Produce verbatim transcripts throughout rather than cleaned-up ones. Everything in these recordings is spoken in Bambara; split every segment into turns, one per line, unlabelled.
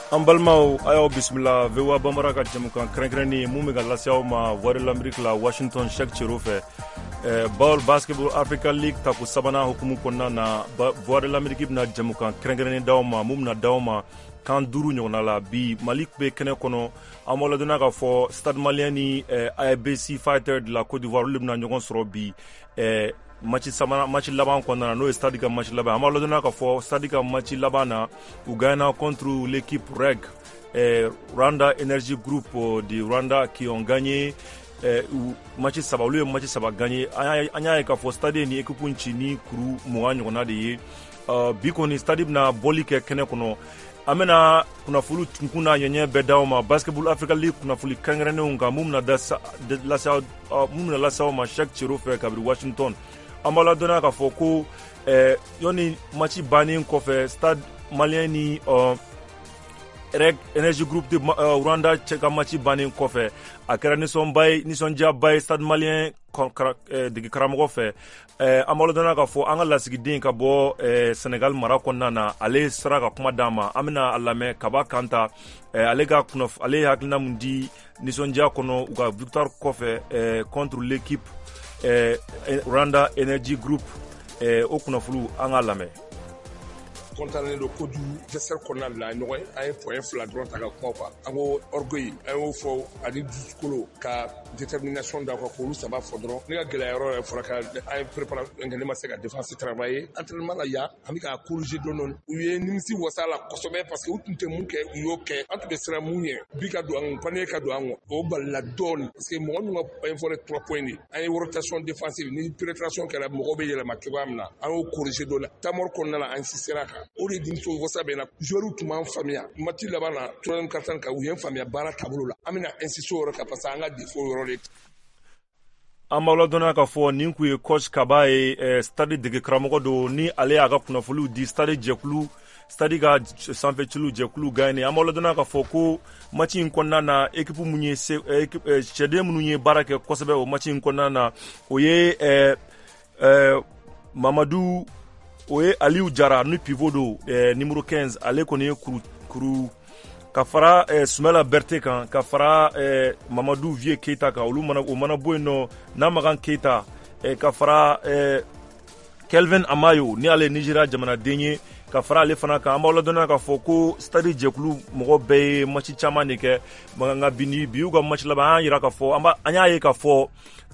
An balimaw, a y'aw bisimila V O A Bambara ka jɛmukan kɛrɛnkɛrɛnnen mun bɛ ka lase aw ma Voix de l'Amérique la Washington, Cheikh Cero fɛ. BAL, Basketball Africa League tako sabanan hukumu kɔnɔna na, Voix de l'Amérique bɛna jɛmukan kɛrɛnkɛrɛnnen d'aw ma mun bɛna d'aw ma kan duuru ɲɔgɔnna la. Bi, Mali bɛ kɛnɛ kɔnɔ. An b'aw ladɔnniya k'a fɔ Stade Malien ni A B C Fighter de la Côte d'Ivoire, olu de bɛna ɲɔgɔn sɔrɔ bi match sabanan, match laban kɔnɔna na, n'o ye Stade ka match laban. An b'aw ladɔnniya k'a fɔ Stade ka match laban na, u gagnera contre l'équipe R E G, eh, Rwanda Energy Group de Rwanda, qui ont gagné eh, match saba. Olu ye match saba gagné. An y'a ye k'a fɔ Stade ni équipe ci ni kuru mugan ɲɔgɔnna de ye. uh, bi kɔni, Stade bɛna bɔli kɛ kɛnɛ kɔnɔ. An bɛna kunnafoni tunkun n'a ɲɛɲɛ bɛɛ d'aw ma Basketball Africa League kunnafoni kɛrɛnkɛrɛnnenw kan mun bɛna lase mun bɛna lase aw ma Cheikh Cero fɛ kabini Washington. An b'a ladɔnniya k'a fɔ ko eh, yɔni match bannen kɔfɛ, Stade Malien ni uh, R E G Energy Group de uh, Rwanda cɛ ka match bannen kɔfɛ, a kɛra nisɔnba ye, nisɔndiyaba ye Stade Malien dege karamɔgɔ fɛ. An b'a ladɔnniya k'a fɔ an ka lasigiden ka bɔ Senegal mara kɔnɔna na, ale sera ka kuma d'an ma. An bɛna a lamɛn, Kaba Kanta. Ale ka kunnaf ale ye hakilina mun di nisɔndiya kɔnɔ u ka victoire kɔfɛ contre l'équipe Rwanda Energy Group, o kunnafoniw, an k'a lamɛn.
Kɔntannen don kojugu. Vestiaire kɔnɔna de la ɲɔgɔn ye, an ye point fila dɔrɔn ta ka kuma kan. An ko orgueil, an y'o fɔ, ani dusukolo ka détermination da kan, k'olu saba fɔ dɔrɔn. Ne ka gɛlɛya yɔrɔ yɛrɛ fɔra ka an ye préparation kɛ, ne ma se ka défense travailler entraînement la yan. An bɛ k'a corriger dɔɔni dɔɔni. U ye nimisi wasa la kosɛbɛ, parce que u tun tɛ mun kɛ, u y'o kɛ. An tun bɛ siran mun ɲɛ, bi ka don an kun, panier ka don an kun, o balila dɔɔni, parce que mɔgɔ min ka point fort ye trois points de. An ye rotation défensive ni pénétration kɛra, mɔgɔw bɛ yɛlɛma cogoya min na, an y'o corriger dɔɔni. Temps mort kɔnɔna la, an insistera kan. O de nimisi wasa bɛ na. Joueurs tun b'an faamuya match laban na, troisième quart kan, u ye n faamuya baara taabolo la. An bɛna insister o yɔrɔ kan, parce que an ka défaut yɔrɔ de.
An b'aw ladɔnniya k'a fɔ nin kun ye coach Kaba ye, eh, Stade dege karamɔgɔ don, ni ale y'a ka kunnafoniw di Stade jɛkulu, Stade ka sanfɛciliw jɛkulu gagné. An b'aw ladɔnniya k'a fɔ ko match in kɔnɔna na, équipe mun ye se, cɛden minnu ye baara kɛ kosɛbɛ o match in kɔnɔna na, o ye eh, eh, Mamadu, o ye Aliyu Jara ni pivot don, eh, numéro quinze. Ale kɔni ye kuru kuru ka fara eh, Sumala Berete kan, ka fara eh, Mamadu Vie Keita kan. Olu mana, o mana bɔ yen nɔ, Namagan Keita, eh, ka fara eh, Kelvin Amayo, ni ale ye Nigeria jamanaden ye, ka fara ale fana kan. An b'aw ladɔnniya k'a fɔ ko Stade jɛkulu mɔgɔ bɛɛ ye match caman de kɛ, nka bi ni bi y'u ka match laban. An y'a yira k'a fɔ, an y'a ye k'a fɔ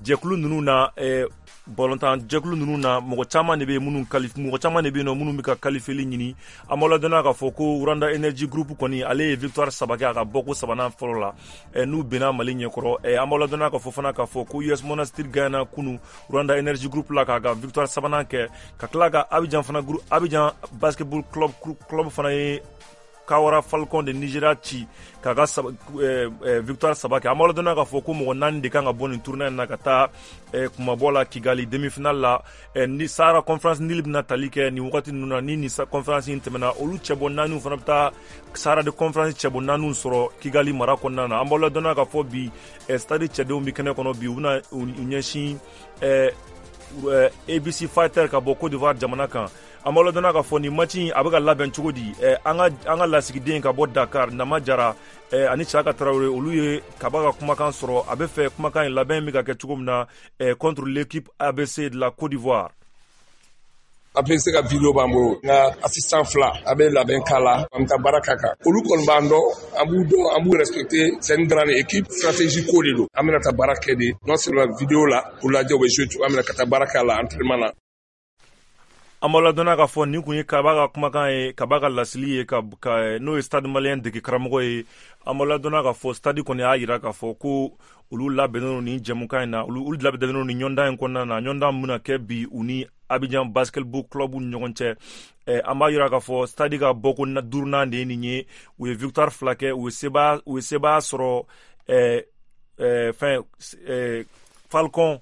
jɛkulu ninnu na, eh, bɔlɔntan jɛkulu ninnu na, mɔgɔ caman de bɛ minnu mɔgɔ caman de bɛ yen nɔ minnu bɛ ka qualifieli ɲini. An b'aw ladɔnniya k'a fɔ ko Rwanda Energy Group kɔni, ale ye victoire saba kɛ a ka bɔko sabanan fɔlɔ la n'u benna Mali ɲɛkɔrɔ. An b'aw ladɔnniya k'a fɔ fana k'a fɔ ko U S Monastir gagnera kunu Rwanda Energy Group la k'a ka victoire sabanan kɛ, ka tila ka Abidjan fana, Abidjan Basketball Club club fana ye Kwara Falcon de Nigeria ci k'a ka eh, eh, victoire saba kɛ. An b'aw ladɔnniya k'a fɔ ko mɔgɔ naani de kan ka bɔ nin tournoi in na ka taa eh, kumabɔ la Kigali demi-finale la. eh, ni Sahara Conférence Nil bɛna tali kɛ nin wagati ninnu na, ni nin conférence in tɛmɛna, olu cɛbɔ naaniw fana bɛ taa Sahara de Conférence cɛbɔ naaniw sɔrɔ Kigali mara kɔnɔna na. An b'aw ladɔnniya k'a fɔ bi, eh, Stade cɛdenw bɛ kɛnɛ kɔnɔ bi. U bɛna u ɲɛsin eh, A B C Fighter ka bɔ Côte d'Ivoire jamana kan. An b'aw ladɔnniya k'a fɔ nin match in a bɛ ka labɛn cogo di. An ka an ka lasigiden ka bɔ Dakar, Nama Jara ani Siaka Tarawele, olu ye Kaba ka kumakan sɔrɔ. A bɛ fɛ kumakan in labɛn bɛ ka kɛ cogo min na contre l'équipe A B C de la Côte d'Ivoire.
A B C ka vidéo b'an bolo, nka assistant fila a bɛ labɛn k'a la, an bɛ taa baara k'a kan. Olu kɔni b'an dɔn, an b'u dɔn, an b'u respecter. C'est une grande équipe, stratégie ko de don. An bɛna taa baara kɛ de, non seulement vidéo la k'u lajɛ u bɛ jouer cogoya min na, ka taa baara k'a la entraînement na.
An b'aw ladɔnniya k'a fɔ nin kun ye Kaba ka kumakan ye, Kaba ka lasili ye, ka, ka n'o ye Stade Malien dege karamɔgɔ ye. An b'aw ladɔnniya k'a fɔ Stade kɔni y'a yira k'a fɔ ko olu labɛnnen don nin jɛmukan in na, olu olu labɛnnen don nin ɲɔndan in kɔnɔna na, ɲɔndan min bɛna kɛ bi u ni Abidjan Basketball Club ni ɲɔgɔn cɛ. An b'a yira k'a fɔ Stade ka bɔko duurunan de ye nin ye. U ye victoire fila kɛ, u ye sebaya u ye sebaya sɔrɔ eh, eh, fɛn eh, Falcon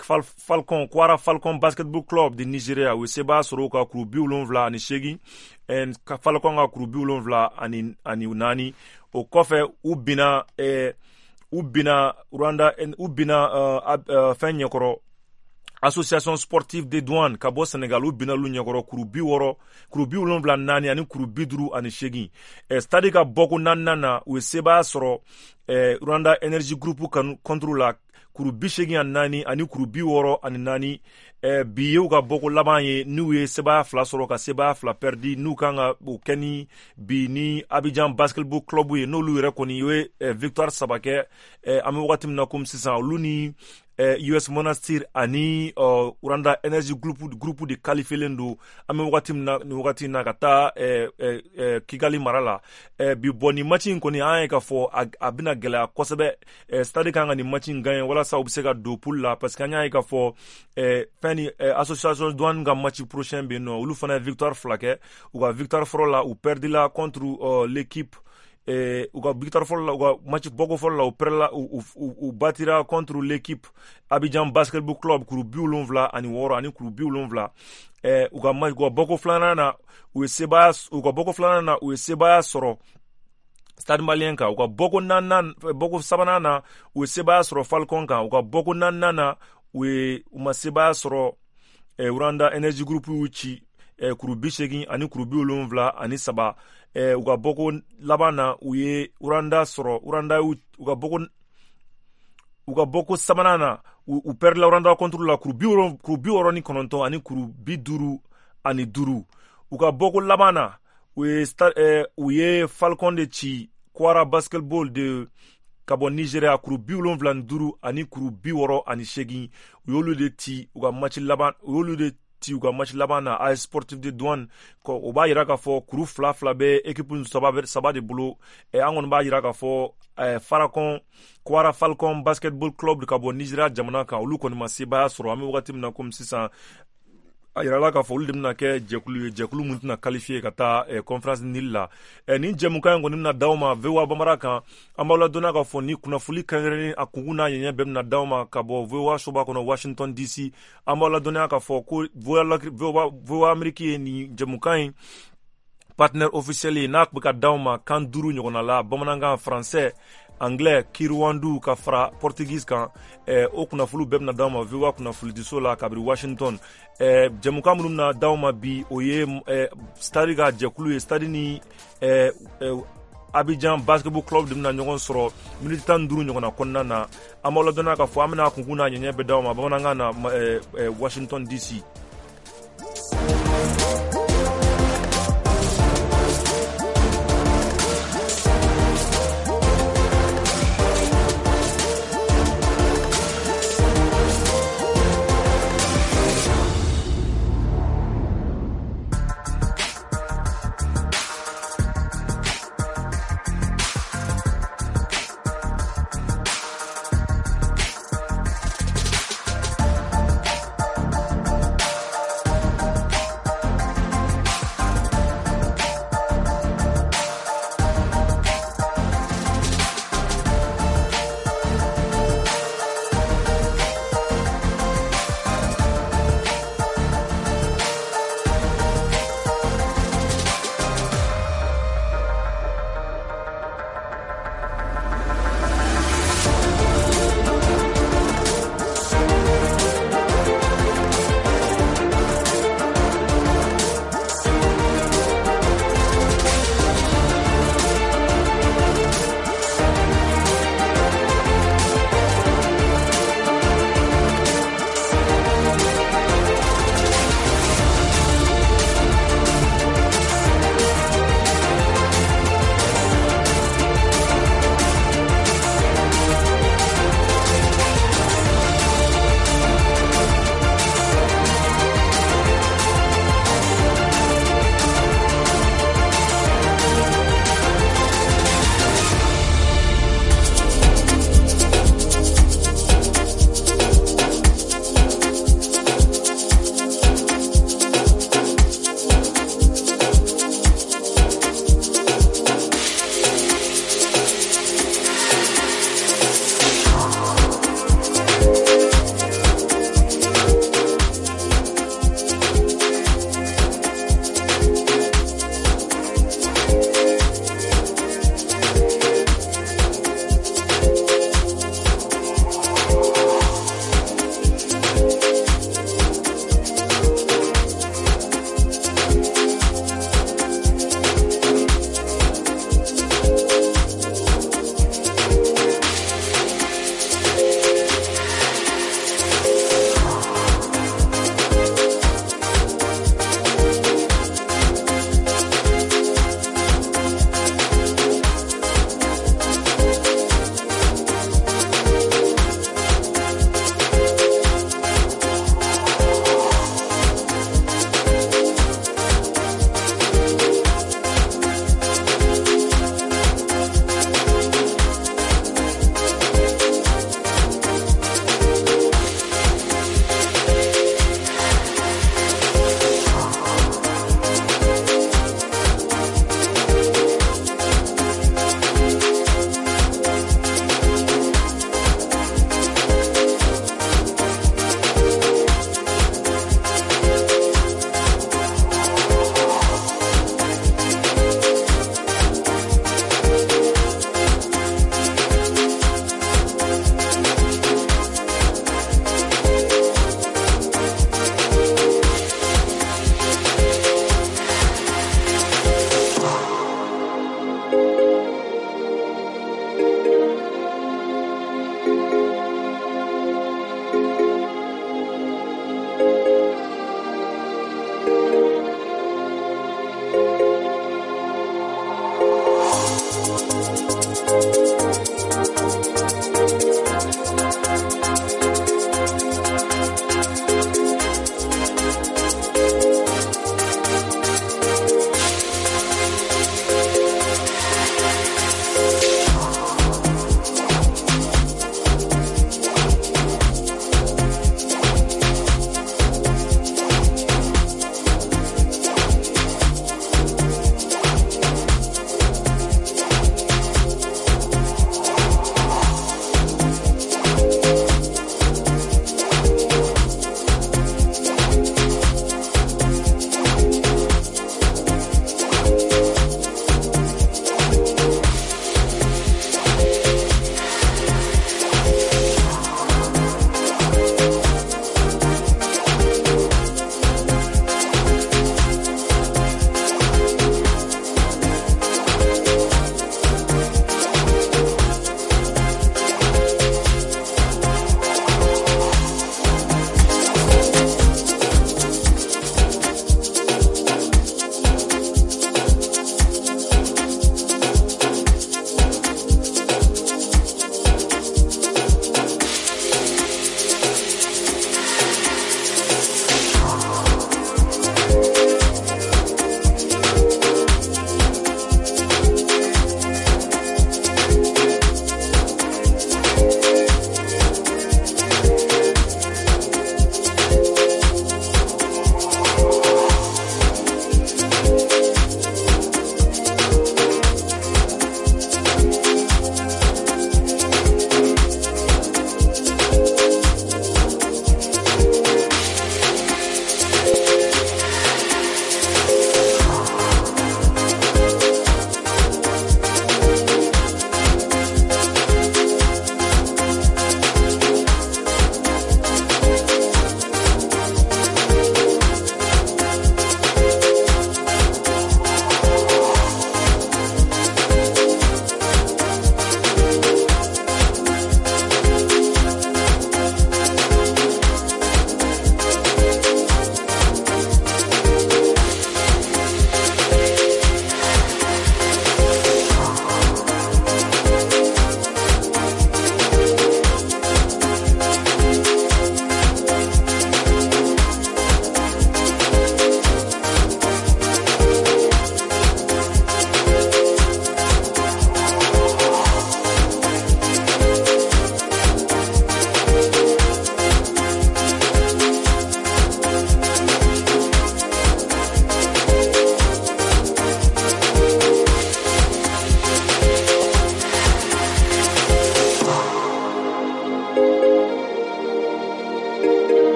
Fal, Falcon Kwara Falcon Basketball Club de Nigeria. U ye sebaya sɔrɔ u ka kuru bi wolonwula ani seegin, Falcon ka kuru bi wolonwula ani ani naani. O kɔfɛ, u binna eh, u binna Rwanda, u binna uh, uh, fɛn ɲɛkɔrɔ, Association sportive des douanes ka bɔ Senegal, u binna olu ɲɛkɔrɔ kuru bi wɔɔrɔ, kuru bi wolonwula naani ani kuru bi duuru ani seegin. eh, Stade ka bɔko naaninan na, u ye sebaaya sɔrɔ eh, Rwanda Energy Group contre la, kuru bi seegin ani naani ani kuru bi wɔɔrɔ ani naani. eh, bi ye u ka bɔko laban ye, n'u ye sebaaya fila sɔrɔ ka sebaaya fila perdi, n'u kan ka o kɛ ni bi ni Abidjan Basketball Club ye, n'olu yɛrɛ kɔni ye eh, victoire saba kɛ. eh, an bɛ wagati min na komi sisan, olu ni eh, U S Monastir ani uh, Rwanda Energy Group, Group de qualifielen don an bɛ wagati min na nin wagati in na ka taa eh, eh, eh, Kigali mara la. eh, bi bɔn nin match in kɔni, an ye k'a fɔ a, a bɛna gɛlɛya kosɛbɛ. eh, Stade kan ka nin match in gagner walasa u bɛ se ka don poule la, parce que an y'a ye k'a fɔ eh, fɛn ni eh, association douane ka match prochain bɛ yen nɔ, olu fana ye victoire fila kɛ. U ka victoire fɔlɔ la, u perdila contre uh, l'équipe eh, u ka victoire fɔlɔ la, u ka match bɔko fɔlɔ la, u perdila, u, u, u batira contre l'équipe Abidjan Basketball Club kuru bi wolonwula ani wɔɔrɔ ani kuru bi wolonwula. eh, u ka match, u ka bɔko filanan na, u ye sebaaya, u ka bɔko filanan na, u ye sebaaya sɔrɔ Stade Malien kan. U ka bɔko naaninan, bɔko sabanan na, u ye sebaaya sɔrɔ Falcon kan. U ka bɔko naaninan na, u ye u ma sebaaya sɔrɔ. eh, Rwanda Energy Group y'u ci eh, kuru bi seegin ani kuru bi wolonwula ani saba. eh, u ka bɔko laban na, u ye Rwanda sɔrɔ, Rwanda y'u, u ka bɔko, u ka bɔko sabanan na, u, u perdila Rwanda contre la kuru bi kuru bi wɔɔrɔ ni kɔnɔntɔn ani kuru bi duuru ani duuru. U ka bɔko laban na, u ye eh, u ye Falcon de ci, Kwara Basketball de ka bɔ Nigeria, kuru bi wolonwula ni duuru ani kuru bi wɔɔrɔ ani seegin. U y'olu de ci u ka match laban, u y'olu de ci u ka match laban na, A S Sportif de Douane. O b'a yira k'a fɔ kuru fila fila bɛ équipe saba saba de bolo. eh, an kɔni b'a yira k'a fɔ eh, Farakon Kwara Falcon Basketball Club ka bɔ Nigeria jamana kan, olu kɔni ma sebaaya sɔrɔ. An bɛ wagati min na komi sisan, a yirala k'a fɔ olu de bɛna kɛ jɛkulu ye, jɛkulu mun tɛna qualifier ka taa eh, conférence Nil la. eh, nin jɛmukan in kɔni bɛna d'aw ma V O A Bambara kan. An b'aw ladɔnniya k'a fɔ ni kunnafoli kɛrɛnkɛrɛnnen a kunkun n'a ɲɛɲɛ bɛɛ bɛna d'aw ma ka bɔ V O A soba kɔnɔ Washington D C. An b'aw ladɔnniya k'a fɔ ko V O A Amérique ye nin jɛmukan in partenaire officiel ye, n'a bɛ ka d'aw ma kan duuru ɲɔgɔnna la: bamanankan, français, anglais, kiruwandu ka fara portugais kan. eh, o kunnafoniw bɛɛ bɛna d'aw ma V O A kunnafonidiso la kabiri Washington. eh, jɛmukan minnu bɛna d'aw ma bi, o ye eh, Stade ka jɛkulu ye. Stade ni eh, eh, Abidjan Basketball Club de bɛna ɲɔgɔn sɔrɔ miniti tan ni duuru ɲɔgɔnna kɔnɔna na. An b'aw ladɔnniya k'a fɔ an bɛna kunkun n'a ɲɛɲɛ bɛɛ d'aw ma bamanankan na eh, eh, Washington D C.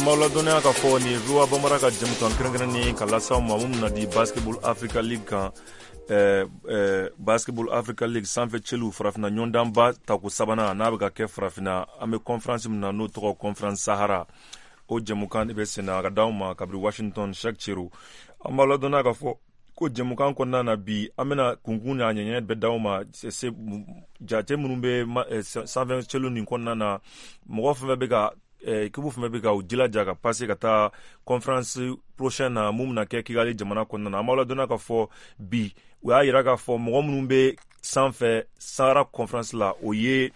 An b'aw ladɔnniya k'a fɔ nin ye V O A Bambara ka jɛmukan kɛrɛnkɛrɛnnen ka lase aw ma mun bɛna di Basketball Africa League kan. Eh, eh, Basketball Africa League sanfɛ cɛliw farafinna ɲɔgɔndanba tako sabanan n'a bɛ ka kɛ farafinna, an bɛ conférence min na n'o tɔgɔ Conférence Sahara, o jɛmukan de bɛ senna a ka d'aw ma kabiri Washington. Cheikh Chero, an b'aw ladɔnniya k'a fɔ ko jɛmukan kɔnɔna na bi, an bɛna kunkun n'a ɲɛɲɛ bɛɛ d'aw ma, se jate minnu bɛ sanfɛ cɛliw nin kɔnɔna na, mɔgɔ fɛn fɛn bɛ ka équipe fɛn fɛn bɛ ka u jilaja ka passer ka taa conférence prochaine na mun bɛna kɛ Kigali jamana kɔnɔna na. An b'aw ladɔnniya k'a fɔ bi, u y'a yira k'a fɔ mɔgɔ minnu bɛ sanfɛ Sahara conférence la, o ye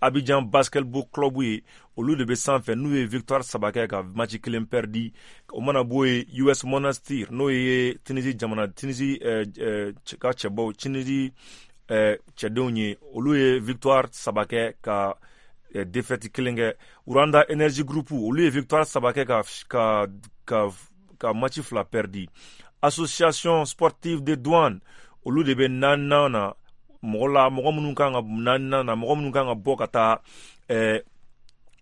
Abidjan Basketball Club ye, olu de bɛ sanfɛ n'u ye victoire saba kɛ ka match kelen perdi. O mana bɔ yen, U S Monastir, n'o ye Tunisie jamana, Tunisie ka cɛbaw, Tunisie cɛdenw ye, olu ye victoire saba kɛ ka défaite kelen kɛ. Rwanda Energy Group, olu ye victoire saba kɛ ka ka ka ka match fila perdi. Association sportive de douane, olu de bɛ naaninan na, mɔgɔ la mɔgɔ minnu kan ka naaninan na, mɔgɔ minnu kan ka bɔ ka taa ɛɛ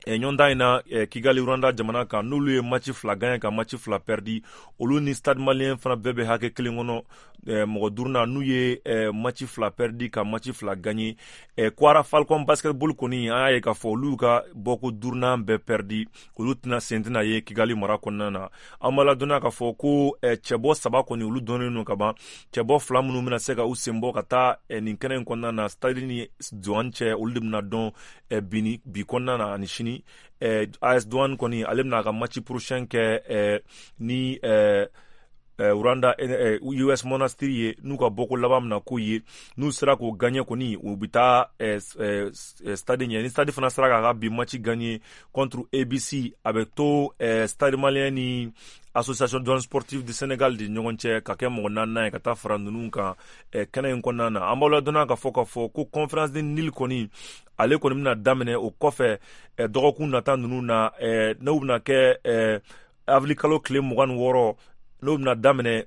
ɲɔgɔndan in na Kigali Rwanda jamana kan, n'olu ye match fila gagné ka match fila perdi. Olu ni Stade Malien fana bɛɛ bɛ hakɛ kelen kɔnɔ, mɔgɔ duurunan, n'u ye match fila perdi ka match fila gagné. Kwara Falcon Basketball kɔni, an y'a ye k'a fɔ olu ka bɔko duurunan bɛɛ perdi, olu tɛna sen tɛna ye Kigali mara kɔnɔna na. An b'a ladɔnniya k'a fɔ ko cɛbɔ saba kɔni, olu dɔnnen don ka ban. Cɛbɔ fila minnu bɛna se ka u sen bɔ ka taa nin kɛnɛ in kɔnɔna na, Stade ni Douane cɛ, olu de bɛna dɔn bi ni bi kɔnɔna na ani sini. Eh, A S Douane kɔni, ale bɛna a ka match prochain kɛ eh, ni eh, eh, Rwanda eh, U S Monastir ye, n'u ka bɔko laban bɛna k'o ye. N'u sera k'o gagner kɔni, u bɛ taa eh, eh, Stade ɲɛ. Ni Stade fana sera k'a ka bi match gagner contre A B C, a bɛ to eh, Stade Malien ni Association douane sportive du Sénégal de ɲɔgɔn cɛ ka kɛ mɔgɔ naaninan ye ka taa fara ninnu kan eh, kɛnɛ in kɔnɔna na. An b'aw ladɔnniya k'a fɔ k'a fɔ ko conférence de Nil kɔni, ale kɔni bɛna daminɛ o kɔfɛ eh, dɔgɔkun nata ninnu na, eh, n'o bɛna kɛ eh, avril kalo tile mugan ni wɔɔrɔ, n'o bɛna daminɛ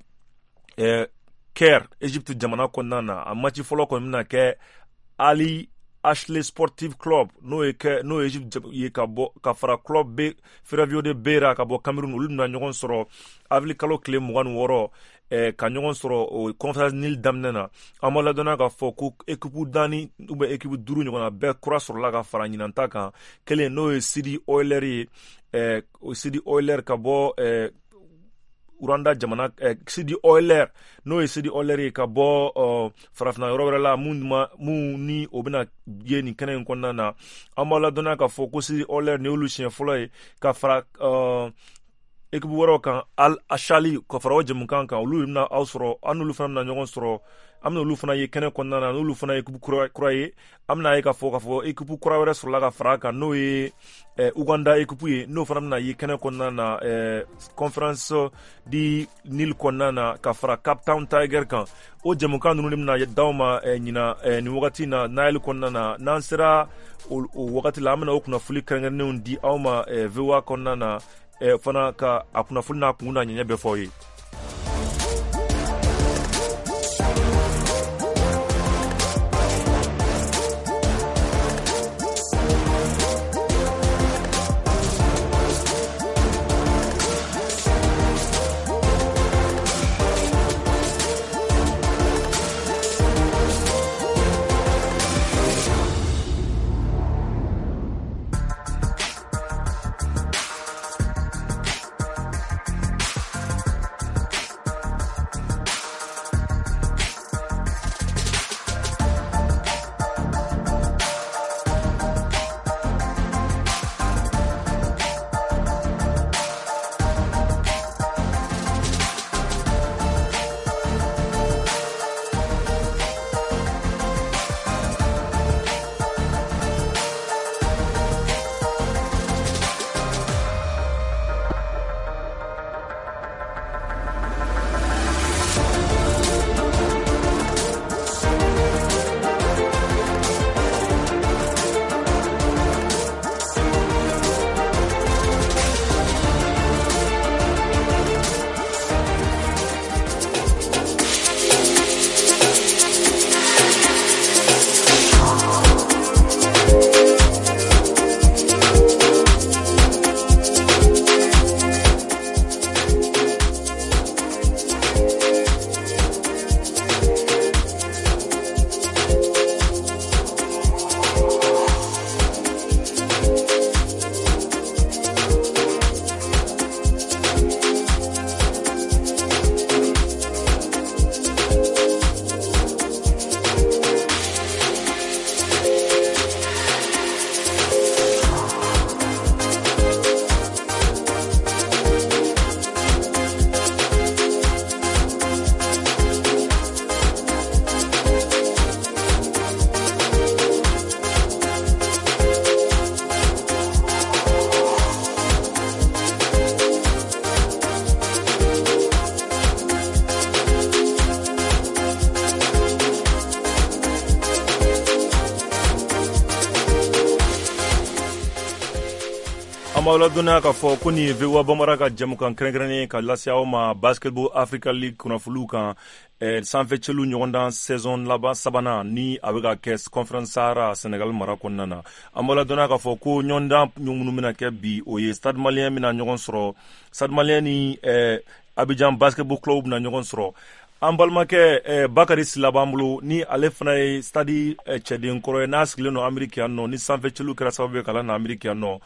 eh, Caire, Egypte jamana kɔnɔna na. A match fɔlɔ kɔni bɛna kɛ Ali Ashley Sportive Club, n'o ye kɛ n'o ye Egypte ye, ka bɔ ka fara Club B Ferroviaire de Beira ka bɔ Cameroun, olu bɛna ɲɔgɔn sɔrɔ avril kalo tile mugan ni wɔɔrɔ, eh, ka ɲɔgɔn sɔrɔ o conférence Nil daminɛ na. An b'a ladɔnniya k'a fɔ ko équipe naani ou bien équipe duuru ɲɔgɔnna bɛɛ kura sɔrɔla ka fara ɲinan ta kan. Kelen, n'o ye Sidi Oiler ye, eh, Sidi Oiler ka bɔ eh, Rwanda jamana, eh, Sidi Oiler, n'o ye Sidi Oiler ye ka bɔ uh, farafinna yɔrɔ wɛrɛ la, mun ma mun ni o bɛna ye nin kɛnɛ in kɔnɔna na. An b'a ladɔnniya k'a fɔ ko Sidi Oiler nin y'olu siɲɛ fɔlɔ ye ka fara uh, équipe wɛrɛw kan, Al Ashali, ka fara o jɛmukan kan. Olu bɛna aw sɔrɔ, an n'olu fana bɛna ɲɔgɔn sɔrɔ, an bɛna olu fana ye kɛnɛ kɔnɔna na, n'olu fana ye équipe kura kura ye. An bɛna ye k'a fɔ k'a fɔ équipe kura wɛrɛ sɔrɔla ka fara a kan, n'o ye eh, Uganda équipe ye, n'o fana bɛna ye kɛnɛ kɔnɔna na, eh, conférence di Nil kɔnɔna na, ka fara Cape Town Tiger kan. O jɛmukan ninnu de bɛna d'aw ma eh, ɲina eh, nin wagati na Nile kɔnɔna na. N'an sera o, o wagati la, an bɛna o kunnafoni kɛrɛnkɛrɛnnenw di aw ma eh, V O A kɔnɔna na, eh, fana ka a kunnafoni n'a kun n'a ɲɛɲɛ bɛɛ fɔ aw ye. An b'aw ladɔnniya k'a fɔ ko nin ye V O A Bambara ka jɛmukan kɛrɛnkɛrɛnnen ka lase aw ma Basketball Africa League kunnafoniw kan, eh, sanfɛ cɛlu ɲɔgɔndan saison laban sabanan ni a bɛ ka kɛ Conférence Sahara, Senegal mara kɔnɔna na. An b'aw ladɔnniya k'a fɔ ko ɲɔgɔndan minnu bɛna kɛ bi, o ye Stade Malien bɛna ɲɔgɔn sɔrɔ, Stade Malien ni eh, Abidjan Basketball Club bɛna ɲɔgɔn sɔrɔ. An balimakɛ eh, Bakari Sila b'an bolo, ni ale fana ye Stade eh, cɛden kɔrɔ ye, n'a sigilen don Ameriki yan nɔ, ni sanfɛ cɛlu kɛra sababu ye k'a na Ameriki yan nɔ.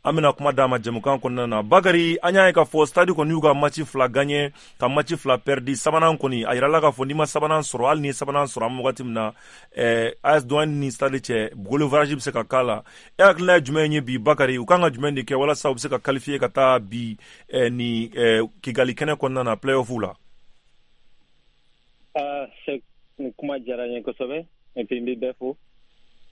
An bɛna kuma d'a ma jɛmukan kɔnɔna na. Bakari, an y'a ye k'a fɔ Stade kɔni y'u ka match fila gagné ka match fila perdi. Sabanan kɔni, a yirala k'a fɔ n'i ma sabanan sɔrɔ, hali ni ye sabanan sɔrɔ, an bɛ wagati min na, eh, A S Douane ni Stade cɛ, goal average bɛ se ka k'a la. E hakilina ye jumɛn ye bi, Bakari? U kan ka jumɛn de kɛ walasa u bɛ se ka qualifier ka taa bi eh, ni eh, Kigali kɛnɛ kɔnɔna na, play-off la?
Nin kuma diyara n ye kosɛbɛ, et puis n bɛ bɛɛ fo.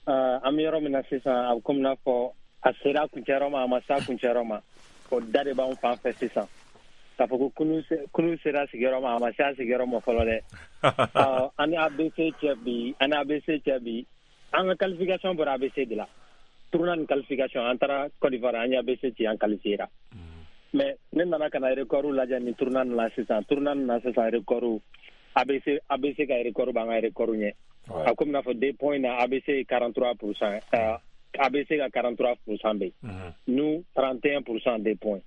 An bɛ yɔrɔ min na sisan, a bɛ komi n'a fɔ a sera a kuncɛyɔrɔ ma, a ma se a kuncɛyɔrɔ ma, o da de b'anw fan fɛ sisan. K'a fɔ ko kunu sera sigiyɔrɔ ma, a ma se a sigiyɔrɔ ma fɔlɔ dɛ. An ni A B C cɛ bi, an ni A B C cɛ bi, an ka qualification bɔra A B C de la. Tournoi ni qualification, an taara Côte d'Ivoire, an ye A B C ci, an qualifiera. Mais ne nana ka na record lajɛ ni tournoi nin la sisan, tournoi nin na sisan, record A B C A B C ka record b'an ka record ɲɛ. A komi n'a fɔ deux points na, A B C ye quarante-trois pour cent, euh, A B C ka quarante-trois pour cent bɛ yen, nous trente et un pour cent des points.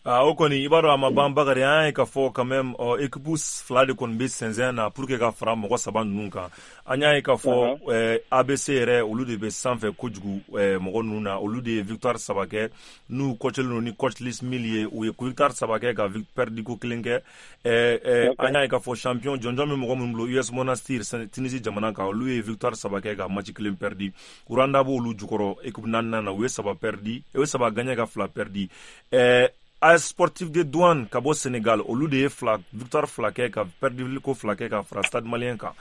Ah, o kɔni, i b'a dɔn a ma ban, Bakari. An y'a ye k'a fɔ quand même, ɔ équipe fila de kɔni bɛ sɛnsɛn na pour que ka fara mɔgɔ saba ninnu kan. An y'a ye k'a fɔ eh, A B C yɛrɛ, olu de bɛ sanfɛ kojugu eh, mɔgɔ ninnu na. Olu de ye victoire saba kɛ, n'u coachelen don ni coach Lis Mil ye. U ye victoire saba kɛ ka perdu ko kelen kɛ. eh, eh, an y'a ye k'a fɔ champion jɔnjɔn bɛ mɔgɔ minnu bolo, U S Monastir, Tunisie jamana kan, olu ye victoire saba kɛ ka match kelen perdu. Rwanda b'olu jukɔrɔ équipe naaninan na, u ye saba perdu, u ye saba gagné ka fila perdu. eh, A S Sportif de Douane ka bɔ Sénégal, olu de ye fila victoire fila kɛ ka perdu ko fila kɛ ka fara Stade Malien kan.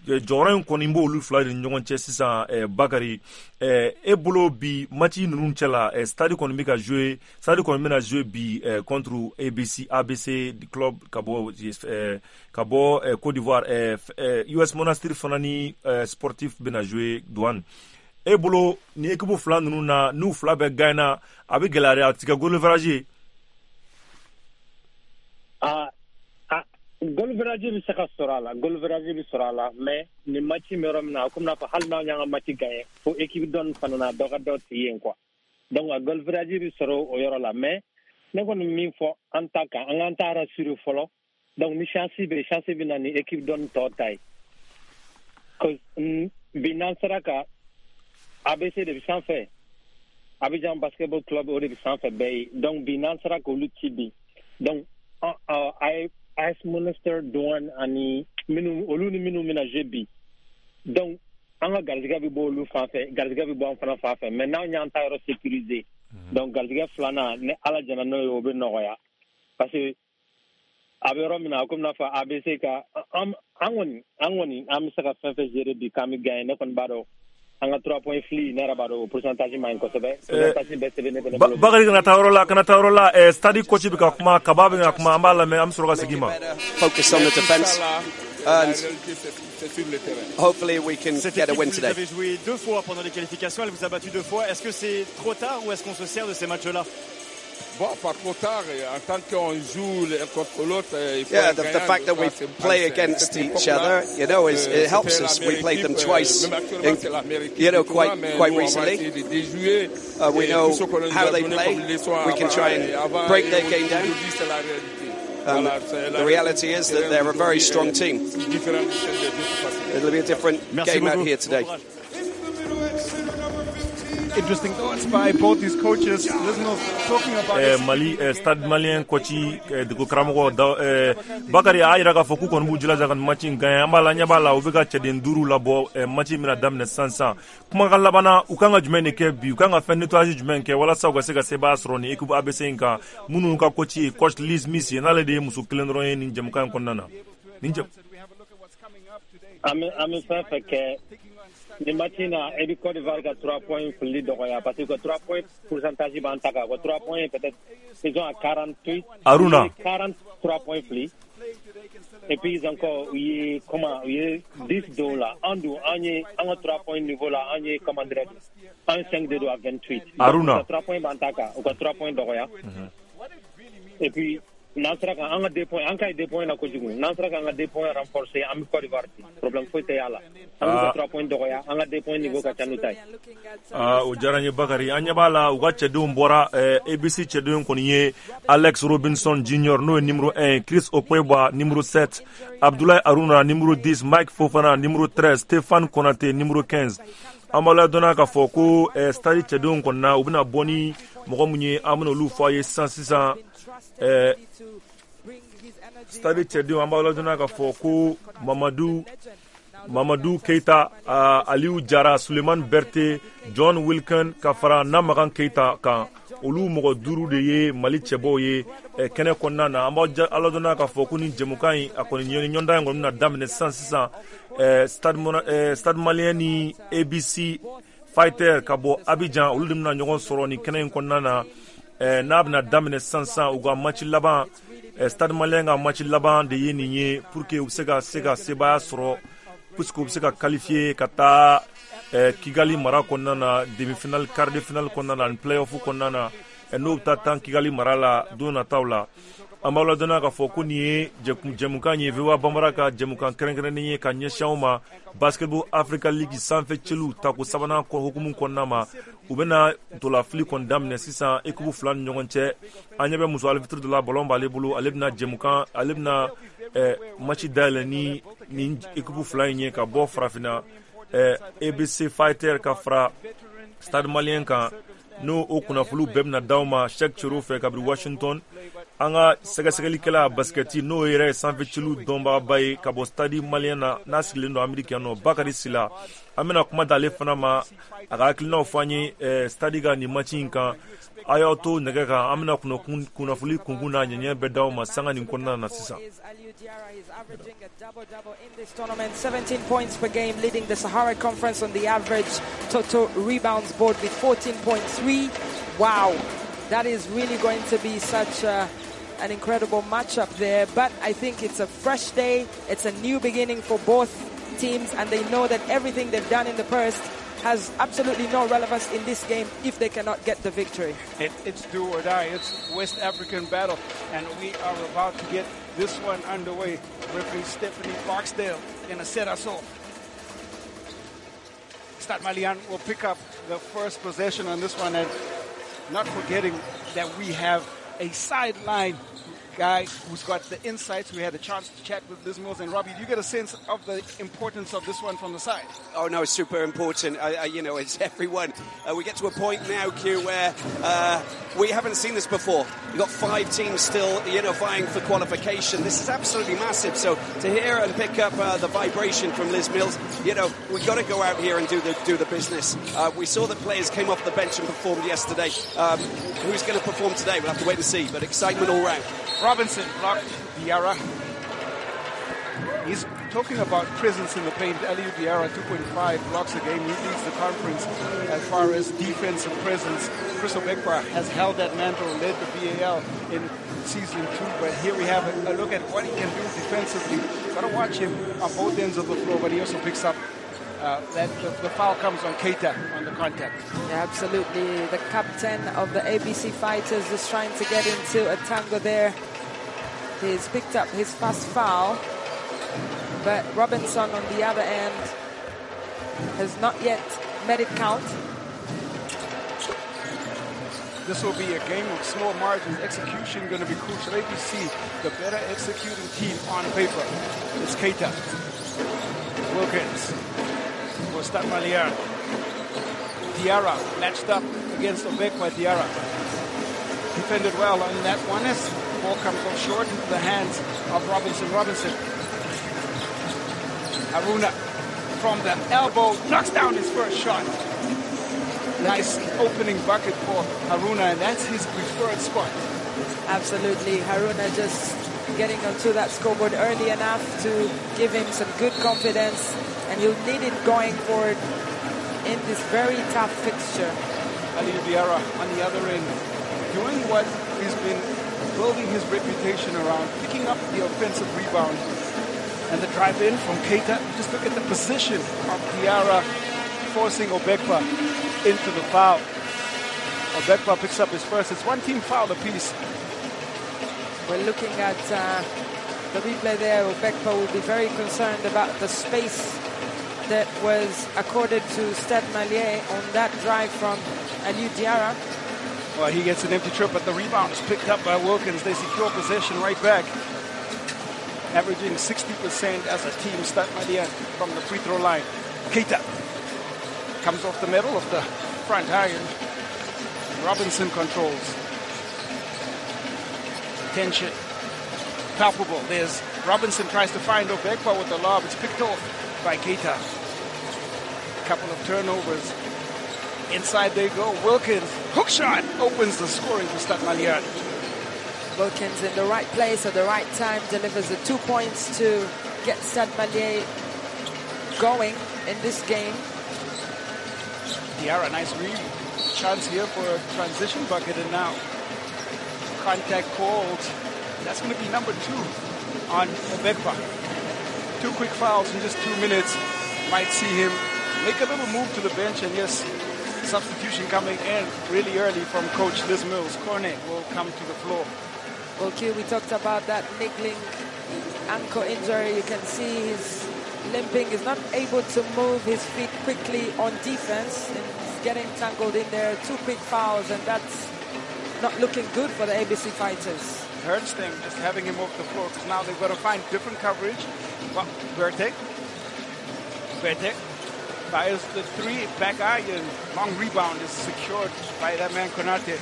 Jɔyɔrɔ in kɔni b'olu fila de ni ɲɔgɔn cɛ sisan. eh, Bakari, eh, e bolo bi match ninnu cɛ la, eh, Stade kɔni bɛ ka jouer, Stade kɔni bɛna jouer bi eh, contre A B C A B C club ka bɔ eh, ka bɔ eh, Côte d'Ivoire. eh, eh, U S Monastir fana ni eh, Sportif bɛna jouer Douane. E bolo, ni équipe fila ninnu na, n'u fila bɛɛ gagné, a bɛ gɛlɛya dɛ, a ti kɛ goal average ye.
Ah, ah, goal average bɛ se ka sɔrɔ a la, goal average bɛ sɔrɔ a la, mais nin match bɛ yɔrɔ min na, a komi n'a fɔ hali n'anw y'an ka match gagné, fo équipe dɔ nin fana na, dɔ ka dɔ ci yen quoi. Donc a goal average bɛ sɔrɔ o yɔrɔ la, mais ne kɔni min fɔ an ta kan, an k'an ta rassurer fɔlɔ. Donc ni chance bɛ, chance bɛ na ni équipe dɔ nin tɔ ta ye, cause bi n'an sera ka A B C de bɛ sanfɛ, Abidjan Basketball Club, o de bɛ sanfɛ bɛɛ ye. Donc bi n'an sera k'olu ci bi, donc A S Monastir Douane ani minnu, olu ni minnu bɛna jouer bi, donc an ka garijɛgɛ bɛ bɔ olu fan fɛ, garijɛgɛ bɛ bɔ an fana fan fɛ. Mais n'anw y'an ta yɔrɔ sécuriser, donc garijɛgɛ filanan, ni Ala jɛna n'o ye, o bɛ nɔgɔya, parce que a bɛ yɔrɔ min na, a komi n'a fɔ A B C ka an an kɔni an kɔni an bɛ se ka fɛn fɛn gérer bi k'an bɛ gagner. Ne kɔni b'a dɔn an ka trois points fili, ne yɛrɛ b'a dɔn o pourcentage man ɲi kosɛbɛ, pourcentage bɛɛ sɛbɛn ne fɛnɛ bolo.
Bakari, kana taa yɔrɔ la, kana taa yɔrɔ la. eh, stade coach bɛ ka kuma, Kaba bɛ ka kuma, an b'a lamɛn, an bɛ sɔrɔ ka segin ma.
Focus on the defense and hopefully we can
Cette
get a
équipe,
win
vous
today.
avez joué deux fois pendant les qualifications, elle vous a battu deux fois. Est-ce que c'est trop tard ou est-ce qu'on se sert de ces matchs-là?
Bon, pas trop tard. En tant qu'on joue l'un contre l'autre, il faut
Yeah, the, the fact that we play against each other, you know, is, it helps us. We played them twice, in, you know, quite quite recently. Uh, we know how they play. We can try and break their game down. Um, the reality is that they're a very strong team. It'll be a different
Merci
game out
beaucoup.
here today.
Bon courage.
Interesting thoughts by both these coaches. Listeners talking about
eh, Mali eh, Stade Malien coach, eh, dego karamɔgɔ da, eh, Bakari a y'a yira k'a fɔ k'u kɔni b'u jilaja ka nin match in gagner. An b'a la, ɲɛ b'a la, u bɛ ka cɛden duuru labɔ. eh, match in bɛna daminɛ sisan sisan. Kumakan labanna, u kan ka jumɛn de kɛ bi? U kan ka fɛn nettoyage jumɛn kɛ walasa u ka se ka sebaaya sɔrɔ nin équipe A B C in kan, minnu ka coach ye coach Liz Mills ye, n'ale de ye muso kelen dɔrɔn ye nin jɛmukan in kɔnɔna na, nin jɛ
An bɛ an bɛ fɛn fɛn kɛ. Nin match in na, e bɛ Côte d'Ivoire ka trois points fili dɔgɔya parce que trois points pourcentage b'an ta kan. trois points peut-être ils ont à quarante-huit.
Aruna.
quarante-trois points fili. Et puis ils encore u ye comment u ye dix dɔw la. An dun an ye an ka trois points niveau la, an ye comment dirais-je, an cinq de don à vingt-huit.
Aruna.
trois points b'an ta kan, u ka trois points dɔgɔya. Et puis n'an sera ka an ka deux points, an ka ye deux points na kojugu, n'an sera ka an ka deux points renforcer, an bɛ Côte d'Ivoire ci, problème foyi tɛ y'a la. An b'u ka trois points dɔgɔya, an ka deux points niveau ka ca n'u ta ye.
Aa, o diyara n ye Bakari. An ɲɛ b'a la, u ka cɛdenw bɔra. A B C cɛdenw kɔni ye Alex Robinson Junior, n'o ye numéro un, Chris Okweba numéro sept, Abdoulaye Aruna numéro dix, Mike Fofana numéro treize, Stéphane Konate numéro quinze. An b'a ladɔnna k'a fɔ ko Stade cɛdenw kɔni na, u bɛna bɔ ni mɔgɔ mun ye, an bɛna olu fɔ a ye sisan sisan. Stade cɛdenw, an b'a ladɔnna k'a fɔ ko Mamadu Mamadu Keita, uh, Aliou Jara, Suleiman Berte, John Wilkin ka fara Namagan Keita kan, olu mɔgɔ duuru de ye Mali cɛbɔw ye eh, kɛnɛ kɔnɔna na. An b'a aladɔnna k'a fɔ ko ni jɛmukan in a kɔni ɲɔgɔndan in kɔni bɛna daminɛ sisan sisan. eh, Stade, eh, Stade Malien ni A B C Fighter ka bɔ Abidjan, olu de bɛna ɲɔgɔn sɔrɔ nin kɛnɛ in kɔnɔna na. eh, n'a bɛna daminɛ sisan sisan, u ka match laban, eh, Stade Malien ka match laban de ye nin ye pour que u bɛ se ka se ka sebaaya sɔrɔ, puisque u bɛ se ka qualifier ka taa eh, Kigali mara kɔnɔna na, demi-finale, quart de finale kɔnɔna na ani play-off kɔnɔna na, eh, n'o bɛ taa tan Kigali mara la don nataw la. An b'aw ladɔnniya k'a fɔ ko nin ye jɛmukan ye, V O A Banbara ka jɛmukan kɛrɛnkɛrɛnnen ye ka ɲɛsin aw ma, Basketball Africa League sanfɛ cɛliw tako sabanan hukumu kɔnɔna ma. U bɛna ntolafili kɔni daminɛ sisan équipe fila ni ɲɔgɔn cɛ. An ɲɛ bɛ muso arbitre dɔ la, ballon b'ale bolo, ale bɛna jɛmukan, ale bɛna eh, match dayɛlɛ ni nin équipe fila in ye ka bɔ Farafinna, eh, A B C Fighter ka fara Stade Malien kan. N'o o kunnafoniw bɛɛ bɛna d'aw ma Cheikh Cero fɛ kabini Washington. An ka sɛgɛsɛgɛlikɛla basketi, n'o yɛrɛ ye sanfɛciliw dɔnbagaba ye ka bɔ Stade Malien na, n'a sigilen don Ameriki yan nɔ, Bakari Sila, an bɛna kuma d'ale fana ma, a ka hakilinaw fɔ an ye eh, Stade ka nin match in kan. A y'aw to nɛgɛ kan, an bɛna kunnafoni kunkun n'a ɲɛɲɛ bɛɛ d'aw ma sanga nin kɔnɔna na sisan.
seventeen points per game, leading the Sahara Conference on the average total rebounds board with fourteen point three. Wow, that is really going to be such a, an incredible matchup there. But I think it's a fresh day. It's a new beginning for both teams, and they know that everything they've done in the past has absolutely no relevance in this game if they cannot get the victory.
It, it's do or die. It's West African battle, and we are about to get this one underway. Referee Stephanie Barksdale gonna set us off. Stade Malien will pick up the first possession on this one, and not forgetting that we have a sideline guy who's got the insights. We had a chance to chat with Liz Mills. And Robbie, do you get a sense of the importance of this one from the side?
Oh, no, it's super important. I, I, you know, it's everyone. Uh, we get to a point now, Q, where uh, we haven't seen this before. We've got five teams still, you know, vying for qualification. This is absolutely massive. So to hear and pick up uh, the vibration from Liz Mills, you know, we've got to go out here and do the do the business. Uh, we saw that players came off the bench and performed yesterday. Um, who's going to perform today? We'll have to wait and see. But excitement all round.
Robinson blocked Diarra. He's talking about presence in the paint. Aliou Diarra, two point five blocks a game. He leads the conference as far as defensive presence. Chris Obekpa has held that mantle, led the B A L in season two. But here we have a, a look at what he can do defensively. Got to watch him on both ends of the floor, but he also picks up uh, that the, the foul comes on Keita on the contact.
Yeah, absolutely. The captain of the A B C Fighters is trying to get into a tango there. He's picked up his first foul, but Robinson on the other end has not yet made it count.
This will be a game of small margins. Execution going to be crucial. A B C, the better executing team on paper. It's Keita. Wilkins for Stade Malien. Diarra matched up against Obekpa. Diarra defended well on that one. As ball comes off short into the hands of Robinson. Robinson. Haruna from the elbow knocks down his first shot. Nice opening bucket for Haruna, and that's his preferred spot.
Absolutely. Haruna just getting onto that scoreboard early enough to give him some good confidence, and he'll need it going forward. in this very tough fixture.
Aliou Diarra on the other end, doing what he's been building his reputation around, picking up the offensive rebound. And the drive in from Keita. Just look at the position of Diarra, forcing Obekpa into the foul. Obekpa picks up his first. It's one team foul apiece.
We're looking at uh, the replay there. Obekpa will be very concerned about the space that was accorded to Stade Malien on that drive from Aliou Diarra.
Well, he gets an empty trip, but the rebound is picked up by Wilkins. They secure possession right back. Averaging sixty percent as a team, Stade Malien from the free throw line. Keita comes off the middle of the front iron. Robinson controls. Tension palpable. There's Robinson tries to find Obekpa with the lob. It's picked off by Keita. A couple of turnovers. Inside they go. Wilkins, hook shot, opens the scoring for Stade Malien.
Wilkins in the right place at the right time, delivers the two points to get Stade Malien going in this game.
Diarra, nice read. Chance here for a transition bucket, and now contact called. That's going to be number two on Obekpa. Two quick fouls in just two minutes. Might see him make a little move to the bench, and yes, substitution coming in really early from Coach Liz Mills. Cornet will come to the floor.
Well, Q, we talked about that niggling ankle injury. You can see he's limping. He's not able to move his feet quickly on defense, and he's getting tangled in there. Two quick fouls, and that's not looking good for the A B C Fighters.
It hurts them just having him off the floor, because now they've got to find different coverage. Well, Berthe. Berthe fires the three, back iron. Long rebound is secured by that man Konate.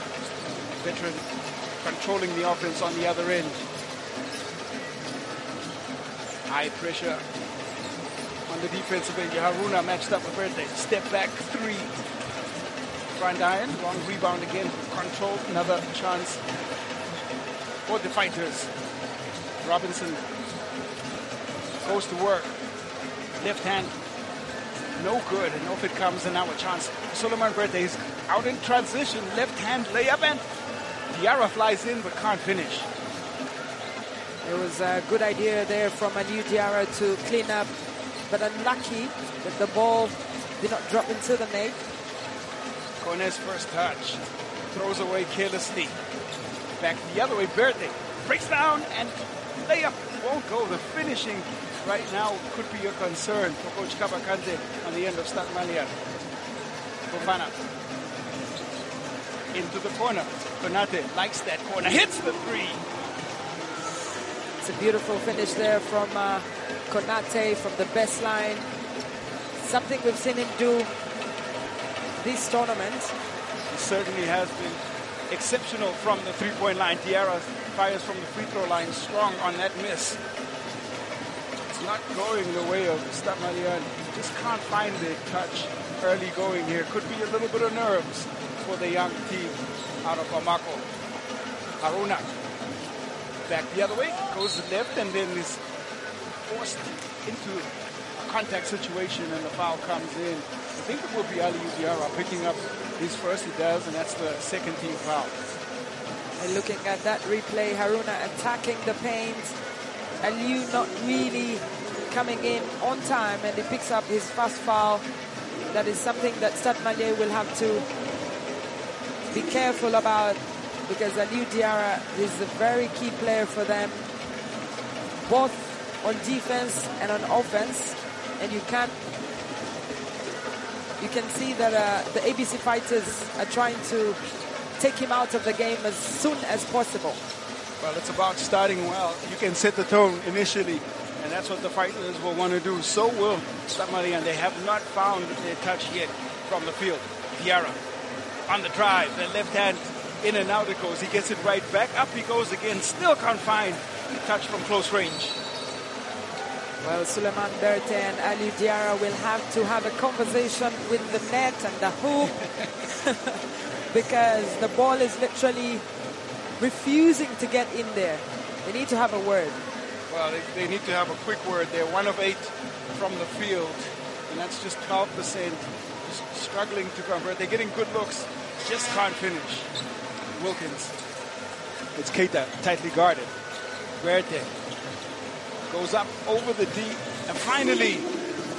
Veteran controlling the offense on the other end. High pressure on the defensive end. Haruna matched up with Berthe. Step back three. Front iron, long rebound again. Controlled, another chance for the Fighters. Robinson goes to work. Left hand, no good, and off it comes, and now a chance. Suleiman Berthe is out in transition, left hand layup, and Diarra flies in but can't finish.
It was a good idea there from Aliou Diarra to clean up, but unlucky that the ball did not drop into the net.
Kone's first touch, throws away carelessly. Back the other way, Berthe breaks down and layup won't go. The finishing right now could be a concern for Coach Kabakante on the end of Stade Malien. Fofana into the corner. Konate likes that corner, hits the three.
It's a beautiful finish there from uh, Konate from the baseline. Something we've seen him do this tournament.
He certainly has been exceptional from the three-point line. Diarra fires from the free throw line, strong on that miss. It's not going the way of Stade Malien. Just can't find the touch early going here. Could be a little bit of nerves for the young team out of Bamako. Haruna back the other way, goes left, and then is forced into a contact situation, and the foul comes in. I think it will be Aliou Diarra picking up his first. He does, and that's the second team foul.
And looking at that replay, Haruna attacking the paint. Aliou not really coming in on time, and he picks up his first foul. That is something that Stade Malien will have to be careful about, because Aliou Diarra is a very key player for them, both on defense and on offense. And you can't, you can see that uh, the A B C Fighters are trying to take him out of the game as soon as possible.
Well, it's about starting well. You can set the tone initially, and that's what the Fighters will want to do. So will Stade Malien. They have not found their touch yet from the field. Diarra on the drive, the left hand in and out it goes. He gets it right back. Up he goes again. Still can't find the touch from close range.
Well, Suleiman Berthe and Aliou Diarra will have to have a conversation with the net and the hoop because the ball is literally refusing to get in there. They need to have a word.
Well, they, they need to have a quick word. They're one of eight from the field, and that's just twelve percent. Struggling to convert. They're getting good looks, just can't finish. Wilkins. It's Keita, tightly guarded. Verte goes up over the D and finally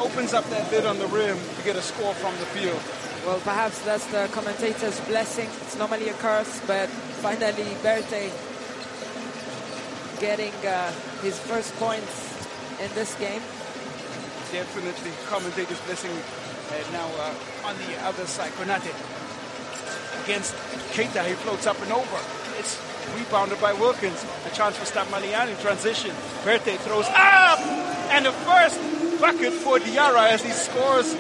opens up that lid on the rim to get a score from the field.
Well, perhaps that's the commentator's blessing. It's normally a curse, but finally Verte getting uh, his first points in this game.
Definitely commentator's blessing. And now uh, on the other side, Konate against Keita. He floats up and over. It's rebounded by Wilkins. A chance for Stade Malien in transition. Verte throws up! And the first bucket for Diarra as he scores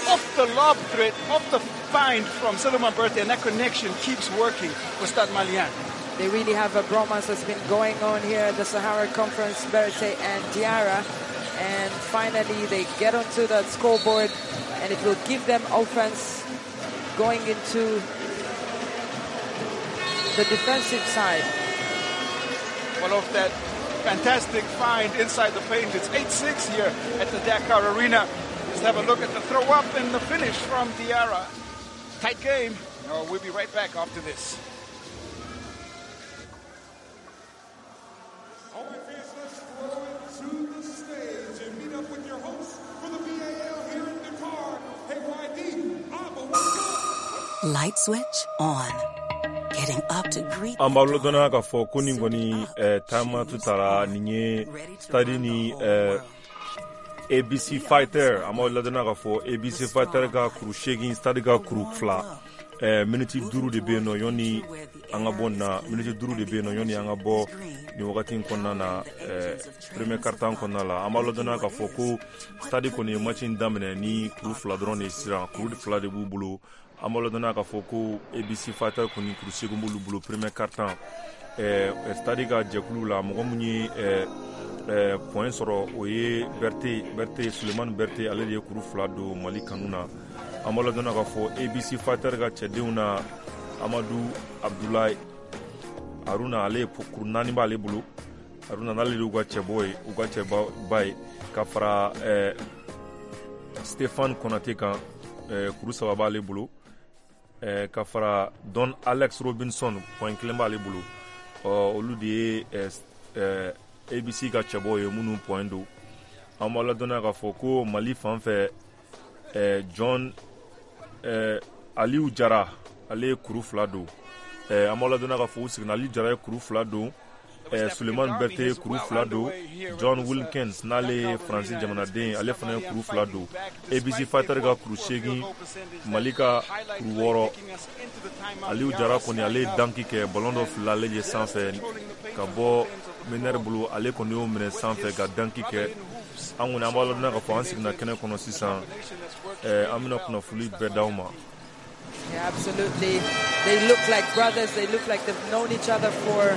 off the lob threat, off the find from Suleiman Berthe, and that connection keeps working for Stade Malien.
They really have a bromance that's been going on here at the Sahara Conference, Berthe and Diarra. And finally they get onto that scoreboard, and it will give them offense going into the defensive side.
Well, off that fantastic find inside the paint, it's eight six here at the Dakar Arena. Let's have a look at the throw up and the finish from Diarra. Tight game. Oh, we'll be right back after this.
All right, fans, let's throw it to the stage and meet up with your host for the B A L here in Dakar. Hey, Y D, Abba, what's up?
Light switch on. Getting up to greet.
An b'aw ladɔnniya k'a fɔ ko nin kɔni taama tu taara nin ye stade ni A B C Fighter. An b'aw ladɔnniya k'a fɔ A B C Fighter ka kuru seegin, stade ka kuru fila. Miniti duuru de bɛ yen nɔ yanni an ka bɔ nin na, miniti duuru de bɛ yen nɔ yanni an ka bɔ nin wagati in kɔnɔna na, premier quart-temps kɔnɔna la. An b'a ladɔnniya k'a fɔ ko stade kɔni ye match in daminɛ ni kuru fila dɔrɔn de ye sisan, kuru fila de b'u bolo. An b'a ladɔnniya k'a fɔ ko A B C Fighter kɔni kuru seegin b'olu bolo premier quart-temps. Stade ka jɛkulu la, mɔgɔ mun ye point sɔrɔ o ye Berthe, Berthe Suleiman Berthe, ale de ye kuru fila don Mali kanu na. An b'a ladɔnniya k'a fɔ A B C Fighter ka cɛdenw na, Amadou Abdoulaye Haruna, ale ye kuru naani b'ale bolo. Haruna n'ale de y'u ka cɛbɔ ye, u ka cɛba ye, ka fara Stéphane Konate kan, kuru saba b'ale bolo. Ka fara Don Alex Robinson, point kelen b'ale bolo. Olu de ye A B C ka cɛbɔ ye minnu point don. An b'a ladɔnniya k'a fɔ ko Mali fan fɛ, John Aliou Jara, ale ye kuru fila don. An b'a ladɔnniya k'a fɔ u seginna, Aliou Jara ye kuru fila don, Suleiman Berthe ye kuru fila don, John Wilkins n'ale ye Faransi jamanaden, ale fana ye kuru fila don. A B C Fighter ka kuru seegin, Mali ka kuru wɔɔrɔ. Aliou Jara kɔni ale ye danki kɛ, ballon dɔ filila ale ye sanfɛ ka bɔ meneur bolo, ale kɔni y'o minɛ sanfɛ ka danki kɛ. An kɔni an b'a ladɔnniya k'a fɔ an seginna kɛnɛ kɔnɔ sisan, an bɛna kunnafoni bɛɛ d'aw ma.
Yeah, absolutely. They look like brothers. They look like they've known each other for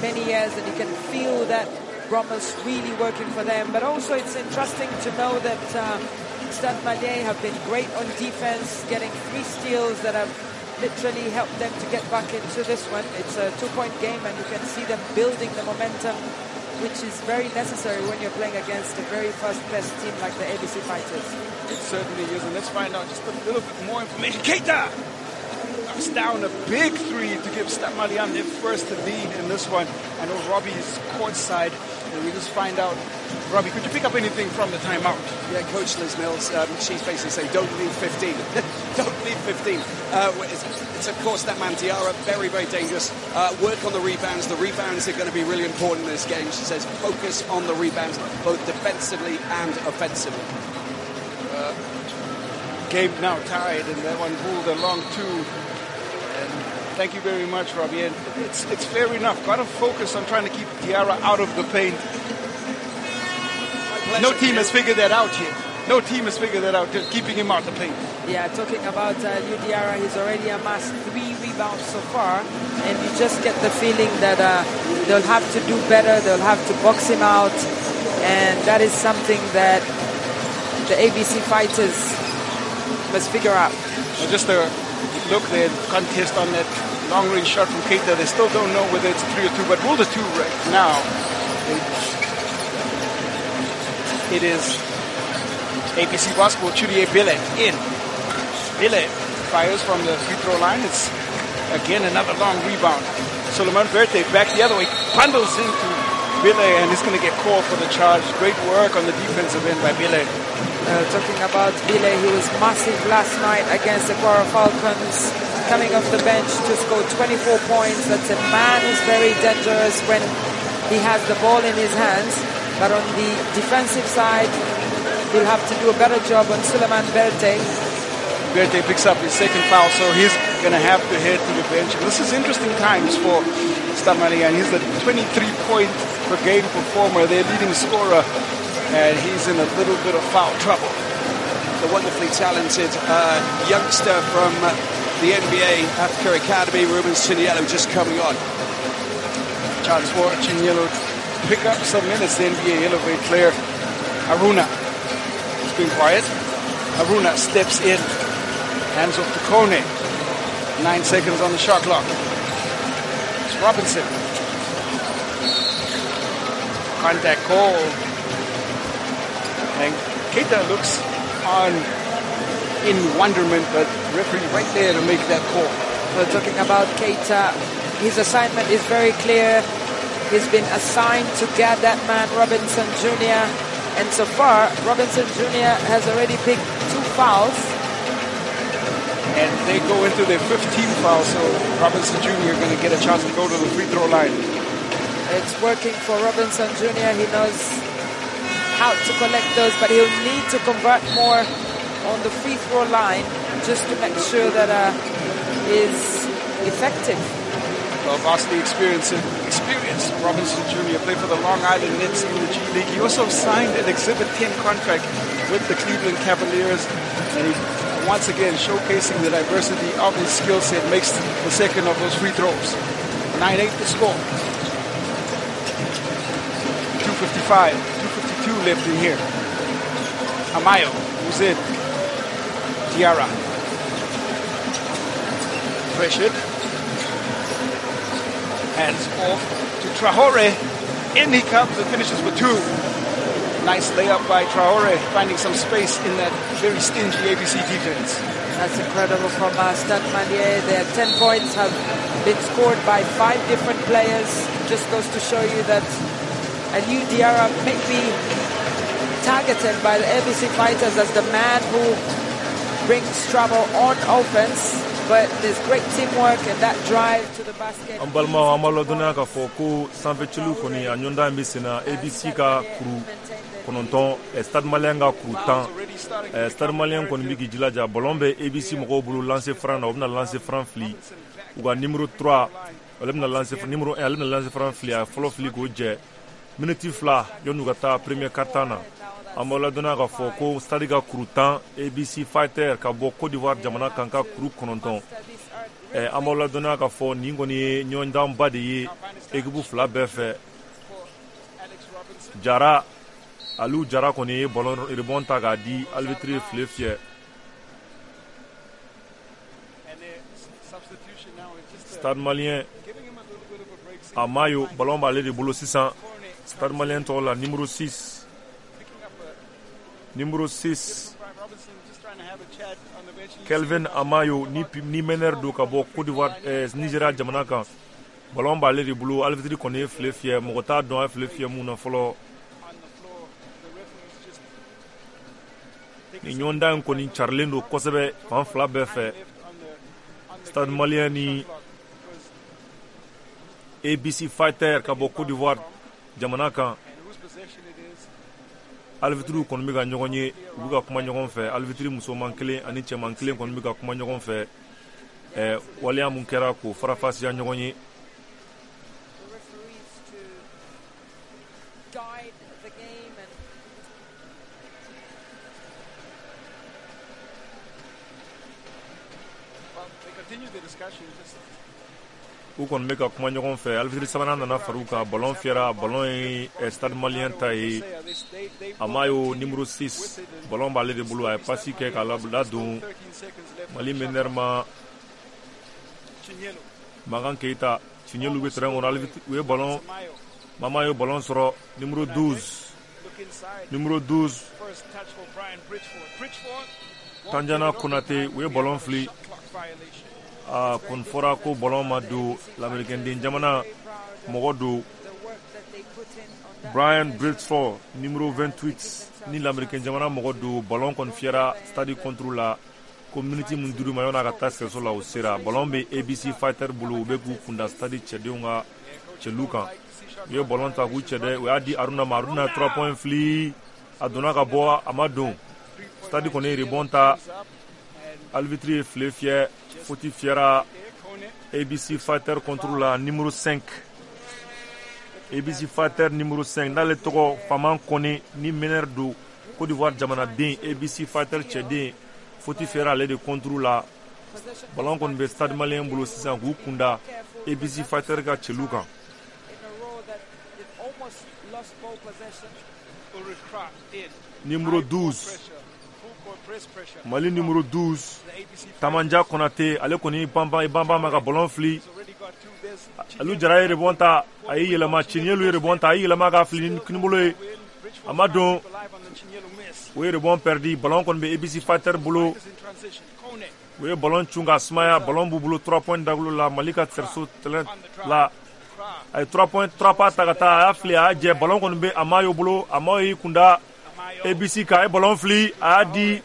many years, and you can feel that bromance really working for them. But also it's interesting to know that uh, Stade Malien have been great on defense, getting three steals that have literally helped them to get back into this one. It's a two-point game, and you can see them building the momentum, which is very necessary when you're playing against a very fast-paced team like the A B C Fighters.
It certainly is, and let's find out just a little bit more information. Keita knocks down a big three to give Stade Malien their first lead in this one. I know Robbie is courtside, and we just find out. Robbie, could you pick up anything from the timeout?
Yeah, Coach Liz Mills, um, she's basically saying, don't leave fifteen. Don't leave fifteen. Uh, it's, it's, of course, that man Diarra, very, very dangerous. Uh, work on the rebounds. The rebounds are going to be really important in this game. She says focus on the rebounds, both defensively and offensively.
Uh, game now tied, and that one ruled a long two. And thank you very much, Robbie. And it's, it's fair enough. Got to focus on trying to keep Diarra out of the paint. No team has figured that out yet. No team has figured that out, just keeping him out the paint.
Yeah, talking about uh, Aliou Diarra, he's already amassed three rebounds so far, and you just get the feeling that uh, they'll have to do better, they'll have to box him out, and that is something that the A B C Fighters must figure out.
Well, just a look there, contest on that long-range shot from Keita. They still don't know whether it's three or two, but rule the two right now. It, it is A B C basketball, Chudier Billet in. Bile fires from the free throw line. It's again another long rebound. Suleiman Verte back the other way, bundles into Bile, and he's going to get called for the charge. Great work on the defensive end by Bile.
Uh, talking about Bile, he was massive last night against the Kwara Falcons, coming off the bench to score twenty-four points. That's a man who's very dangerous when he has the ball in his hands. But on the defensive side, he'll have to do a better job on Suleiman Berte.
Berte picks up his second foul, so he's going to have to head to the bench. This is interesting times for Stade Malien. He's the twenty-three point per game performer, their leading scorer, and he's in a little bit of foul trouble.
The wonderfully talented uh, youngster from the N B A Africa Academy, Ruben Chiniello, just coming on.
Chance for Chiniello to pick up some minutes, the N B A Elevate player. Aruna has been quiet. Aruna steps in, hands off to Kone. Nine seconds on the shot clock. It's Robinson. Contact call. And Keita looks on in wonderment, but referee right there to make that call.
We're talking about Keita. His assignment is very clear. He's been assigned to guard that man, Robinson Junior And so far, Robinson Junior has already picked two fouls.
And they go into their fifteenth foul, so Robinson Junior going to get a chance to go to the free throw line.
It's working for Robinson Junior He knows how to collect those, but he'll need to convert more on the free throw line just to make sure that uh, is effective.
Well, vastly experienced, experienced Robinson Junior played for the Long Island Nets in the G League. He also signed an Exhibit ten contract with the Cleveland Cavaliers, and he once again showcasing the diversity of his skill set, makes the second of those free throws. nine eight the score. two fifty-five, two fifty-two left in here. Amayo, who's in? Diarra. Pressured. Hands off to Traore. In he comes and finishes with two. Nice layup by Traore, finding some space in that very stingy A B C defense.
That's incredible from uh, Stade Malien. Their ten points have been scored by five different players. Just goes to show you that Aliou Diarra may be targeted by the A B C Fighters as the man who brings trouble on offense. But there's great teamwork and that drive to the basket.
An balimaw, an b'a ladɔnniya k'a fɔ ko sanfɛciliw kɔni a ɲɔgɔndan bɛ sen na. A B C ka kuru kɔnɔntɔn, Stade Malien ka kuru tan. Stade Malien kɔni bɛ k'i jilaja, ballon bɛ A B C mɔgɔw bolo lancer franc na, u bɛna lancer franc fili. U ka numéro trois, ale bɛna lancer numéro un, ale bɛna lancer franc fili, a fɔlɔ fili k'o jɛ. Minute fila yan'u ka taa premier quart-temps na. An b'aw ladɔnniya k'a fɔ ko Stade ka kuru tan, A B C Fighter ka bɔ Côte d'Ivoire jamana kan ka kuru kɔnɔntɔn. An b'aw ladɔnniya k'a fɔ nin kɔni ye ɲɔgɔndanba de ye équipe fila bɛɛ fɛ. Jara, Aliou Jara kɔni ye ballon rebond ta k'a di arbitre ye file fiyɛ. Stade Malien Amayo, ballon b'ale de bolo sisan. Stade Malien tɔgɔ la numéro six. Numéro six, Kelvin Amayo, ni, ni meneur don ka bɔ Côte d'Ivoire, eh, Nigeria jamana kan. Ballon b'ale de bolo, arbitre kɔni ye file fiyɛ, mɔgɔ t'a dɔn a ye file fiyɛ mun na fɔlɔ. Nin ɲɔgɔndan in kɔni carilen don kosɛbɛ fan fila bɛɛ fɛ. Stade Malien ni A B C Fighter ka bɔ Côte d'Ivoire jamana kan. Arbitre kɔni bɛ ka ɲɔgɔn ye, u bɛ ka kuma ɲɔgɔn fɛ. Arbitre musoman kelen ani cɛman kelen kɔni bɛ ka kuma ɲɔgɔn fɛ. Ɛ waleya mun kɛra k'o farafasiya ɲɔgɔn ye. U kɔni bɛ ka kuma ɲɔgɔn fɛ. Arbitre sabanan nana far'u kan, ballon fiyɛra, ballon ye Stade Malien ta ye. Amayo numéro six, ballon b'ale de bolo, a ye passe kɛ k'a ladon Mali meneur ma Makan Keita. Chinyelu bɛ terrain kɔnɔ, arbitre u ye ballon, Mama ye ballon sɔrɔ numéro douze, numéro douze. Tanjana Konate, u ye ballon fili. A kɔni fɔra ko ballon ma don. Lamɛrikɛnden jamana mɔgɔ don, Brian Bradford, numéro vingt-huit, ni lamɛrikɛn jamana mɔgɔ don. Ballon kɔni fiyɛra stade contre la ko miniti min duuru ma yan'a ka taa sɛso la, o sera. Ballon bɛ A B C Fighter bolo, u bɛ k'u kunda stade cɛdenw ka cɛlu kan. U ye ballon ta k'u cɛ dɛ, u y'a di Aruna ma. Aruna ye trois points fili, a donna ka bɔ, a ma don. Stade kɔni ye rebond ta, arbitre ye file fiyɛ, faute fiyɛra A B C Fighter contre la. Numéro cinq, A B C Fighter numéro cinq, n'ale tɔgɔ Faman Kone, ni meneur don, Côte d'Ivoire jamanaden, A B C Fighter cɛden, faute fiyɛra ale de contre la. Ballon kɔni bɛ Stade Malien bolo sisan k'u kunda A B C Fighter ka cɛlu kan. Numéro douze, Mali numéro douze, Tamanja Konate, ale kɔni banban banban ma ka ballon fili. Alu Jara ye rebond ta, a y'i yɛlɛma. Ciɲɛlu ye rebond ta, a y'i yɛlɛma ka fili ni kinibolo ye, a ma don. O ye rebond perdu. Ballon kɔni bɛ A B C Fighter bolo, u ye ballon cun ka sumaya. Ballon b'u bolo trois points dagolo la, Mali ka cerceau terrain la. A ye trois points, trois pas ta ka taa, a y'a fili, a y'a jɛ. Ballon kɔni bɛ Amayo bolo. Amayo y'i kunda A B C kan, a ye ballon fili, a y'a di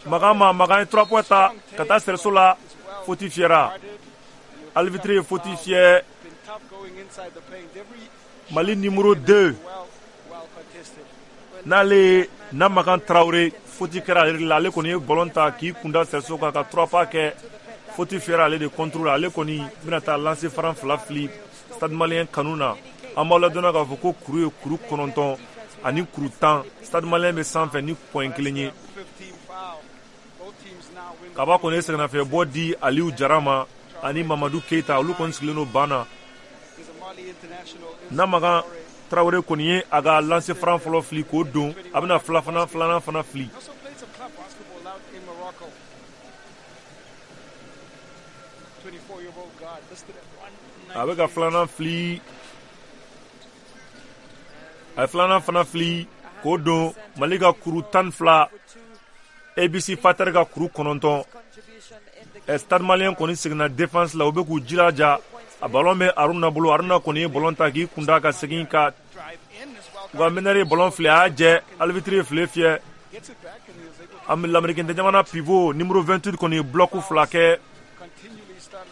Magan ma. Magan ye trois points ta ka taa cerceau la, faute fiyɛra. Arbitre ye faute fiyɛ. Mali numéro deux, n'ale ye Namakan Traoré, faute kɛra ale de la. Ale kɔni ye ballon ta k'i kunda cerceau kan ka trois pas kɛ, faute fiyɛra ale de contre la. Ale kɔni bɛna taa lancer franc fila fili Stade Malien kanu na. An b'aw ladɔnniya k'a fɔ ko kuru ye kuru kɔnɔntɔn ani kuru tan, Stade Malien bɛ sanfɛ ni point kelen ye. Kaba kɔni ye sɛgɛnnafiɲɛbɔ di Aliyu Jara ma ani Mamadu Keyita, olu kɔni sigilen don ban na. Namakan Traoré kɔni ye a ka lancer franc fɔlɔ fili k'o don, a bɛna fila fana filanan fana fili. A bɛ ka filanan fili, a ye filanan fana fili k'o don. Mali ka kuru tan ni fila, A B C Fighter ka kuru kɔnɔntɔn. Stade Malien kɔni seginna défense la, u bɛ k'u jilaja. A ballon bɛ Aruna bolo. Aruna kɔni ye ballon ta k'i kunda ka segin ka u ka meneur ye ballon fili, a y'a jɛ, arbitre ye file fiyɛ. Lamɛrikɛn jamana pivot numéro vingt-huit kɔni ye bloc fila kɛ.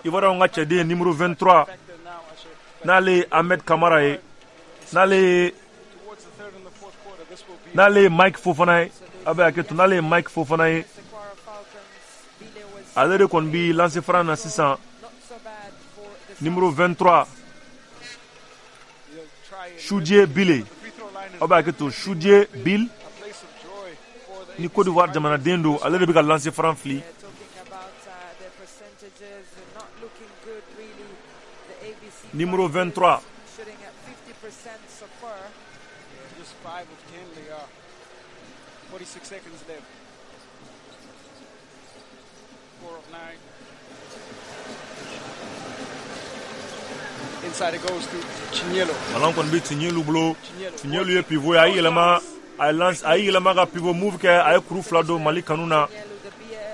Ivoirien ka cɛden numéro vingt-trois, n'ale ye Ahmed Kamara ye, n'ale ye n'ale ye Mike Fofana ye, a bɛ hakɛ to, n'ale ye Mike Fofana ye, ale de kɔni bi lancer franc na sisan. Numéro vingt-trois, Choudie Bile, aw bɛ hakɛ to, Choudie Bile, ni Côte d'Ivoire jamanaden don, ale de bɛ ka lancer franc fili. Numéro vingt-trois. Ballon kɔni bɛ Tiɲɛlu bolo. Tiɲɛlu ye pivot ye, a y'i yɛlɛma, a ye lance, a y'i yɛlɛma ka pivot move kɛ, a ye kuru fila don Mali kanu na.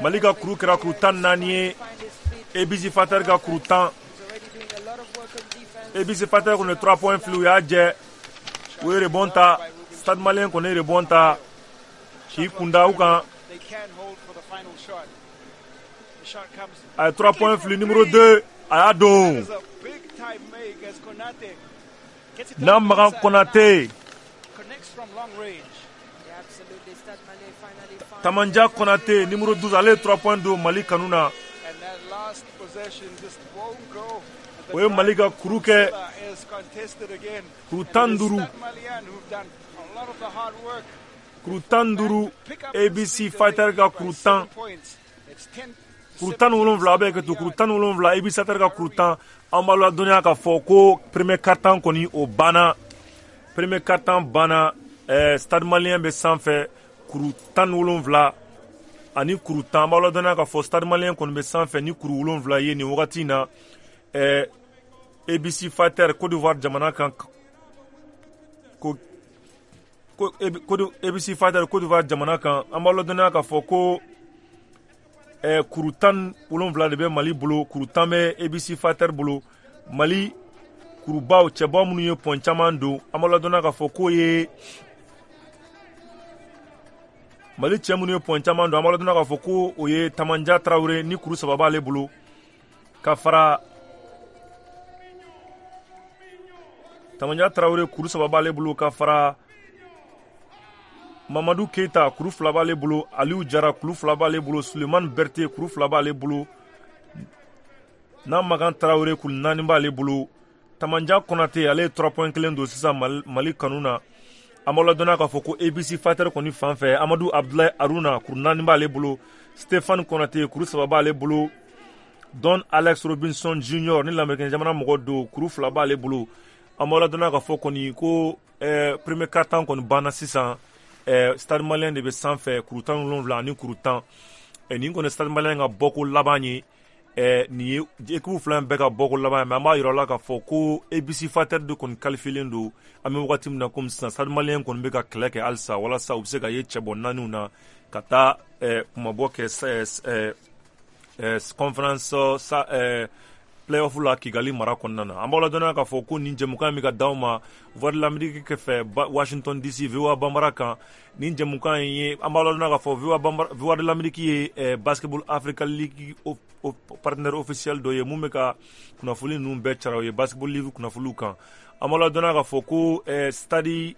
Mali ka kuru kɛra kuru tan ni naani ye, A B C Fighter ka kuru tan. A B C Fighter kɔni ye trois points fili, u y'a jɛ, u ye rebond ta. Stade Malien kɔni ye rebond ta k'i kunda u kan. A ye trois points fili, numéro deux, a y'a don. Namakan Konate, Tamanja Konate, numéro douze, ale ye trois points don Mali kanu na. O ye Mali ka kuru kɛ kuru tan ni duuru, kuru tan ni duuru, A B C Fighter ka kuru tan, kuru tan ni wolonwula, a bɛ kɛ to kuru tan ni wolonwula, A B C Fighter ka kuru tan. An b'a ladɔnniya k'a fɔ ko premier quart-temps kɔni o banna, premier quart-temps banna. ɛɛ Stade Malien bɛ sanfɛ kuru tan ni wolonwula ani kuru tan. An b'a ladɔnniya k'a fɔ Stade Malien kɔni bɛ sanfɛ ni kuru wolonwula ye nin wagati in na. Ɛɛ A B C Fighter, Côte d'Ivoire jamana kan, ko ko A B C Fighter, Côte d'Ivoire jamana kan. An b'a ladɔnniya k'a fɔ ko eh, kuru tan wolonwula de bɛ Mali bolo, kuru tan bɛ A B C Fighter bolo. Mali kurubaw cɛbaw minnu ye point caman don, an b'a ladɔnniya k'a fɔ k'o ye Mali cɛ minnu ye point caman don, an b'a ladɔnniya k'a fɔ ko o ye Tamanja Tarawele ni kuru saba b'ale bolo, ka fara Tamanja Tarawele kuru saba b'ale bolo, ka fara Mamadou Keita kuru fila b'ale bolo, Aliou Jara kuru fila b'ale bolo, Suleiman Berté kuru fila b'ale bolo, Namagan Tarawele kuru naani b'ale bolo. Tamanja Konate ale ye trois points kelen don sisan Mali kanu na. An b'aw ladɔnniya k'a fɔ ko A B C Fighter kɔni fan fɛ, Amadou Abdoulaye Aruna kuru naani b'ale bolo, Stéphane Konate kuru saba b'ale bolo, Don Alex Robinson Junior ni lamɛrikɛn jamana mɔgɔ don, kuru fila b'ale bolo. An b'aw ladɔnniya k'a fɔ kɔni ko eh, premier quart-temps kɔni banna sisan. Eh, Stade Malien de bɛ sanfɛ kuru tan ni wolonwula ani kuru tan. Eh, nin kɔni Stade Malien ka bɔko laban ye. Eh, nin ye équipe fila in bɛɛ ka bɔko laban ye, mais an b'a yira la k'a fɔ ko A B C Fighter de kɔni qualifié don. An bɛ wagati min na komi sisan, Stade Malien kɔni bɛ ka kɛlɛ kɛ halisa walasa u bɛ se ka ye cɛbɔ naaniw na ka taa eh, kumabɔ kɛ eh, eh, conférence sa eh, playoff la Kigali mara kɔnɔna na. An b'aw ladɔnniya k'a fɔ ko nin jɛmukan in bɛ ka d'aw ma Voix de l'Amérique fɛ Washington D C V O A Bambara kan. Nin jɛmukan in ye, an b'aw ladɔnniya k'a fɔ V O A Bambara, Voix de l'Amérique ye eh, Basketball Africa League o, o, partenaire officiel dɔ ye mun bɛ ka kunnafoni ninnu bɛɛ cara o ye Basketball League kunnafoniw kan. An b'aw ladɔnniya k'a fɔ ko eh, stade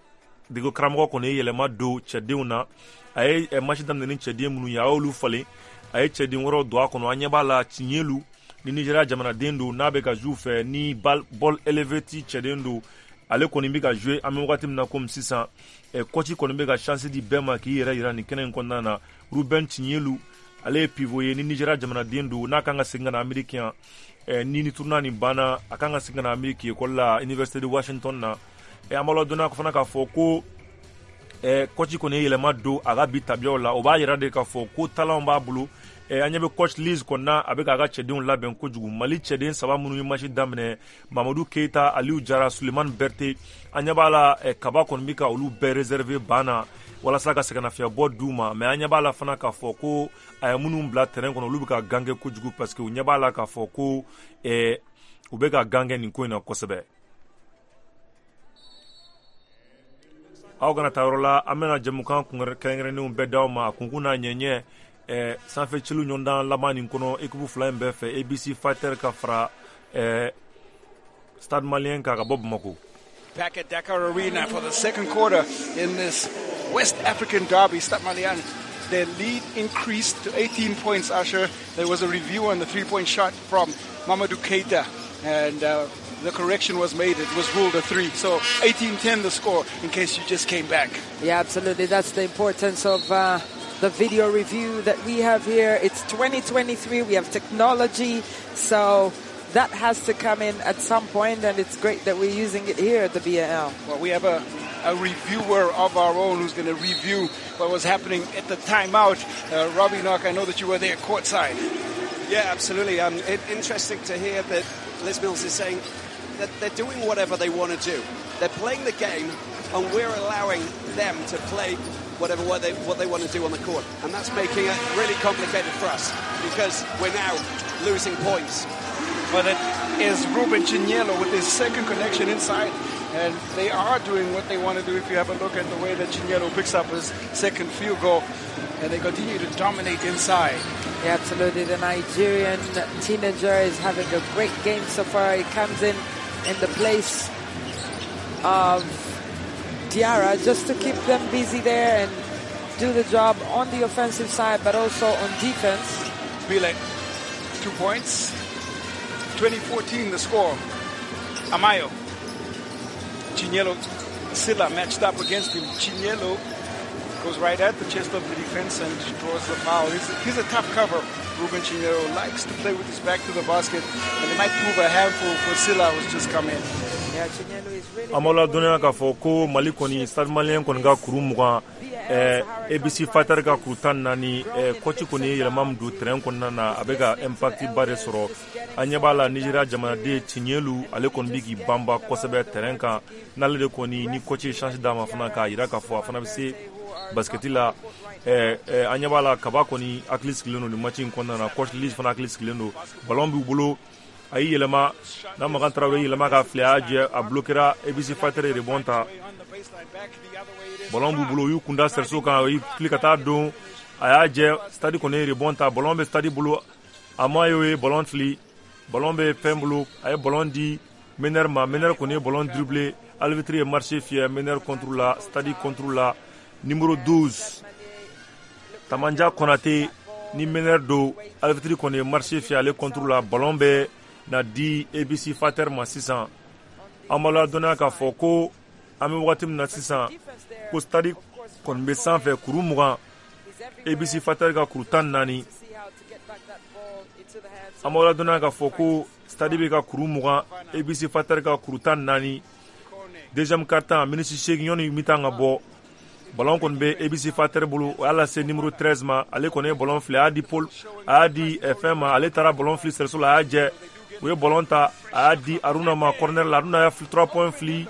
dege karamɔgɔ kɔni ye yɛlɛma don cɛdenw na. A ye eh, match daminɛ ni cɛden minnu ye, a y'olu falen, a ye cɛden wɛrɛw don a kɔnɔ. An ɲɛ b'a la Tiɲɛlu ni Nigeria jamanaden don, n'a bɛ ka jouer fɛ ni ball élevé ti cɛden don, ale kɔni bɛ ka jouer an bɛ wagati min na komi sisan. Eh, coach kɔni bɛ ka chance di bɛɛ ma k'i yɛrɛ yira nin kɛnɛ in kɔnɔna na. Ruben Tiɲɛlu ale ye pivot ye ni Nigeria jamanaden don, n'a kan ka segin ka na Amérique yan. Eh, ni ni tournoi nin banna, a kan ka segin ka na Amérique école la Université de Washington na. Eh, an b'a ladɔnniya fana k'a fɔ ko eh, coach kɔni ye yɛlɛma don a ka bi tabiyaw la. O b'a yira de k'a fɔ ko talent b'a bolo. Eh, an ɲɛ bɛ coach Liz kɔni na, a bɛ k'a ka cɛdenw labɛn kojugu. Mali cɛden saba minnu ye match daminɛ, Mamadou Keita, Aliou Jara, Suleiman Berté, an ɲɛ b'a la eh, Kaba kɔni bɛ ka olu bɛɛ réserver ban na walasa ka sɛgɛnnafiɲɛbɔ d'u ma. Mais an ɲɛ b'a la fana k'a fɔ ko a ye minnu bila terrain kɔnɔ, olu bɛ ka gangɛ kojugu parce que u ɲɛ b'a la k'a fɔ ko eh, u bɛ ka gangɛ nin ko in na kosɛbɛ. Aw kana taa yɔrɔ la, an bɛna jɛmukan kɛrɛnkɛrɛnnenw bɛɛ d'aw ma a kunkun n'a ɲɛɲɛ. Eh, sanfɛ celu ɲɔgɔndan laban nin kɔnɔ équipe fila in bɛɛ fɛ, A B C Fighter ka fara eh, Stade Malien kan ka bɔ Bamako.
Back at Dakar Arena for the second quarter in this West African derby. Stade Malien, their lead increased to eighteen points, Asher. There was a review on the three-point shot from Mamadou Keita, and uh, the correction was made. It was ruled a three. So eighteen ten the score, in case you just came back.
Yeah, absolutely. That's the importance of uh, the video review that we have here. It's twenty twenty-three. We have technology. So that has to come in at some point, and it's great that we're using it here at the B A L.
Well, we have a, a reviewer of our own who's going to review what was happening at the timeout. Uh, Robbie Knock, I know that you were there courtside.
Yeah, absolutely. Um, it, interesting to hear that Liz Mills is saying that they're doing whatever they want to do. They're playing the game, and we're allowing them to play whatever what they, what they want to do on the court. And that's making it really complicated for us because we're now losing points.
But it is Ruben Chinyelo with his second connection inside. And they are doing what they want to do if you have a look at the way that Chinyelo picks up his second field goal. And they continue to dominate inside.
Yeah, absolutely. The Nigerian teenager is having a great game so far. He comes in in the place of Diarra just to keep them busy there and do the job on the offensive side, but also on defense.
Bile, two points. twenty fourteen the score. Amayo. Chinyelo Silla matched up against him. Chinyelo goes right at the chest of the defense and draws the foul. He's a, he's a tough cover. Ruben Chinyelo likes to play with his back to the basket, and it might prove a handful for Silla, who's just come in.
An b'aw ladɔnniya k'a fɔ ko Mali kɔni Stade Malien kɔni ka kuru mugan, eh, A B C Fighter ka kuru tan naani, eh, coach kɔni ye yɛlɛma min don terrain kɔnɔna na, a bɛ ka impact ba de sɔrɔ. An ɲɛ b'a la Nigeria jamanaden Tiɲɛlu, ale kɔni bɛ k'i banba kosɛbɛ terrain kan. N'ale de kɔni ni coach ye chance d'a ma fana k'a jira k'a fɔ a fana bɛ se basketi la. Ɛɛ ɛɛ an ɲɛ b'a la, Kaba kɔni hakili sigilen don nin match in kɔnɔna na. Coach Liz fana hakili sigilen don. Ballon b'u bolo, a y'i yɛlɛma n'a Makan Tarawele yɛlɛma ka fili, a y'a jɛ, a bloquera. A B C Fighter ye rebond ta. Ballon b'u bolo, u y'u kunda cerceau kan, u y'i fili ka taa don, a y'a jɛ. Stade kɔni ye rebond ta. Ballon bɛ Stade bolo, a ma ye ballon fili. Ballon bɛ fɛn bolo, a ye ballon di meneur ma. Meneur kɔni ye ballon dribblé. Arbitre ye marché fiyɛ meneur contre la, Stade contre la. Numéro douze, Tamanja Konate, ni meneur don. Arbitre kɔni ye marché fiyɛ ale contre la. Ballon bɛ na di A B C Fighter ma sisan. An b'a ladɔnniya k'a fɔ ko an bɛ wagati min na sisan, ko Stade kɔni bɛ sanfɛ kuru mugan, A B C Fighter ka kuru tan naani. An b'a ladɔnniya k'a fɔ ko Stade bɛ ka kuru mugan, A B C Fighter ka kuru tan naani. Deuxième quart-temps, miniti seegin yanni mi-temps ka bɔ. Ballon kɔni bɛ A B C Fighter bolo. O y'a lase numéro treize ma. Ale kɔni ye ballon fili, a y'a di Paul, a y'a di fɛn ma. Ale taara ballon fili cerceau la, a y'a jɛ. U ye ballon ta, a y'a di Aruna ma corner la. Aruna y'a trois points fili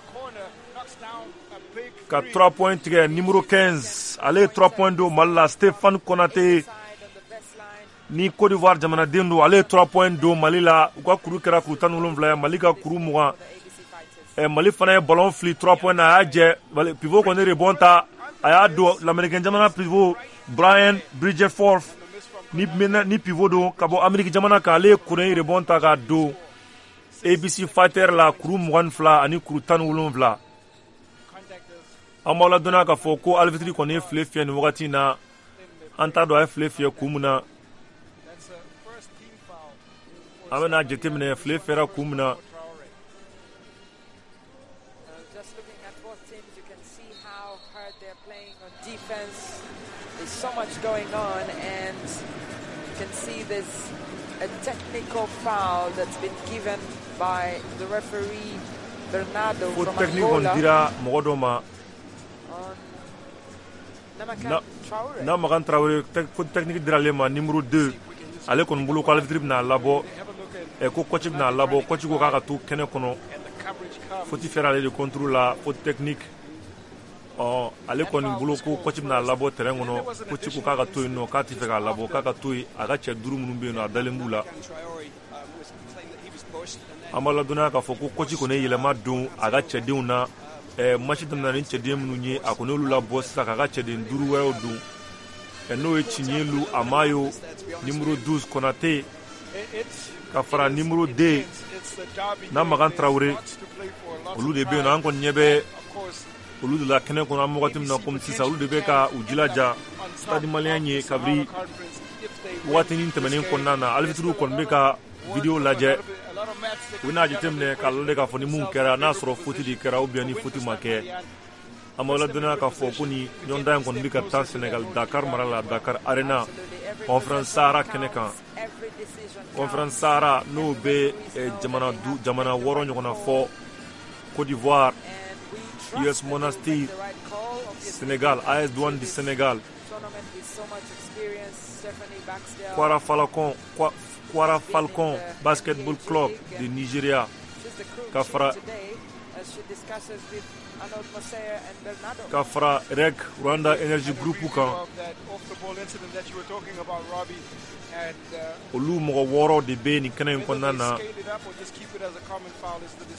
ka trois points tigɛ. Numéro quinze, ale ye trois points don Mali la. Stéphane Konate, ni Côte d'Ivoire jamanaden don, ale ye trois points don Mali la. U ka kuru kɛra kuru tan ni wolonwula ye, Mali ka kuru mugan. ɛ Mali fana ye ballon fili trois points na, a y'a jɛ. Pivot kɔni rebond ta, a y'a don. Lamɛrikɛn jamana pivot Brian Bridgeforth, ni ni pivot don ka bɔ Amérique jamana kan, ale ye kuru in rebond ta k'a don A B C Fighter la. Kuru mugan ni fila ani kuru tan ni wolonwula. An b'aw ladɔnniya k'a fɔ ko arbitre kɔni ye file fiyɛ nin wagati in na. An t'a dɔn a ye file fiyɛ kun min na. An bɛna jateminɛ file fiyɛra kun min na.
Just looking at both teams, you can see how hard they're playing on defense. There's so much going on, and you can see there's a technical foul that's been given by the referee Bernardo
Faute
from
technique kɔni
Angola
dira mɔgɔ dɔ ma.
On Namakan
Na
Traore.
Na Makan Traore, faute technique dira ale ma, numéro deux. Ale kɔni bolo ko arbitre bɛna labɔ, ɛ ko coach bɛna labɔ. Coach ko k'a ka to kɛnɛ kɔnɔ. Faute fiyɛra ale de contre la, faute technique. Ɔ ale kɔni bolo ko coach bɛna labɔ terrain kɔnɔ. Coach ko k'a ka to yen nɔ, k'a tɛ fɛ k'a labɔ, k'a ka to yen. A ka cɛ duuru minnu bɛ yen nɔ, a dalen b'u la. An b'a ladɔnniya k'a fɔ ko coach kɔni ye yɛlɛma don a ka cɛdenw na. Ɛ match daminɛ ni cɛden minnu ye, a kɔni y'olu labɔ sisan k'a ka cɛden duuru wɛrɛw don. Ɛ n'o ye Ciɲelu Amayo, numéro douze Konate, ka fara numéro deux na Makan Traore, olu de bɛ yen nɔ. An kɔni ɲɛ bɛ olu de la kɛnɛ kɔnɔ an bɛ wagati min na komi sisan. Olu de bɛ ka u jilaja Stade Malien ye kabiri wagatinin tɛmɛnen kɔnɔna na. Arbitre kɔni bɛ ka vidéo lajɛ. U bɛna jateminɛ k'a lajɛ k'a fɔ ni mun kɛra, n'a sɔrɔ faute de kɛra ou bien ni faute ma kɛ. An b'aw ladɔnniya k'a fɔ ko ni ɲɔgɔndan in kɔni bɛ ka taa Sénégal, Dakar mara la, Dakar Arena, Conférence Sahara kɛnɛ kan. Conférence Sahara, n'o bɛ jamana du jamana wɔɔrɔ ɲɔgɔnna fɔ: Côte d'Ivoire, U S Monastir, Sénégal, A S Douane du Sénégal, Kwara Falcon, Kwara Falcon Basketball Club de Nigeria, ka fara ka fara R E G Rwanda Energy Group kan. Olu mɔgɔ wɔɔrɔ de bɛ nin kɛnɛ in kɔnɔna na.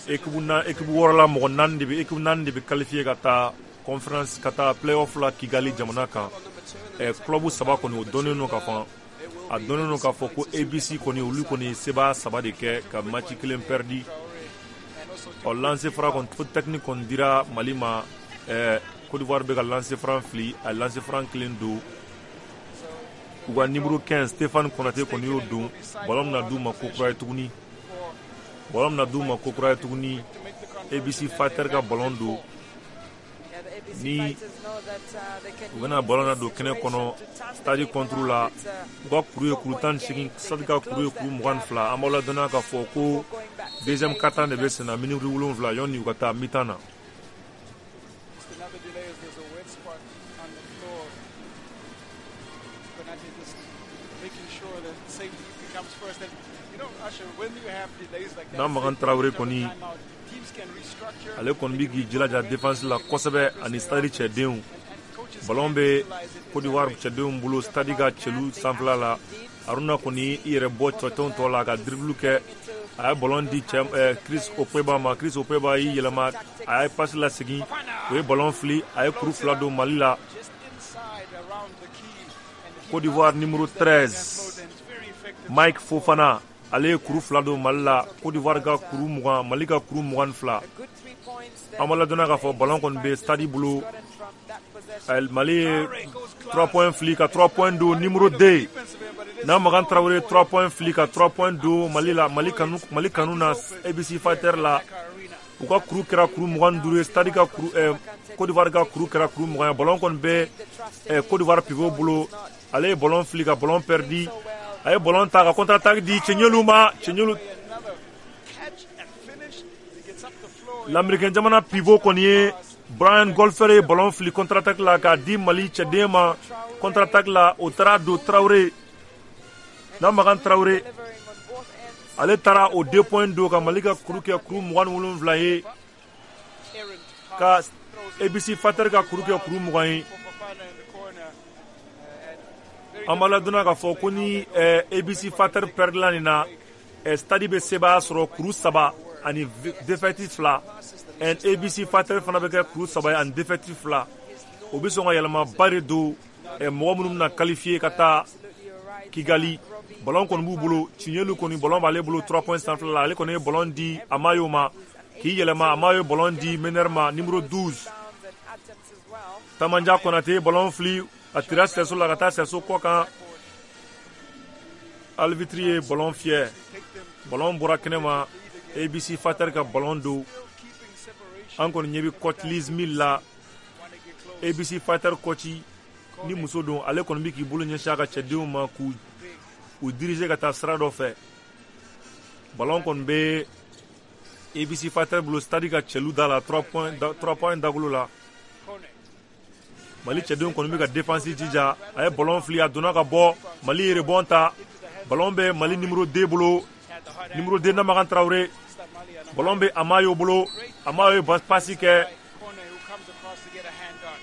Équipe na équipe wɔɔrɔ la, mɔgɔ naani de bɛ, équipe naani de bɛ qualifié ka taa conférence, ka taa play-off la Kigali jamana kan. Ɛ club saba kɔni, o dɔnnen don ka ban. A dɔnnen don k'a fɔ ko A B C kɔni, olu kɔni ye sebaya saba de kɛ ka match kelen perdu. Ɔ lancer franc kɔni, faute technique kɔni dira Mali ma. Ɛ Côte d'Ivoire bɛ ka lancer franc fili, a ye lancer franc kelen don. U ka numéro quinze Stéphane Konate kɔni y'o don. Ballon bɛna d'u ma kokura ye tuguni. Ballon bɛna d'u ma kokura ye tuguni. A B C Fighter ka ballon don ni u bɛna ballon na don kɛnɛ kɔnɔ Stade contre la. U ka kuru ye kuru tan ni seegin, Stade ka kuru ye kuru mugan ni fila. An b'aw ladɔnniya k'a fɔ ko deuxième quart-temps de bɛ sen na, miniti wolonwula yanni u ka taa mi-temps na.
Another delay as there's a wet spot on the floor. Konate just making sure that safety becomes first. And you know, Asher, when you have delays like that,
N'a Makan Traoré kɔni,
teams can restructure.
ale kɔni bɛ k'i jilaja défense la kosɛbɛ ani Stade cɛdenw.
And coaches
Ballon bɛ Côte d'Ivoire cɛdenw bolo stade ka cɛlu sanfɛla la. Aruna kɔni i yɛrɛ bɔ cɛtɔn tɔ la ka dribble kɛ. A ye ballon di cɛ Chris Opeba ma. Chris Opeba y'i yɛlɛma, a ye passe lasegin, o ye ballon fili, a ye kuru fila don Mali la. Côte d'Ivoire numéro treize Mike Fofana, ale ye kuru fila don Mali la. Côte d'Ivoire ka kuru mugan, Mali ka kuru mugan ni fila. An b'a ladɔnniya k'a fɔ ballon kɔni bɛ stade bolo. Mali ye trois points fili ka trois points don numéro deux n'a Makan Traoré, trois points fili ka trois points don Mali la. Mali kanu, Mali kanu na A B C Fighter la, u ka kuru kɛra kuru mugan ni duuru ye, stade ka kuru, eh, Côte d'Ivoire ka kuru kɛra kuru mugan ye. Ballon kɔni bɛ eh, Côte d'Ivoire pivot bolo. Ale ye ballon fili ka ballon perdu. A ye ballon ta ka contre attaque di Cɛɲɛlu ma. Cɛɲɛlu, l'américain jamana pivot kɔni ye Brian Golfer, ye ballon fili contre attaque la k'a di Mali cɛden ma. Contre attaque la, o taara don Traoré n'a Makan Traoré, ale taara o deux points don ka Mali ka kuru kɛ kuru mugan ni wolonwula ye, ka A B C Fighter ka kuru kɛ kuru mugan ye. An b'a ladɔnniya k'a fɔ ko ni A B C Fighter perdila nin na, stade bɛ sebaaya sɔrɔ kuru saba ani défaite fila. A B C Fighter fana bɛ kɛ kuru saba ye ani défaite fila. O bɛ sɔn ka yɛlɛmaba de don mɔgɔ minnu bɛna qualifier ka taa Kigali. Ballon kɔni b'u bolo. Tiɲɛlu kɔni, ballon b'ale bolo trois points sanfɛla la. Ale kɔni ye ballon di Amayo ma k'i yɛlɛma. Amayo ye ballon di meneur ma, numéro douze Tamanja Konate ye ballon fili, a tira sɛso la ka taa sɛso kɔ kan. Arbitre ye ballon fiyɛ, ballon bɔra kɛnɛ ma. A B C Fighter ka ballon don. An kɔni ɲɛ bɛ coach Liz Mill la, A B C Fighter coach ni muso don. Ale kɔni bɛ k'i bolo ɲɛsin a ka cɛdenw ma k'u u diriger ka taa sira dɔ fɛ. Ballon kɔni bɛ A B C Fighter bolo stade ka cɛlu da la, trois points, trois points dagolo la. Mali cɛdenw kɔni bɛ ka défense jija. A ye ballon fili, a donna ka bɔ. Mali ye rebond ta. Ballon bɛ Mali numéro deux bolo, numéro deux Namakan Traoré. Ballon bɛ Amayo bolo. Amayo ye passe kɛ.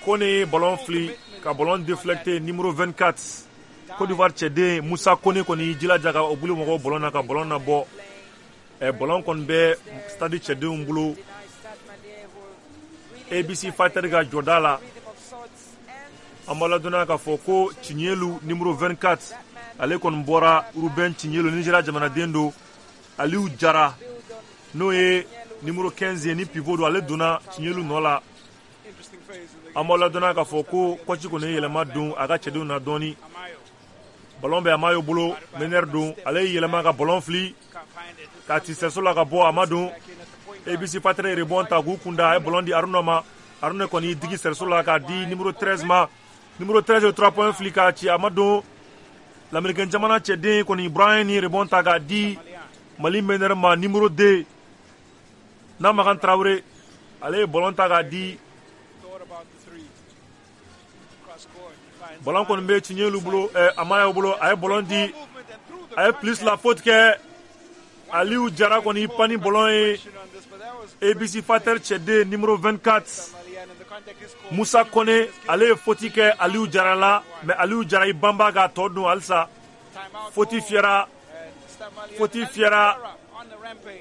Kone ye ballon fili ka ballon déflecté. Numéro vingt-quatre Côte d'Ivoire cɛden Musa Kone kɔni y'i jilaja ka o bolo mɔgɔw ballon na ka ballon nabɔ. Ɛ ballon kɔni bɛ stade cɛdenw bolo A B C Fighter ka jɔda la. An b'a ladɔnniya k'a fɔ ko Tiɲɛlu numéro vingt-quatre, ale kɔni bɔra. Ruben Tiɲɛlu, Nigéria jamanaden don. Aliou Jara, n'o ye numéro quinze ye ni pivot don, ale donna Tiɲɛlu nɔ la. An b'a ladɔnniya k'a fɔ ko coach kɔni ye yɛlɛma don a ka cɛdenw na dɔɔni. Ballon bɛ Amayo bolo, meneur don. Ale y'i yɛlɛma ka ballon fili k'a ci sɛso la ka bɔ, a ma don. A B C Fighter ye rebond ta k'u kunda. A ye ballon di Aruna ma. Aruna kɔni y'i digi sɛso la k'a di numéro treize ma. Numéro treize ye trois points fili k'a ci, a ma don. L'américain jamana cɛden kɔni Brian ye rebond ta k'a di Mali meneur ma, numéro deux n'a Makan Traoré. Ale ye ballon ta k'a di. Ballon kɔni bɛ Tiɲɛlu bolo, ɛ Amayo bolo. A ye ballon di, a ye plus la faute kɛ. Aliou Jara kɔni pan ni ballon ye. A B C Fighter cɛden numéro vingt-quatre Musa Kone, ale ye faute kɛ Aliou Jara la, mais Aliou Jara i banba k'a tɔ dun halisa. Faute fiyɛra, faute fiyɛra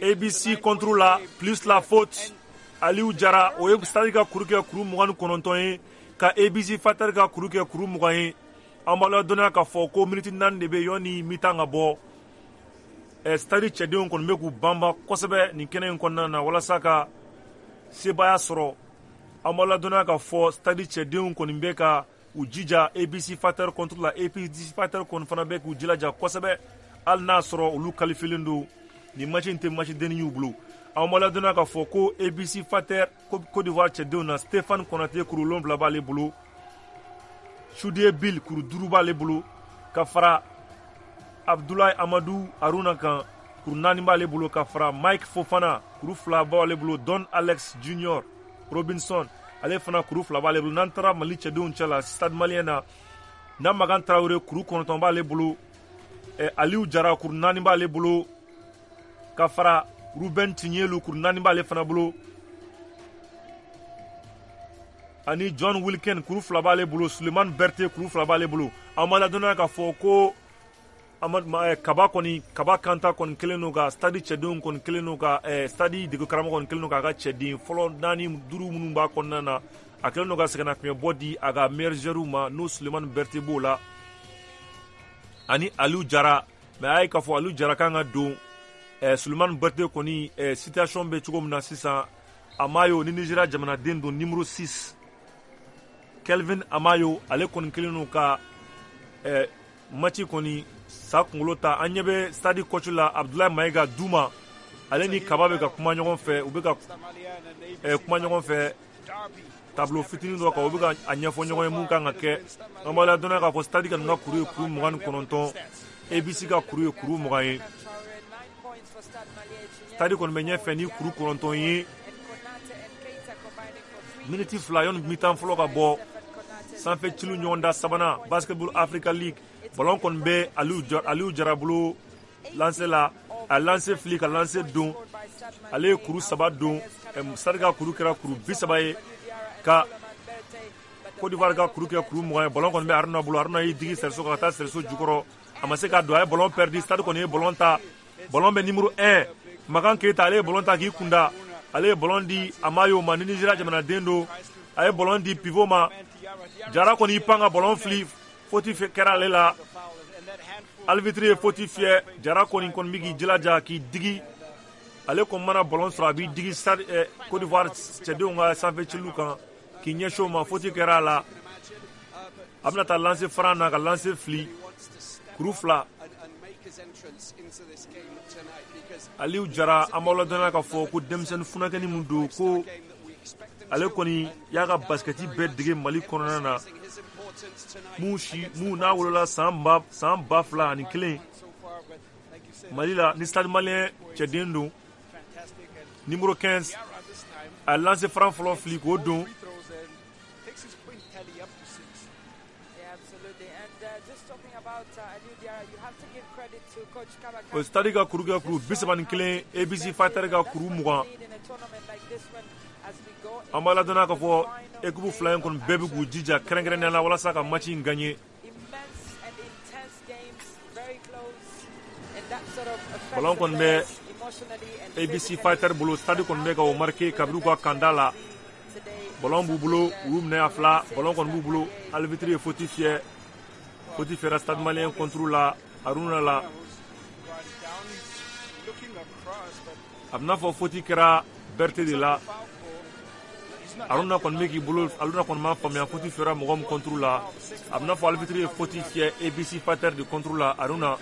A B C contre la, plus la faute Aliou Jara. O ye stade ka kuru kɛ kuru mugan ni kɔnɔntɔn ye, ka A B C Fighter ka kuru kɛ kuru mugan ye. An b'a ladɔnniya k'a fɔ ko miniti naani de bɛ yanni mi-temps ka bɔ. Ɛ stade cɛdenw kɔni bɛ k'u banba kosɛbɛ nin kɛnɛ in kɔnɔna na walasa ka sebaaya sɔrɔ. An b'a ladɔnniya k'a fɔ stade cɛdenw kɔni bɛ ka u jija A B C Fighter contre la. A B C Fighter kɔni fana bɛ k'u jilaja kosɛbɛ, hali n'a sɔrɔ olu qualifié don. Nin match in tɛ match denni y'u bolo. An b'a ladɔnniya k'a fɔ ko A B C Fighter Côte d'Ivoire cɛdenw na, Stéphane Konate kuru wolonwula b'ale bolo, Soudie Bill kuru duuru b'ale bolo, ka fara Abdoulaye Amadou Aruna kan, kuru naani b'ale bolo, ka fara Mike Fofana, kuru fila b'ale bolo, Don Alex Junior Robinson, ale fana kuru fila b'ale bolo. N'an taara Mali cɛdenw cɛ la Stade Malien na, Namakan Traoré kuru kɔnɔntɔn b'ale bolo, eh, Aliou Jara kuru naani b'ale bolo, ka fara Ruben Tiɲɛlu kuru naani b'ale fana bolo. Ani John Wilkin kuru fila b'ale bolo, Suleiman Berté kuru fila b'ale bolo. An b'a ladɔnniya k'a fɔ ko Kaba kɔni, Kaba Kanta kɔni kelen don ka stade cɛdenw kɔni kelen don ka stade dege karamɔgɔ kɔni kelen don k'a ka cɛden fɔlɔ naani duuru minnu b'a kɔnɔna na, a kelen don ka sɛgɛnnafiɲɛbɔ di a ka meilleur joueur ma, n'o Suleiman Berté b'o la ani Aliou Jara. Mais a ye k'a fɔ Aliou Jara kan ka don. Suleiman Berté kɔni situation bɛ cogo min na sisan, Amayo ni Nigeria jamanaden don, numéro six Kelvin Amayo, ale kɔni kelen don ka match kɔni sa kunkolo ta. An ɲɛ bɛ stade coach la, Abdoulaye Maïga Douma, ale ni Kaba bɛ ka kuma ɲɔgɔn fɛ, u bɛ ka kuma ɲɔgɔn fɛ tableau fitinin dɔ kan, u bɛ ka a ɲɛfɔ ɲɔgɔn ye mun kan ka kɛ. An b'a ladɔnniya k'a fɔ stade kɔni ka kuru ye kuru mugan ni kɔnɔntɔn, A B C ka kuru ye kuru mugan ye. Stade kɔni bɛ ɲɛfɛ ni kuru kɔnɔntɔn ye. Miniti fila yanni mi-temps fɔlɔ ka bɔ, sanfɛ ciliw ɲɔgɔn da sabanan Basketball Africa League. Ballon kɔni bɛ Aliou Jara bolo lancer la, a lancer fili ka lancer don, ale ye kuru saba don. Stade ka kuru kɛra kuru bi saba ye, ka Côte d'Ivoire ka kuru kɛ kuru mugan ye. Ballon kɔni bɛ Haruna bolo, Haruna y'i digi sɛriso kan ka taa sɛriso jukɔrɔ, a ma se k'a don, a ye ballon perdu. Stade kɔni ye ballon ta, ballon bɛ numéro un Makan Keita, ale ye ballon ta k'i kunda, ale ye ballon di Amayo ma ni Nigeria jamanaden don, a ye ballon di pivot ma. Jara kɔni y'i pan ka ballon fili, faute kɛra ale la, arbitre ye faute fiyɛ. Jara kɔni kɔni bɛ k'i jilaja k'i digi, ale kɔni mana ballon sɔrɔ a b'i digi stade Côte d'Ivoire cɛdenw ka sanfɛ ciliw kan k'i ɲɛsin o ma, faute kɛra a la. A bɛna taa lancer franc na ka lancer fili, kuru fila. Aliou Jara, an b'aw ladɔnniya k'a fɔ ko denmisɛnnin funankɛnin min don, ko ale kɔni y'a ka basikɛti bɛɛ dege Mali kɔnɔna na, mun si mun n'a wolola san ba san ba fila ani kelen Mali la, ni Stade Malien cɛden don, numéro quinze. A lancer franc fɔlɔ fili k'o don. O stade ka kuru kɛ kuru bi saba ni kelen, A B C Fighter ka kuru mugan. An b'a ladɔnniya k'a fɔ équipe fila in kɔni bɛɛ bɛ k'u jija kɛrɛnkɛrɛnnenya la walasa ka match in gagner. Ballon kɔni bɛ A B C Fighter bolo, stade kɔni bɛ ka o marqué kabini u ka kanda la. Ballon b'u bolo, u y'u minɛ a fila, ballon kɔni b'u bolo, arbitre ye faute fiyɛ. Faute fiyɛra Stade Malien contre la Haruna la. A bɛna fɔ faute kɛra Berté de la. Haruna kɔni bɛ k'i bolo, Haruna kɔni m'a faamuya faute fiyɛra mɔgɔ min contre la. A bɛna fɔ arbitre ye faute fiyɛ A B C Fighter de contre la Haruna.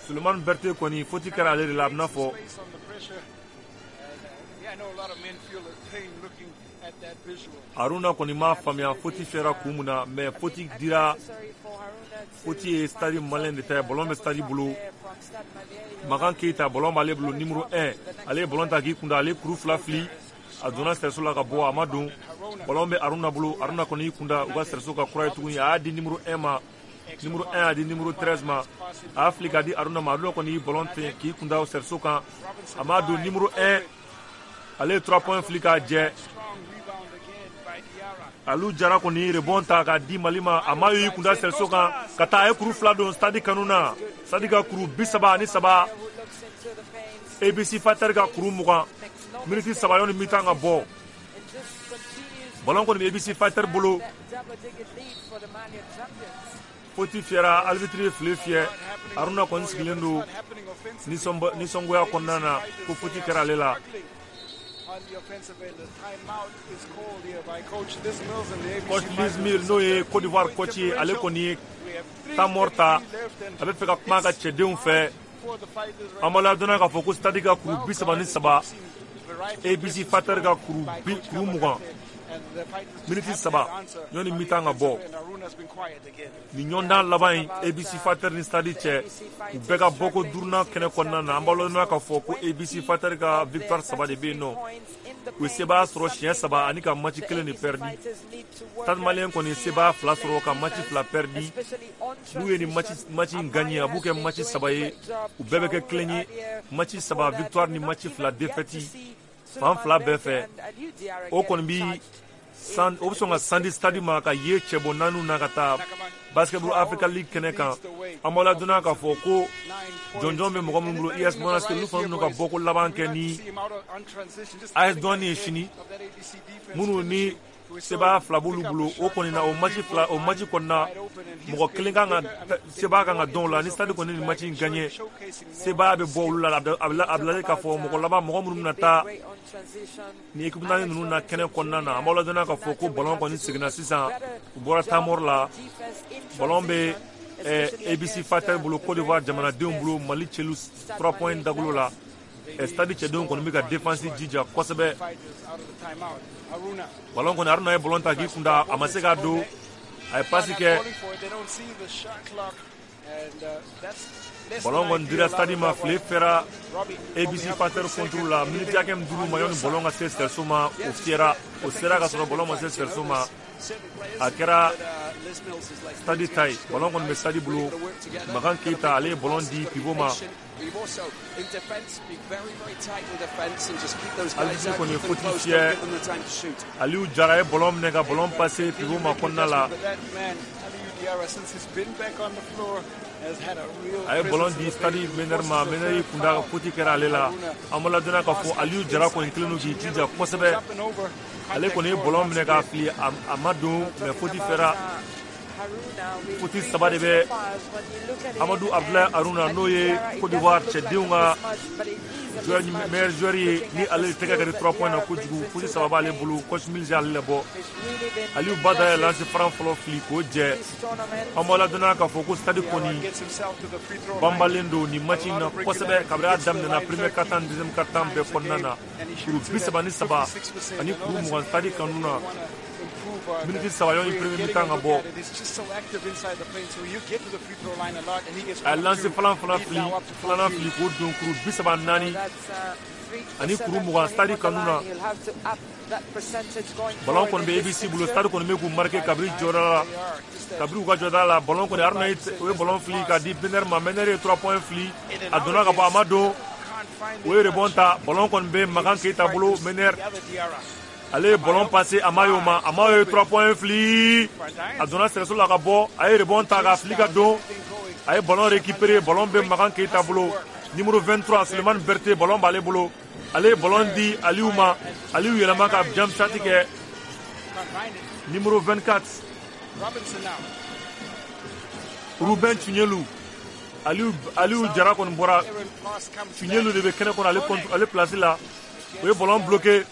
Suleiman Berté kɔni faute kɛra ale de la, a bɛna fɔ. Haruna kɔni m'a faamuya faute fiyɛra kun mun na, mais faute dira, faute ye Stade Malien de ta ye, ballon bɛ stade bolo. Makan Keita, ballon b'ale bolo, numéro un, ale ye ballon ta k'i kunda, ale kuru fila fili, a donna sɛriso la ka bɔ, a ma don. Ballon bɛ Haruna bolo, Haruna kɔni y'i kunda u ka sɛriso ka kura ye tuguni, a y'a di numéro un ma, numéro un y'a di numéro treize ma, a y'a fili k'a di Haruna ma, Haruna kɔni y'i ballon ten k'i kunda sɛriso kan, a ma don. Numéro un, ale ye trois points fili k'a jɛ. Aliou Jara kɔni rebond ta k'a di Mali ma, a ma y'i kunda sɛriso kan ka taa, a ye kuru fila don stade kanu na. Stade ka kuru bi saba ani saba, A B C Fighter ka kuru mugan. Miniti saba yanni mi-temps ka bɔ. Ballon kɔni bɛ A B C Fighter bolo. Faute fiyɛra, arbitre ye file fiyɛ. Haruna kɔni sigilen don nisɔngoya kɔnɔna na ko faute kɛra ale la. Coach Liz Mills n'o ye Côte d'Ivoire coach ye, ale kɔni ye temps mort ta, a bɛ fɛ ka kuma a ka cɛdenw fɛ. An b'a ladɔnniya k'a fɔ ko stade ka kuru bi saba ni saba, A B C Fighter ka kuru bi kuru mugan. Miniti saba ɲɔni mi-temps ka bɔ. Nin ɲɔgɔndan laban in A B C Fighter ni Stade cɛ, u bɛɛ ka bɔko duurunan kɛnɛ kɔnɔna na. An b'a lɔn k'a fɔ ko A B C Fighter ka victoire saba de bɛ yen nɔ. U ye sebaaya sɔrɔ siɲɛ saba ani ka match kelen de perdi. Stade Malien kɔni ye sebaaya fila sɔrɔ ka match fila perdi. N'u ye nin match match in gagné, a b'u kɛ match saba ye, u bɛɛ bɛ kɛ kelen ye. Match saba victoire ni match fila défaite fan fila bɛɛ fɛ. O kɔni bi san o bɛ sɔn ka sandi Stade ma ka ye cɛbɔ naaniw na ka taa Basketball Africa League kɛnɛ kan. An b'aw ladɔnniya k'a fɔ ko jɔnjɔn bɛ mɔgɔ minnu bolo, U S Monastir, olu fana bɛna ka bɔko laban kɛ ni A S Douane ye sini, minnu ni sebaaya fila b'olu bolo. O kɔni na, o match fila, o match kɔni na, mɔgɔ kelen kan ka sebaaya kan ka dɔn o la. Ni Stade kɔni ni match in gagné, sebaaya bɛ bɔ olu la. A bɛ lajɛ k'a fɔ mɔgɔ laban mɔgɔ minnu bɛna taa ni équipe naani ninnu na kɛnɛ kɔnɔna na. An b'aw ladɔnniya k'a fɔ ko ballon kɔni seginna sisan, u bɔra temps mort la. Ballon bɛ A B C Fighter bolo, Côte d'Ivoire jamanadenw bolo, Mali cɛlu trois points dagolo la. Stade cɛdenw kɔni bɛ ka défense jija kosɛbɛ. Ballon kɔni, Haruna ye ballon ta k'i kunda, a ma se k'a don, a ye passe kɛ. Ballon kɔni dira Stade ma, file fɛra A B C Fighter contre la. Miniti hakɛ min dir'u ma yanni ballon ka se cerceau ma, o fiyɛra, o sera ka sɔrɔ ballon ma se cerceau ma. A kɛra Stade ta ye. Ballon kɔni bɛ Stade bolo. Makan Keita, ale ye ballon di pivot ma. Alisi kɔni ye faute fiyɛ. Aliou Jara ye ballon minɛ ka ballon passer pivot ma kɔnɔna la. A ye ballon di Stade meneur ma, meneur y'i kunda, faute kɛra ale la. An b'a ladɔnniya k'a fɔ Aliou Jara kɔni kelen don k'i jija kosɛbɛ. Ale kɔni ye ballon minɛ k'a fili, a ma don, mais faute fɛra. Faute saba de bɛ Amadou Abdoulaye Haruna, n'o ye Côte d'Ivoire cɛdenw ka meilleur joueur ye, ni ale tɛgɛ ka di trois points na kojugu. Faute saba b'ale bolo, coach Mills y'ale labɔ. Aliou Bada ye lancer franc fɔlɔ fili k'o jɛ. An b'aw ladɔnniya k'a fɔ ko Stade kɔni banbalen don nin match in na kosɛbɛ kabini a daminɛna premier quart-temps deuxième quart-temps bɛɛ kɔnɔna na. Kuru bi saba ni saba ani kuru mugan Stade kanu na. Miniti saba yanni premier mi-temps ka bɔ. A ye lancer falan fana fili, filanan fili k'o don, kuru bi saba naani ani kuru mugan Stade kanu na. Ballon kɔni bɛ A B C bolo. Stade kɔni bɛ k'u marqué kabini jɔda la, kabini u ka jɔda la. Ballon kɔni, Haruna ye o ye ballon fili k'a di Benner ma. Benner ye trois points fili, a donna ka bɔ, a ma don, o ye rebond ta. Ballon kɔni bɛ Makan Keita bolo. Benner, ale ye ballon passé Amayo ma. Amayo ye trois points fili, a donna cerceau la ka bɔ, a ye rebond ta k'a fili ka don, a ye ballon récupéré. Ballon bɛ Makan Keita bolo. Numéro vingt-trois, Sulemani Berté, ballon b'ale bolo. Ale ye ballon di Aliou ma. Aliou yɛlɛma ka jump shot kɛ. Numéro vingt-quatre, Ruben Tunyelu. Aliou Aliou Jara kɔni bɔra. Tunyelu de bɛ kɛnɛ kɔnɔ ale contre ale place la. O ye ballon bloqué.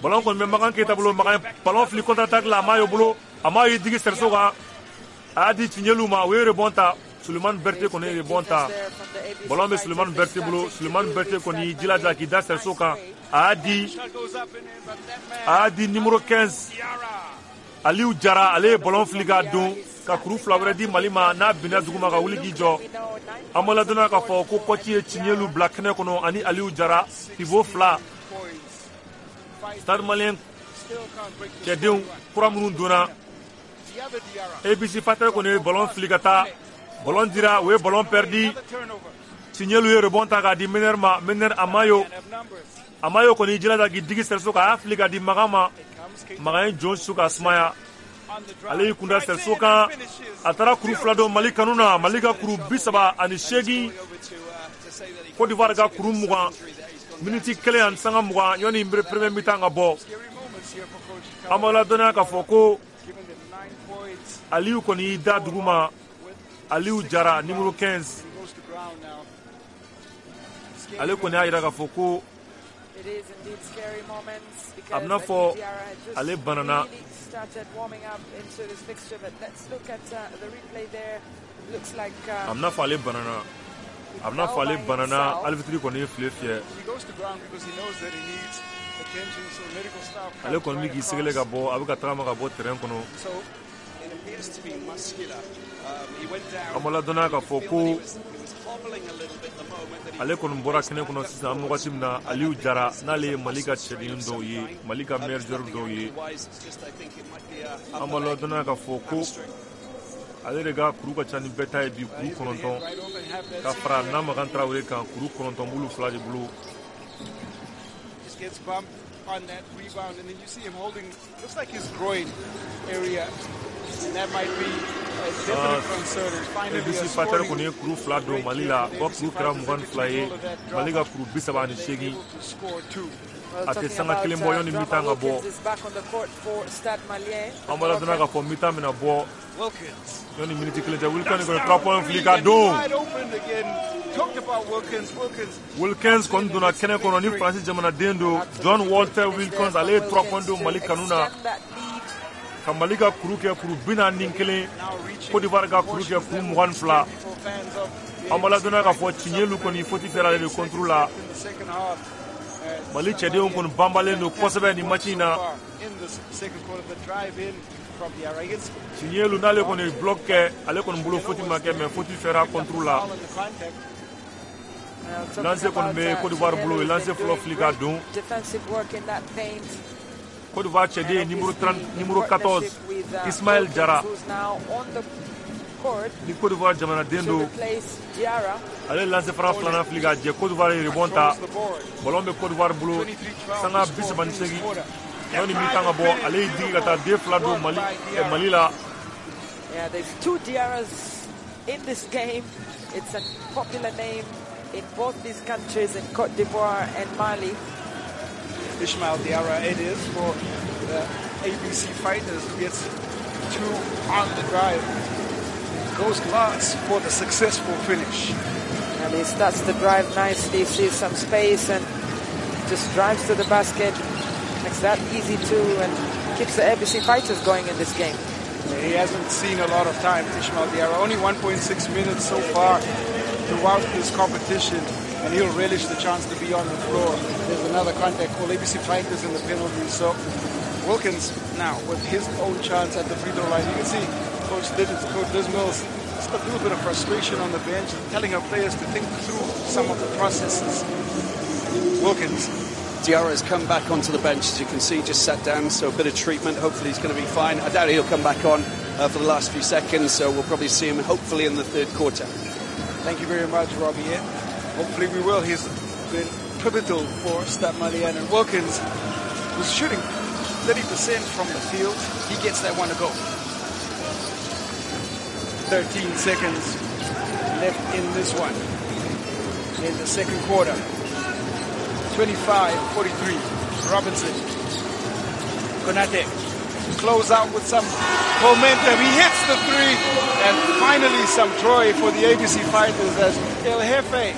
Ballon kɔni bɛ Makan Keita bolo. Makan ballon fili contre attaque la, a m'a y'o bolo. A m'a y'i digi cerceau kan, a y'a di Tunyelu ma, o ye rebond ta. Sulemani Berté kɔni ye rebond ta. Ballon bɛ Sulemani Berté bolo. Sulemani Berté kɔni y'i jilaja k'i da cerceau kan, a y'a di a y'a di numéro quinze, Aliou Jara. Ale ye ballon fili k'a don ka kuru fila wɛrɛ di Mali ma, n'a binna duguma ka wuli k'i jɔ. An b'a ladɔnniya k'a fɔ ko coach ye Tiɲɛlu bila kɛnɛ kɔnɔ ani Aliou Jara, pivot fila. Stade Malien cɛdenw kura minnu donna, A B C Fighter kɔni ye ballon fili ka taa, ballon dira, u ye ballon perdi. Tiɲɛlu ye rebond ta k'a di meneur ma. Meneur Amayo, Amayo kɔni y'i jilaja k'i digi cerceau kan, a y'a fili k'a di Makan ma. Makan ye jɔn su k'a sumaya, ale y'i kunda cerceau kan, a taara kuru fila don Mali kanu na. Mali ka kuru bi saba ani seegin, Côte d'Ivoire ka kuru mugan. Miniti kelen ani sanga mugan yanni premier mi-temps ka bɔ. An b'aw ladɔnniya k'a fɔ ko Aliou kɔni y'i da dugu ma. Aliou Jara, numéro quinze, ale kɔni y'a jira k'a fɔ ko a bɛna fɔ ale banana. A bɛna fɔ ale banana. A bɛna fɔ ale banana. Arbitre kɔni ye file fiyɛ. Ale kɔni bɛ k'i sɛgɛlɛ ka bɔ, a bɛ ka tagama ka bɔ terrain kɔnɔ. An b'a ladɔnniya k'a fɔ ko ale kɔni bɔra kɛnɛ kɔnɔ sisan an bɛ wagati min na, Aliou Diarra, n'ale ye Mali ka cɛden dɔw ye, Mali ka meilleur joueur dɔw ye. An b'a ladɔnniya k'a fɔ ko ale de ka kuru ka ca ni bɛɛ ta ye bi, kuru kɔnɔntɔn, ka fara Namakan Traoré kan, kuru kɔnɔntɔn b'olu fila de bolo.
Gets bumped on that rebound, and then you see him holding, looks like his groin area, and that might be a definite concern. And finally,
A B C Fighter kɔni ye kuru fila don Mali la, o kuru kɛra mugan ni fila ye, Mali ka kuru bi saba ani seegin. A tɛ sanga kelen bɔ yanni mi-temps ka bɔ. An b'a ladɔnniya k'a fɔ mi-temps bɛna bɔ yanni miniti kelen cɛ. Wilkins kɔni trois points fili ka don. Wilkins kɔni donna kɛnɛ kɔnɔ ni Faransi jamanaden don, John Walter Wilkins, ale ye trois points don Mali kanu na, ka Mali ka kuru kɛ kuru bi naani ni kelen, Côte d'Ivoire ka kuru kɛ kuru mugan ni fila. An b'a ladɔnniya k'a fɔ Tiɲɛlu kɔni faute kɛra ale de contre la. Mali cɛdenw kɔni banbalen don kosɛbɛ nin match in na. Tiɲɛlu n'ale kɔni ye bloc kɛ, ale kɔni bolo faute ma kɛ, mais faute fɛra contre la. Lancer kɔni bɛ Côte d'Ivoire bolo, lancer fɔlɔ fili ka don. Côte d'Ivoire cɛden numéro trente, numéro quatorze, Ismaël Diarra, ni Côte d'Ivoire jamanaden don, ale lancer fara filanan fili ka jɛ. Côte d'Ivoire ye rebond ta, ballon bɛ Côte d'Ivoire bolo, sanga bi saba ni seegin yanni mi-temps ka bɔ. Ale y'i digi ka taa den fila don Mali Mali la.
Yeah, there's two Diarras in this game. It's a popular name in both these countries, in Côte d'Ivoire and Mali.
Ismail Diarra it is for the A B C Fighters, who gets two on the drive. Goes glass for the successful finish.
And he starts to drive nicely, sees some space and just drives to the basket. Makes that easy too and keeps the A B C Fighters going in this game.
He hasn't seen a lot of time, Ismail Diarra. Only one point six minutes so far throughout this competition, and he'll relish the chance to be on the floor. There's another contact call, A B C Fighters in the penalty. So Wilkins now with his own chance at the free throw line. You can see Coach Liz, Coach Liz Mills, just a little bit of frustration on the bench, telling her players to think through some of the processes. Wilkins.
Diarra has come back onto the bench, as you can see, just sat down, so a bit of treatment. Hopefully he's going to be fine. I doubt he'll come back on uh, for the last few seconds, so we'll probably see him hopefully in the third quarter.
Thank you very much, Robbie. Yeah. Hopefully we will. He's been pivotal for Stade Malien. And Wilkins was shooting thirty percent from the field. He gets that one to go. thirteen seconds left in this one. In the second quarter. twenty-five forty-three. Robinson. Konate close out with some momentum. He hits the three, and finally some joy for the A B C Fighters as El Jefe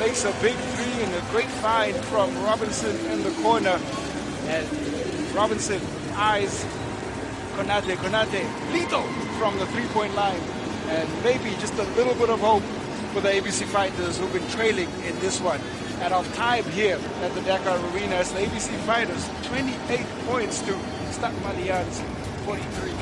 makes a big three and a great find from Robinson in the corner. And Robinson eyes Konate. Konate lethal from the three-point line, and maybe just a little bit of hope for the A B C Fighters who've been trailing in this one. At off time here at the Dakar Arena, it's the A B C Fighters twenty-eight points to Stade Malien's forty-three.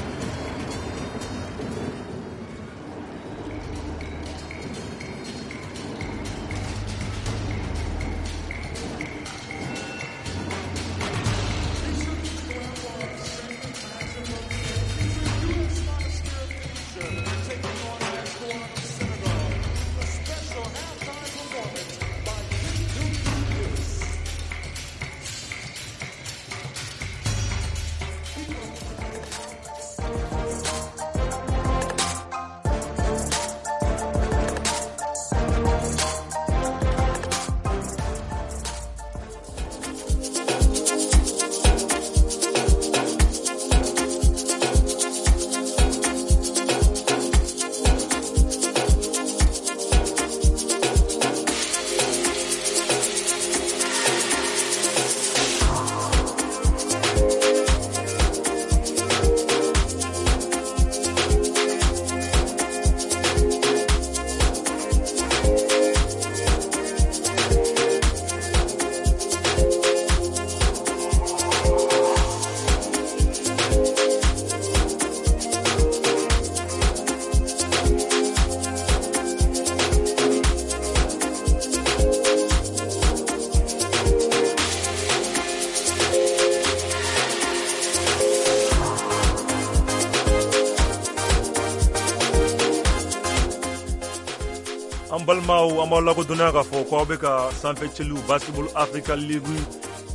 An balimaw, an b'aw lakodɔnniya k'a fɔ ko aw bɛ ka sanfɛ cɛliw Basketball Africa League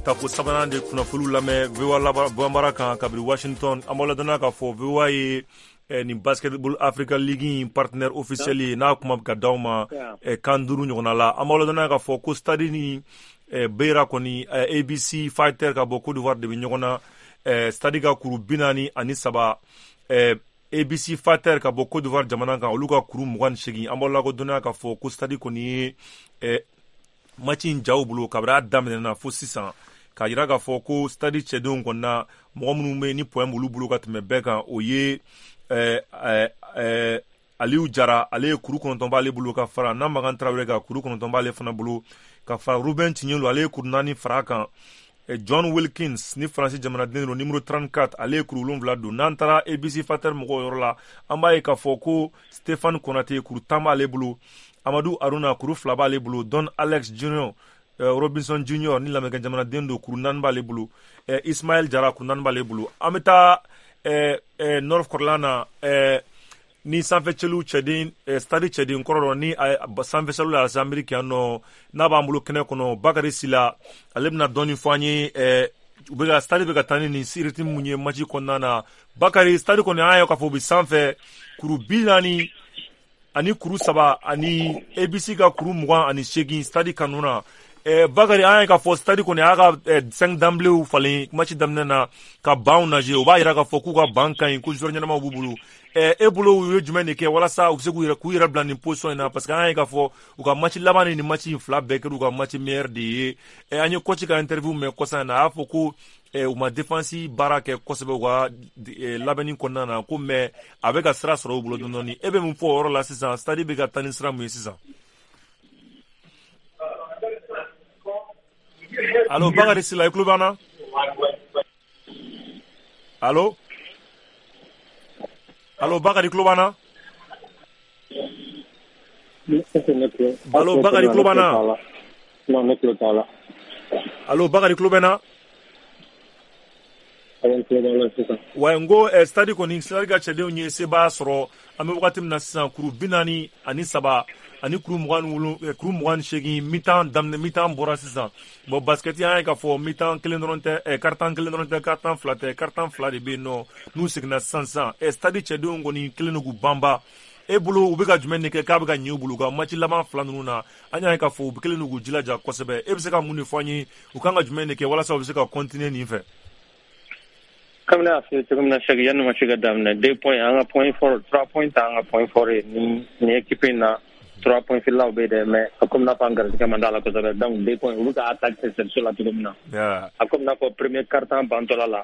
tako sabanan de kunnafoniw lamɛn V O A Bambara kan kabini Washington. An b'aw ladɔnniya k'a fɔ V O A ye eh, nin Basketball Africa League in partenaire officiel ye, n'a kuma bɛ ka d'aw ma eh, kan duuru ɲɔgɔnna la. An b'aw ladɔnniya k'a fɔ ko stade ni eh, Beira kɔni, eh, A B C Fighter ka bɔ Côte d'Ivoire de bɛ ɲɔgɔn na. eh, stade ka kuru bi naani ani saba, eh, A B C Fighter ka bɔ Côte d'Ivoire jamana kan, olu ka kuru mugan ni seegin. An b'aw lakodɔnniya k'a fɔ ko stade kɔni ye eh, match in jaw bolo kabini a daminɛna fo sisan, k'a yira k'a fɔ ko stade cɛdenw kɔni na, mɔgɔ minnu bɛ ni point b'olu bolo ka tɛmɛ bɛɛ kan, o ye eh, eh, eh, Aliyu Jara, ale ye kuru kɔnɔntɔn b'ale bolo, ka fara Namagan Tarawele kan, kuru kɔnɔntɔn b'ale fana bolo, ka fara Ruben Tiɲɛlu, ale ye kuru naani fara a kan. John Wilkins ni Faransi jamanaden don, numéro trente-quatre, ale ye kuru wolonwula don. N'an taara A B C Fighter mɔgɔw yɔrɔ la, an b'a ye k'a fɔ ko Stéphane Konate, kuru tan b'ale bolo, Amadu Aruna, kuru fila b'ale bolo, Don Alex Junior Robinson Junior ni lamɛnkɛ jamanaden don, kuru naani b'ale bolo, Ismaël Jara, kuru naani b'ale bolo. An bɛ taa Nord kɔrɔla na ni sanfɛcɛliw cɛden, stade cɛden kɔrɔ dɔ ni sanfɛcɛliw la Ameriki yan nɔ, n'a b'an bolo kɛnɛ kɔnɔ, Bakari Sila, ale bɛna dɔɔni fɔ an ye u bɛ ka stade bɛ ka taa ni nin rythme mun ye match kɔnɔna na. Bakari, stade kɔni, an y'a ye k'a fɔ u bɛ sanfɛ kuru bi naani ani kuru saba ani A B C ka kuru mugan ani seegin, stade kanu na. Bakari, an y'a ye k'a fɔ stade kɔni a y'a ka cinq d'emblée falen match daminɛ na ka banw lajɛ, o b'a yira k'a fɔ k'u ka ban ka ɲi, ko joueur ɲɛnamaw b'u bolo. E bolo, u ye jumɛn de kɛ walasa u bɛ se k'u yɛrɛ k'u yɛrɛ bila nin position in na? Parce que an y'a ye k'a fɔ u ka match laban ni nin match in fila bɛɛ kɛra u ka match meilleur de ye. An ye coach ka interview mɛn kɔsa in na, a y'a fɔ ko u ma défense baara kɛ kosɛbɛ u ka labɛnni kɔnɔna na, ko mais a bɛ ka sira sɔrɔ u bolo dɔɔni dɔɔni. E bɛ mun fɔ o yɔrɔ la sisan, stade bɛ ka taa ni sira mun ye sisan? Allo, Bakari Sila, i tulo b'an na? Allo, allo, Bakari, tulo b'an na? Allo, Bakari, tulo b'an na?
Non, ne tulo t'a la.
Allo, Bakari, tulo bɛ n na?
Awɔ, n tulo b'a la sisan.
Wa n ko stade kɔni, stade ka cɛdenw ye sebaaya sɔrɔ. An bɛ wagati min na sisan, kuru bi naani ani saba ani kuru mugan ni wolo kuru mugan ni seegin, mi-temps daminɛ, mi-temps bɔra sisan. Bon, basket, an y'a ye k'a fɔ mi-temps kelen dɔrɔn tɛ, quart-temps kelen dɔrɔn tɛ, quart-temps fila tɛ, quart-temps fila de bɛ yen nɔ. N'u seginna sisan sisan, stade cɛdenw kɔni kelen don k'u banba. E bolo, u bɛ ka jumɛn de kɛ k'a bɛ ka ɲɛ u bolo u ka match laban fila ninnu na? An y'a ye k'a fɔ u kelen don k'u jilaja kosɛbɛ. E bɛ se ka mun de fɔ an ye, u kan ka jumɛn de kɛ walasa u bɛ se ka continuer nin fɛ?
Comme ne y'a f'i ye cogo min na, Sɛki, yanni match ka daminɛ, deux points an ka point fort, trois points t'an ka point fort ye. Ni ni équipe in na, trois points fililaw bɛ yen dɛ, mais a komi n'a fɔ an garijɛgɛ man d'a la kosɛbɛ. Donc deux points, u bɛ ka attaque kɛ service la cogo min na, a komi n'a fɔ premier quart-temps bantɔla la,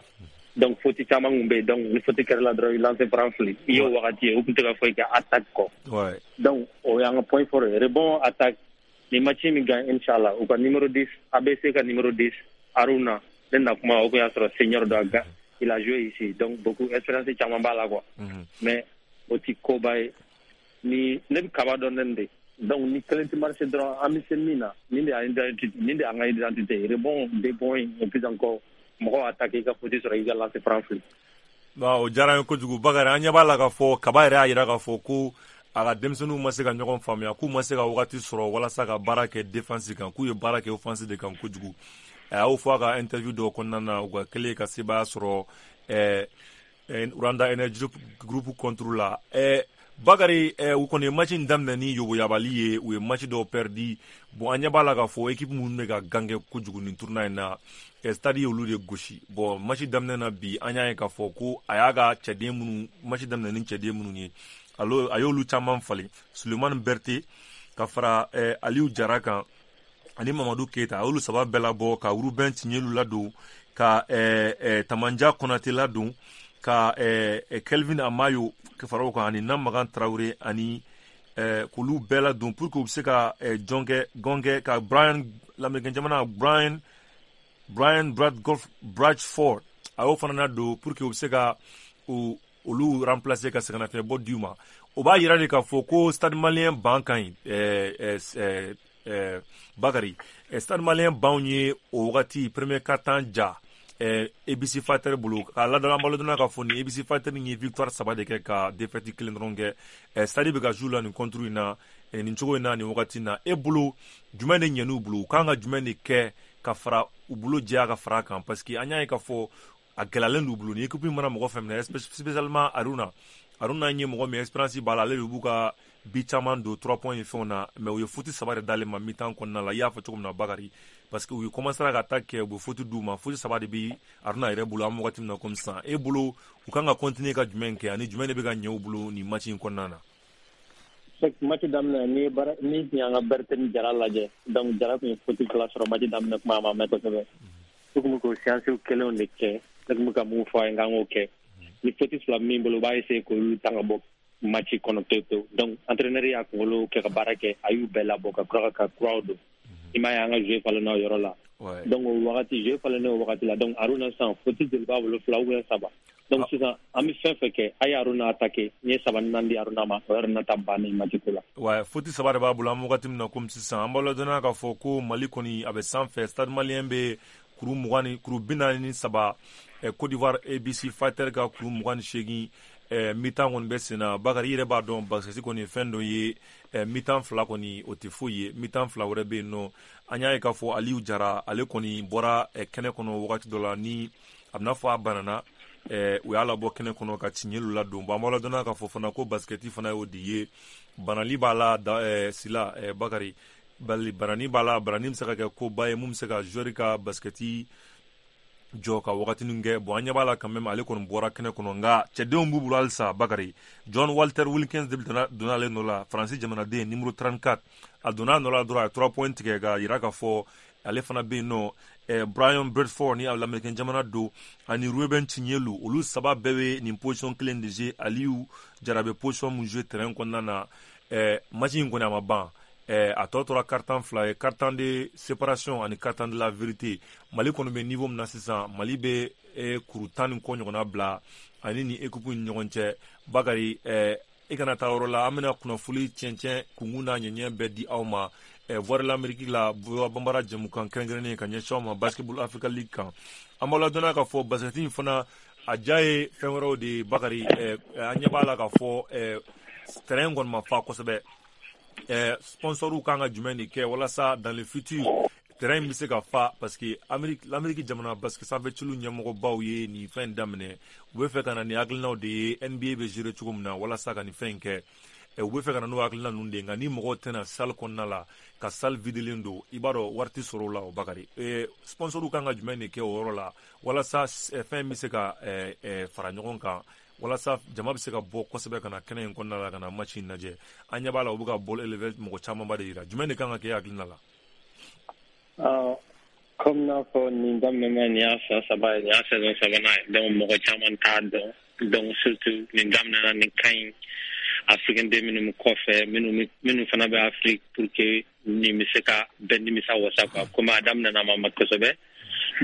donc faute caman kun bɛ yen. Donc ni faute kɛra la dɔrɔn, i lancer franc fili i y'o wagati ye, u tun tɛ ka foyi kɛ attaque kɔ. Donc o y'an ka point fort ye, rebond, attaque. Ni match min gagne, inchallah, u ka numéro dix, A B C ka numéro dix Aruna, ne na kuma o kun y'a sɔrɔ senior dɔ a il a joué ici, donc beaucoup expérience caman b'a la quoi. Mais o ti koba ye. Ni ne bɛ kaba dɔn ne de, donc ni kelen tɛ marché dɔrɔn, an bɛ se min na, nin de y'an identité, nin de y'an ka identité: rebond, deux points, et puis encore mɔgɔw attaquer, i ka faute sɔrɔ, i ka lancer franc fili.
O diyara n ye kojugu, Bakari. An ɲɛ b'a la k'a fɔ Kaba yɛrɛ y'a yira k'a fɔ ko a ka denmisɛnninw ma se ka ɲɔgɔn faamuya, k'u ma se ka wagati sɔrɔ walasa ka baara kɛ défense kan, k'u ye baara kɛ offense de kan kojugu. A y'o fɔ a ka interview dɔw kɔnɔna na, u ka kɛlen ka sebaaya sɔrɔ ɛɛ Rwanda Energy Group contre la. ɛɛ Bakari, u kɔni ye match in daminɛ ni yoboyabali ye, u ye match dɔw perdu. Bon, an ɲɛ b'a la k'a fɔ équipe minnu bɛ ka gangɛ kojugu nin tournoi in na, stade ye olu de gosi. Bon, match daminɛ na bi, an y'a ye k'a fɔ ko a y'a ka cɛden minnu, match daminɛ ni cɛden minnu ye, a y'olu caman falen: Sulemani Berete ka fara Aliyu Jara kan ani Mamadu Keyita. A y'olu saba bɛɛ labɔ ka Ruben Tiɲɛlu ladon, ka Tamanja Konate ladon, ka Kelvin Amayo fara o kan ani Namagan Tarawele, ani k'olu bɛɛ ladon pour que u bɛ se ka jɔn kɛ, gɔn kɛ ka Brian, lamɛnnikɛ jamana Brian Brian Brad Golf Bradford, a y'o fana ladon pour que u bɛ se ka u olu remplacer ka sɛgɛnnafiɲɛbɔ d'u ma. O b'a yira de k'a fɔ ko Stade Malien ban ka ɲi. ɛɛ ɛɛ Bakari, Stade Malien banw ye o wagati premier quart-temps ja A B C Fighter bolo k'a ladɔn. An b'a ladɔnniya k'a fɔ nin A B C Fighter ye victoire saba de kɛ ka défaite kelen dɔrɔn kɛ. Stade bɛ ka jouer la nin contre in na. Nin cogo in na, nin wagati na, e bolo, jumɛn de ɲɛn'u bolo? U kan ka jumɛn de kɛ ka fara u bolo jɛya ka fara kan? Parce que an y'a ye k'a fɔ a gɛlɛyalen d'u bolo. Ni équipe mana mɔgɔ fɛn minɛ, spécialement Aruna, Aruna ye mɔgɔ min expérience b'a la, ale de b'u ka bi caman don trois points ni fɛnw na. Mais u ye faute saba de d'ale ma mi-temps kɔnɔna la. I y'a fɔ cogo min na, Bakari, parce que u ye commencé ka attaque kɛ, u bɛ faute d'u ma. Faute saba de bi Aruna yɛrɛ bolo an bɛ wagati min na comme sisan. E bolo, u kan ka continuer ka jumɛn kɛ, ani jumɛn de bɛ ka ɲɛ u bolo nin match in kɔnɔna na?
Match daminɛ, ni bara ni tun y'an ka Berthe ni Jara lajɛ, donc Jara tun ye faute fila sɔrɔ match daminɛ kuma, a ma mɛn kosɛbɛ. U tun bɛ k'o séance kelenw de kɛ. Ne tun bɛ ka mun fɔ a ye k'an k'o kɛ, ni faute fila min bolo, u b'a essayer k'olu ta ka bɔ match kɔnɔ pewu pewu. Donc entraîneur y'a kunkolo kɛ ka baara kɛ, a y'u bɛɛ labɔ ka kura ka kuraw don. I m'a ye, an ka jeu falenna o yɔrɔ la. Donc o wagati, jeu falennen o wagati la, donc Aruna sisan, faute joli b'a bolo? Fila ou bien saba. Donc sisan an bɛ fɛn fɛn kɛ, a ye Aruna attaquer. N ye saba ni naani di Aruna ma, o yɛrɛ ta bannen match ko la.
Ouais, faute saba de b'a bolo an bɛ wagati min na komi sisan. An b'a ladɔnniya k'a fɔ ko Mali kɔni a bɛ sanfɛ. Stade Malien bɛ kuru mugan ni kuru bi naani ni saba, Côte d'Ivoire A B C Fighter ka kuru mugan ni seegin. Mi-temps kɔni bɛ sen na. Bakari, i yɛrɛ b'a dɔn, basket kɔni ye fɛn dɔ ye, mi-temps fila kɔni, o tɛ foyi ye. Mi-temps fila wɛrɛ bɛ yen nɔ. An y'a ye k'a fɔ Aliyu Jara, ale kɔni bɔra kɛnɛ kɔnɔ wagati dɔ la, ni a bɛna fɔ a banana, u y'a labɔ kɛnɛ kɔnɔ ka Tiɲɛlu ladon. Bon, an b'a ladɔnniya k'a fɔ fana ko basket fana y'o de ye, banali b'a la da sila. Bakari, banani b'a la, banani bɛ se ka kɛ koba ye mun bɛ se ka joueur ka basket jɔ ka wagatinin kɛ. Bon, an ɲɛ b'a la quand même, ale kɔni bɔra kɛnɛ kɔnɔ, nka cɛdenw b'u bolo halisa. Bakari, John Walter Wilkins de donna ale nɔ la, Faransi jamanaden numéro trente-quatre. A donna a nɔ la dɔrɔn, a ye trois points tigɛ ka yira k'a fɔ ale fana bɛ yen nɔ. eh, Brian Bradford ni Lamɛrikɛn jamana don, ani Ruben Chinyelu, olu saba bɛɛ bɛ nin position kelen de jouer. Aliyu Jara bɛ position mun jouer terrain kɔnɔna na? eh, match in kɔni a ma ban. eh, a tɔ tora quart-temps fila ye, quart-temps de séparation ani quart-temps de la vérité. Mali kɔni bɛ niveau min na sisan, Mali bɛ eh, kuru tan ni kɔ ɲɔgɔnna bila ani ni équipe ni ɲɔgɔn cɛ. Bakari, eh, i kana taa yɔrɔ la, an bɛna kunnafoni tiɲɛ kunkun n'a ɲɛɲɛ bɛɛ di aw ma eh, Voix de l'Amérique la, Voix Bambara jɛmukan kɛrɛnkɛrɛnnen ka ɲɛsin aw ma Basketball Africa League kan. An b'aw ladɔnniya k'a fɔ basket in fana a ja ye fɛn wɛrɛw de ye. Bakari, eh, an ɲɛ b'a la k'a fɔ eh, terrain kɔni ma fa kosɛbɛ. eh, sponsoriw kan ka jumɛn de kɛ walasa dans le futur terrain bɛ se ka fa? Parce que Amérique, l'Amérique jamana basket sanfɛciliw ɲɛmɔgɔbaw ye nin fɛn daminɛ, u bɛ fɛ ka na ni hakilinaw de ye N B A bɛ gérer cogo min na walasa ka nin fɛn in kɛ. U bɛ fɛ ka na n'o hakilina ninnu de ye, nka ni mɔgɔw tɛna salle kɔnɔna la, ka salle videlen don, i b'a dɔn wari tɛ sɔrɔ o la. O Bakari, sponsoriw kan ka jumɛn de kɛ o yɔrɔ la walasa fɛn bɛ se ka fara ɲɔgɔn kan, walasa jama bɛ se ka bɔ kosɛbɛ ka na kɛnɛ in kɔnɔna la ka na match in lajɛ? An ɲɛ b'a la, u bɛ ka ball élevé, mɔgɔ camanba de yira. Jumɛn de kan ka kɛ e hakilina la?
Comme n'a fɔ nin daminɛna, nin y'a san saba ye, nin y'a saison sabanan ye, donc mɔgɔ caman t'a dɔn. Donc surtout nin daminɛna, nin ka ɲi africain den minnu bɛ kɔfɛ, minnu minnu fana bɛ Afrique, pour que nin bɛ se ka bɛɛ nimisa wasa quoi. Komi a daminɛna, ma ma kosɛbɛ,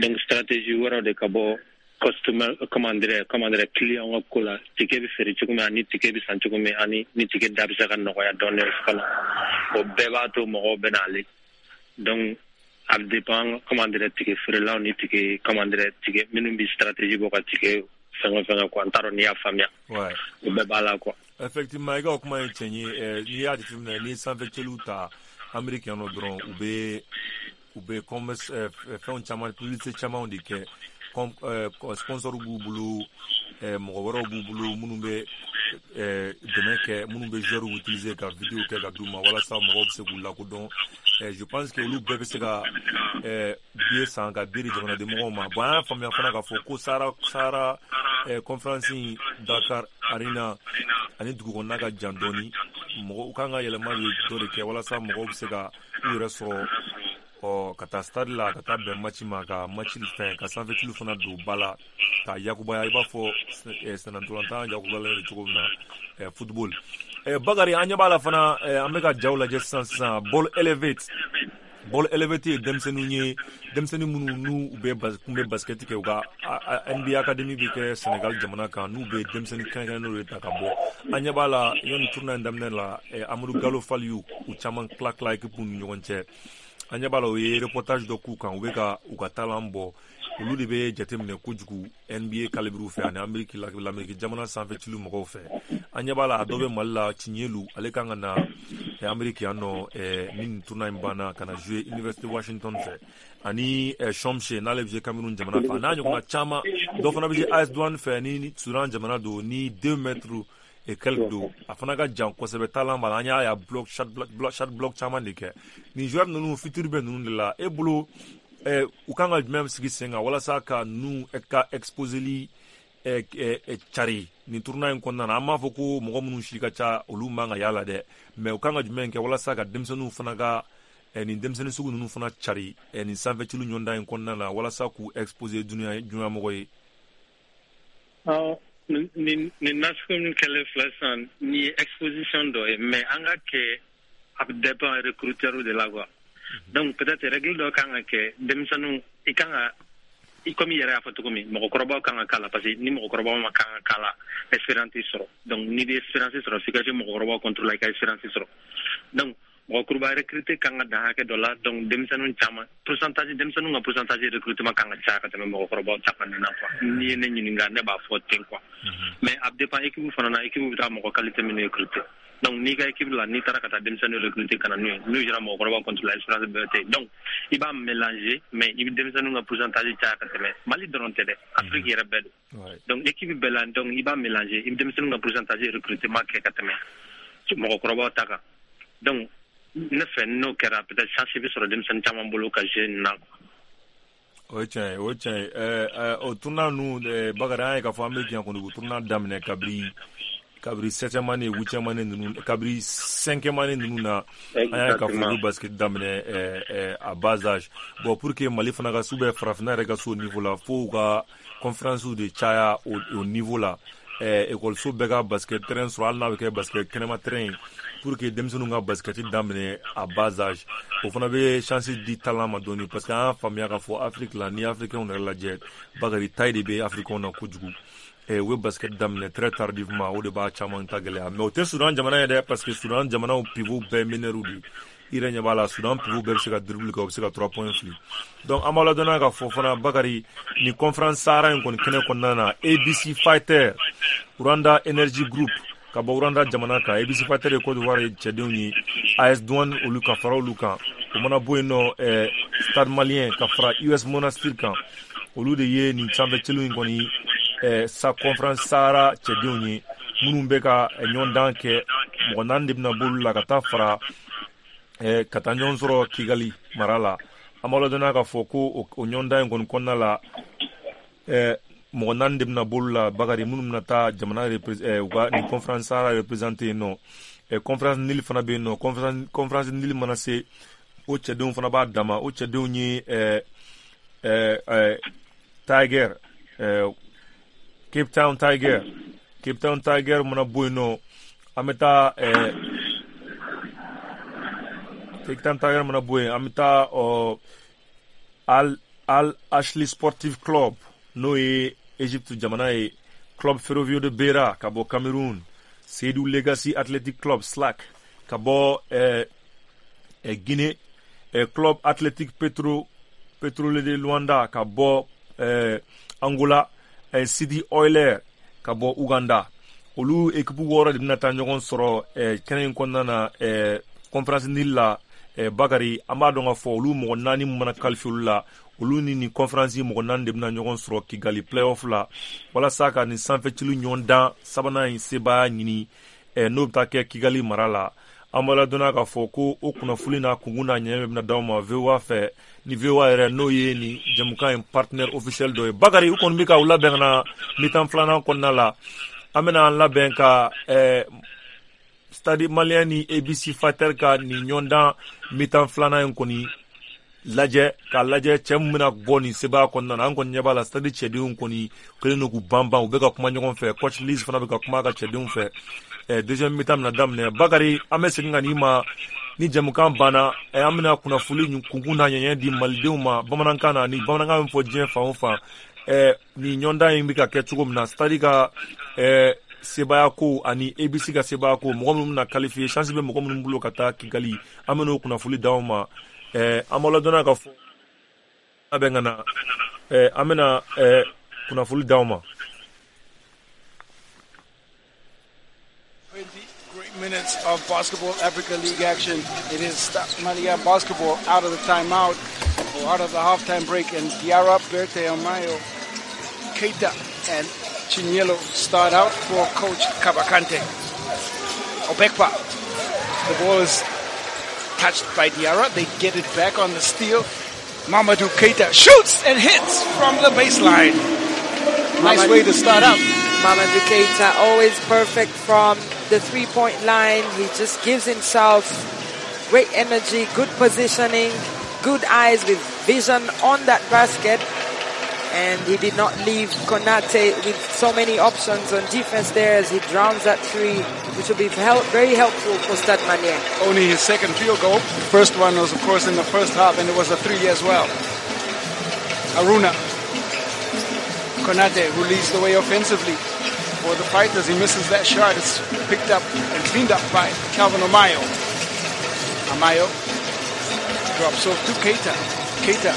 donc stratégie wɛrɛw de ka bɔ customer, comment dire comment dire client ka ko la, ticket bɛ feere cogo min, ani ticket bɛ san cogo min, ani ni ticket da bɛ se ka nɔgɔya dɔɔnin fana, o bɛɛ b'a to mɔgɔw bɛ n'ale. Donc a bɛ dépend, comment dire, ticket feerelaw ni ticket, comment dire, ticket minnu bɛ stratégie bɔ ka ticket fɛngɛ fɛngɛ quoi. N t'a dɔn n'i y'a faamuya. O bɛɛ b'a la quoi.
Effectivement, i ka o kuma ye tiɲɛ ye. N'i y'a jateminɛ, n'i ye sanfɛcɛliw ta Amérique yan nɔ dɔrɔn, u bɛ u bɛ commerce fɛnw caman, publicité camanw de kɛ. Sponsor b'u bolo, mɔgɔ wɛrɛw b'u bolo minnu bɛ dɛmɛ kɛ, minnu bɛ joueurs utiliser ka vidéo kɛ ka d'u ma walasa mɔgɔw bɛ se k'u lakodɔn. Je pense que olu bɛɛ bɛ se ka billet san ka billet di jamanaden mɔgɔw ma. Bon, an y'a faamuya fana k'a fɔ ko Sahara Sahara conférence in, Dakar Arena ani dugu kɔnɔna ka jan dɔɔni. Mɔgɔ u kan ka yɛlɛma dɔ de kɛ walasa mɔgɔw bɛ se ka u yɛrɛ sɔrɔ ɔ ka taa stade la, ka taa bɛn match ma, ka match fɛn, ka sanfɛtulu fana don ba la ka yakubaya, i b'a fɔ sennantolatan yakubayalen don cogo min na, football. Bakari, an ɲɛ b'a la fana, an bɛ ka jaw lajɛ sisan sisan. Ball Elevate, Ball Elevate ye denmisɛnninw ye, denmisɛnnin minnu n'u bɛ kun bɛ basket kɛ, u ka N B A Academy bɛ kɛ Senegal jamana kan, n'u bɛ denmisɛnnin kɛrɛnkɛrɛnnenw de ta ka bɔ. An ɲɛ b'a la, yanni tournoi in daminɛ la, Amadu Gallo Fall y'u caman tila tila équipe ni ɲɔgɔn cɛ. An ɲɛ b'a la, u ye reportage dɔ k'u kan, u bɛ ka u ka talent bɔ. Olu de bɛ jateminɛ kojugu N B A calibre fɛ ani Amérique, l'Amérique jamana sanfɛ cili mɔgɔw fɛ. An ɲɛ b'a la, a dɔ bɛ Mali la, Tiɲɛlu, ale kan ka na Amérique yan nɔ, ni nin tournoi in banna ka na jouer Université Washington fɛ, ani Chomche n'ale bɛ jouer Cameroun jamana fɛ, a n'a ɲɔgɔnna caman. Dɔ fana bɛ jouer A S Douane fɛ ni Soudan jamana don, ni deux mètres et quelques don, a fana ka jan kosɛbɛ, talent b'a la. An y'a ye bloc shot block shot block caman de kɛ. Nin joueur ninnu, futur bɛ ninnu de la. E bolo, u kan ka jumɛn sigi sen kan walasa ka ninnu ka exposeli cari nin tournoi in kɔnɔna na? An b'a fɔ ko mɔgɔ minnu si ka ca, olu man ka y'a la dɛ, mais u kan ka jumɛn kɛ walasa ka denmisɛnninw fana ka nin denmisɛnnin sugu ninnu fana cari nin sanfɛcili ɲɔgɔndan in kɔnɔna na, walasa k'u exposer dunuya dunuya mɔgɔ ye?
Nin nin nasugu min kɛlen filɛ sisan, nin ye exposition dɔ ye, mais an ka kɛ, a bɛ dépend recruteur de la quoi. Donc peut-être règle dɔ kan ka kɛ, denmisɛnninw i kan ka i komi i yɛrɛ y'a fɔ cogo min, mɔgɔkɔrɔbaw kan ka k'a la, parce que ni mɔgɔkɔrɔbaw ma kan ka k'a la, expérience sɔrɔ. Donc n'i bɛ expérience sɔrɔ, f'i ka se mɔgɔkɔrɔbaw contre la, i ka expérience sɔrɔ. Donc mɔgɔkɔrɔba recruter kan ka dan hakɛ dɔ la. Donc denmisɛnninw caman pourcentage, denmisɛnninw ka pourcentage recrutement kan ka caya ka tɛmɛ mɔgɔkɔrɔbaw ta kan na quoi. N'i ye ne ɲininka, ne b'a fɔ ten quoi. Mais a bɛ dépend équipe fana na, équipe bɛ taa mɔgɔ qualité min recruter. Donc n'i ka équipe la, n'i taara ka taa denmisɛnnin recruter ka na n'u ye, n'u sera mɔgɔkɔrɔba contre la, expérience bɛɛ tɛ yen. Donc i b'a mélanger, mais i bɛ denmisɛnninw ka pourcentage caya ka tɛmɛ. Mali dɔrɔn tɛ dɛ, Afrique yɛrɛ bɛɛ don. Donc équipe bɛɛ la, donc i b'a mélanger, i bɛ denmisɛnninw ka pourcentage recrutement kɛ ka tɛmɛ mɔgɔkɔrɔbaw ta kan. Donc ne fɛ, n'o kɛra, peut-être chance bɛ sɔrɔ denmisɛnnin caman bolo ka jouer nin na.
O ye tiɲɛ ye, o ye tiɲɛ ye. ɛɛ o tournoi ninnu, Bakari, an ye k'a fɔ an bɛ diɲɛ kɔni, u tournoi daminɛ kabiri kabiri septième année, huitième année ninnu, kabiri cinquième année ninnu na, an y'a ye k'a fɔ u bɛ basket daminɛ ɛɛ à bas âge. Bon, pour que Mali fana ka se, ou bien farafinna yɛrɛ ka se o niveau la, fo u ka conférence de caya o o niveau la, ɛɛ ekɔliso bɛɛ ka basket terrain sɔrɔ, hali n'a bɛ kɛ basket kɛnɛma terrain ye, pour que denmisɛnninw ka basket daminɛ à bas âge. O fana bɛ chance di talent ma dɔɔni, parce que an y'a faamuya k'a fɔ Afrique la, ni Africains yɛrɛ lajɛ, Bakari, taille de bɛ Africains na kojugu. U bɛ basket daminɛ très tardivement, o de b'a caman ta gɛlɛya. Mais o tɛ Soudan jamana ye dɛ, parce que Soudan jamanaw pivot bɛɛ meneurs de, i yɛrɛ ɲɛ b'a la, Soudan pivot bɛɛ bɛ se ka dribble kɛ, u bɛ se ka trois points fili. Donc an b'a ladɔnniya k'a fɔ fana, Bakari, nin conférence Sahara in kɔni kɛnɛ kɔnɔna na, A B C Fighter, Rwanda Energy Group ka bɔ Rwanda jamana kan, A B C Fighter ye Côte d'Ivoire ye cɛdenw ye, A S Douane olu ka fara olu kan. O mana bɔ yen nɔ, ɛɛ Stade Malien ka fara U S Monastir kan, olu de ye nin sanfɛcɛliw in kɔni ɛɛ sa conférence Sahara cɛdenw ye minnu bɛ ka ɲɔgɔndan kɛ. Mɔgɔ naani de bɛna bɔ olu la ka taa fara ɛɛ ka taa ɲɔgɔn sɔrɔ Kigali mara la. An b'a ladɔnniya k'a fɔ ko o ɲɔgɔndan in kɔni kɔnɔna la, ɛɛ mɔgɔ naani de bɛna bɔ olu la, Bakari, minnu bɛna taa jamana ɛɛ u ka nin conférence Sahara représenter yen nɔ. ɛɛ conférence Nil fana bɛ yen nɔ. conférence conférence Nil mana se, o cɛdenw fana b'a dama. O cɛdenw ye ɛɛ ɛɛ Tiger, ɛɛ Cape Town Tiger. Cape Town Tiger mana bɔ yen nɔ, an bɛ taa ɛɛ Cape Town Tiger mana bɔ yen, an bɛ taa ɔ Al Al Ahly Sportive Club, n'o ye Egypte jamana ye, Club Ferroviaire de Beira ka bɔ Cameroun, Seydou Legacy Athletic Club SLAC ka bɔ ɛɛ ɛ Guinée, ɛ Club Athletic Petro Petrole de Luanda ka bɔ ɛɛ Angola, ɛ City Oilers ka bɔ Uganda. Olu équipe wɔɔrɔ de bɛna taa ɲɔgɔn sɔrɔ ɛ kɛnɛ in kɔnɔna na, ɛ conférence Nil la. ɛ Bakari, an b'a dɔn k'a fɔ olu mɔgɔ naani mana qualifier olu la, olu ni nin conférence mɔgɔ naani de bɛna ɲɔgɔn sɔrɔ Kigali playoff la, walasa ka nin sanfɛcili ɲɔgɔn dan sabanan in sebaaya ɲini, ɛ n'o bɛ taa kɛ Kigali mara la. An b'a ladɔnniya k'a fɔ ko o kunnafoni n'a kunkun n'a ɲɛ bɛna d'aw ma V O A fɛ, ni V O A yɛrɛ n'o ye nin jɛmukan in partenaire officiel dɔ ye. Bakari, u kɔni bɛ ka u labɛn ka na mi-temps filanan kɔnɔna la. An bɛna an labɛn ka ɛɛ Stade Malien ni A B C Fighter ka nin ɲɔgɔndan mi-temps filanan in kɔni lajɛ, k'a lajɛ cɛ min bɛna bɔ nin sebaaya kɔnɔna na. An kɔni ɲɛ b'a la, Stade cɛdenw kɔni kɛlen don k'u banban, u bɛ ka kuma ɲɔgɔn fɛ. Coach Liz fana bɛ ka kuma a ka cɛdenw fɛ. ɛ deuxième mi-temps bɛna daminɛ. Bakari, an bɛ segin ka n'i ma ni jɛmukan banna. ɛ an bɛna kunnafoni kunkun n'a ɲɛɲɛ di malidenw ma bamanankan na, ni bamanankan bɛ fɔ diɲɛ fan o fan, ɛ nin ɲɔgɔndan in bɛ ka kɛ cogo min na, Stade ka ɛ sebaaya ko ani A B C ka sebaaya ko, mɔgɔ minnu bɛna qualifier, chance bɛ mɔgɔ minnu bolo ka taa Kigali, an bɛ n'o kunnafoni d'aw ma. ɛɛ an b'aw ladɔnniya ka fɔ labɛn ka na, ɛɛ an bɛna ɛɛ kunnafoni d'aw ma.
Great minutes of Basketball Africa League action. It is Stade Malien basketball out of the timeout or out of the halftime break, and Diarra, Berthe, Amayo, Keita, and Chinyelo start out for Coach Kaba Kante. Obekpa, the ball is touched by Diarra. They get it back on the steal. Mamadou Keita shoots and hits from the baseline. Nice way to start out.
Mamadou Keita always perfect from the three-point line. He just gives himself great energy, good positioning, good eyes with vision on that basket. And he did not leave Konate with so many options on defense there as he drowns that three, which will be help, very helpful for Stade Malien.
Only his second field goal. The first one was, of course, in the first half, and it was a three as well. Aruna. Konate, who leads the way offensively for the fighters. He misses that shot. It's picked up and cleaned up by Calvin Amayo. Amayo drops off to Keita. Keita.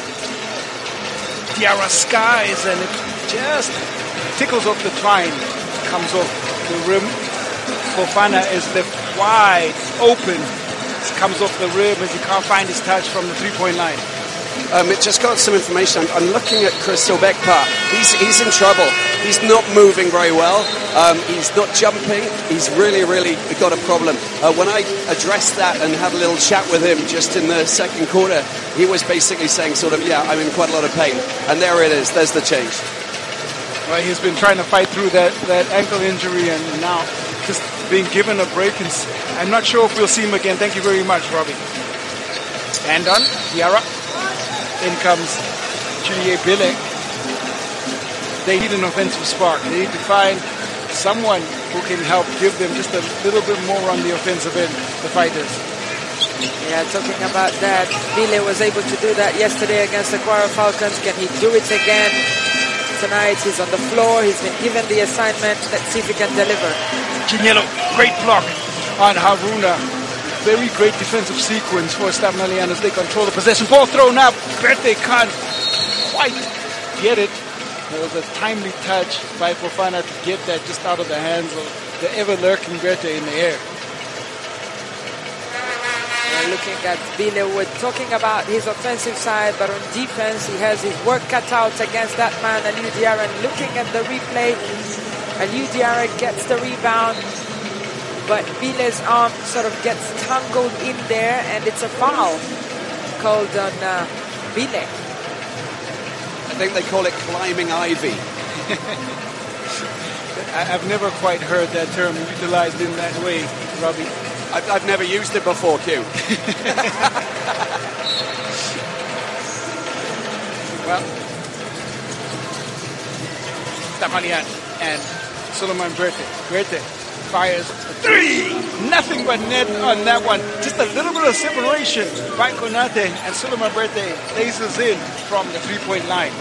Diarra skies, and it just tickles off the twine. Comes off the rim. Fofana is left wide open. It comes off the rim as he can't find his touch from the three-point line.
Um, it just got some information. I'm, I'm looking at Chris Obekpa. He's, he's in trouble. He's not moving very well. Um, he's not jumping. He's really, really got a problem. Uh, when I addressed that and had a little chat with him just in the second quarter, he was basically saying sort of, yeah, I'm in quite a lot of pain. And there it is. There's the change.
Well, he's been trying to fight through that, that ankle injury and now just being given a break. And I'm not sure if we'll see him again. Thank you very much, Robbie. And on, Diarra. In comes Julier Bile. They need an offensive spark. They need to find someone who can help give them just a little bit more on the offensive end, the fighters.
Yeah, talking about that, Bile was able to do that yesterday against the Kwara Falcons. Can he do it again tonight? He's on the floor. He's been given the assignment. Let's see if he can deliver.
Chinyelo, great block on Haruna. Very great defensive sequence for Stade Malien as they control the possession. Ball thrown up. Berthe can't quite get it. There was a timely touch by Fofana to get that just out of the hands of the ever-lurking Berthe in the air.
We're looking at Bile. We're talking about his offensive side, but on defense, he has his work cut out against that man, Aliou Diarra. And looking at the replay, Aliou Diarra gets the rebound, but Bile's arm sort of gets tangled in there, and it's a foul called on uh, Bile.
I think they call it climbing ivy.
I've never quite heard that term utilized in that way, Robbie.
I've, I've never used it before, Q.
Well, Stade Malien and Suleiman Berthe. Berthe fires a three! Nothing but net on that one. Just a little bit of separation by Konate, and Suleiman Berthe laces in from the three-point line.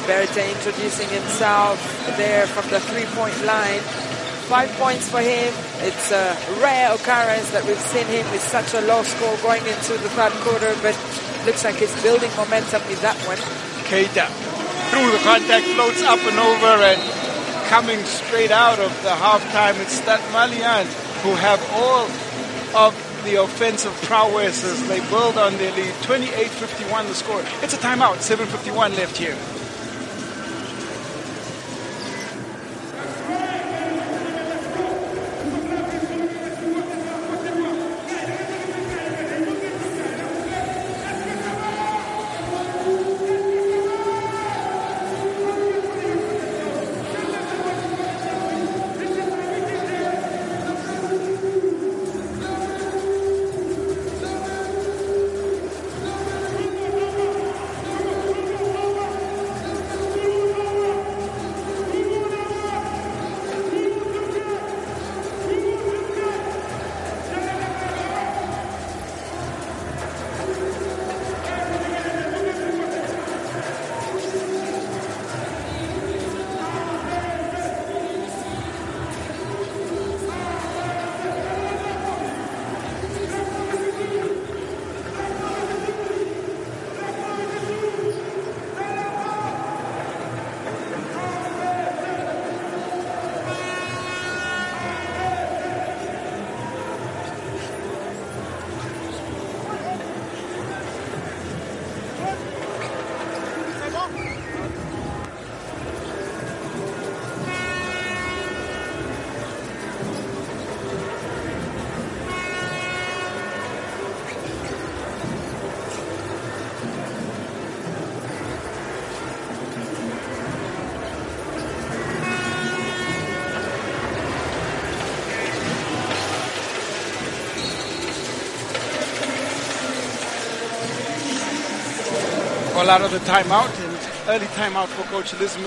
Berthe introducing himself there from the three-point line. Five points for him. It's a rare occurrence that we've seen him with such a low score going into the third quarter, but looks like he's building momentum with that one.
Keita through the contact, floats up and over, and coming straight out of the halftime, it's Stade Malien who have all of the offensive prowess as they build on their lead. twenty-eight fifty-one the score. It's a timeout, seven fifty-one left here.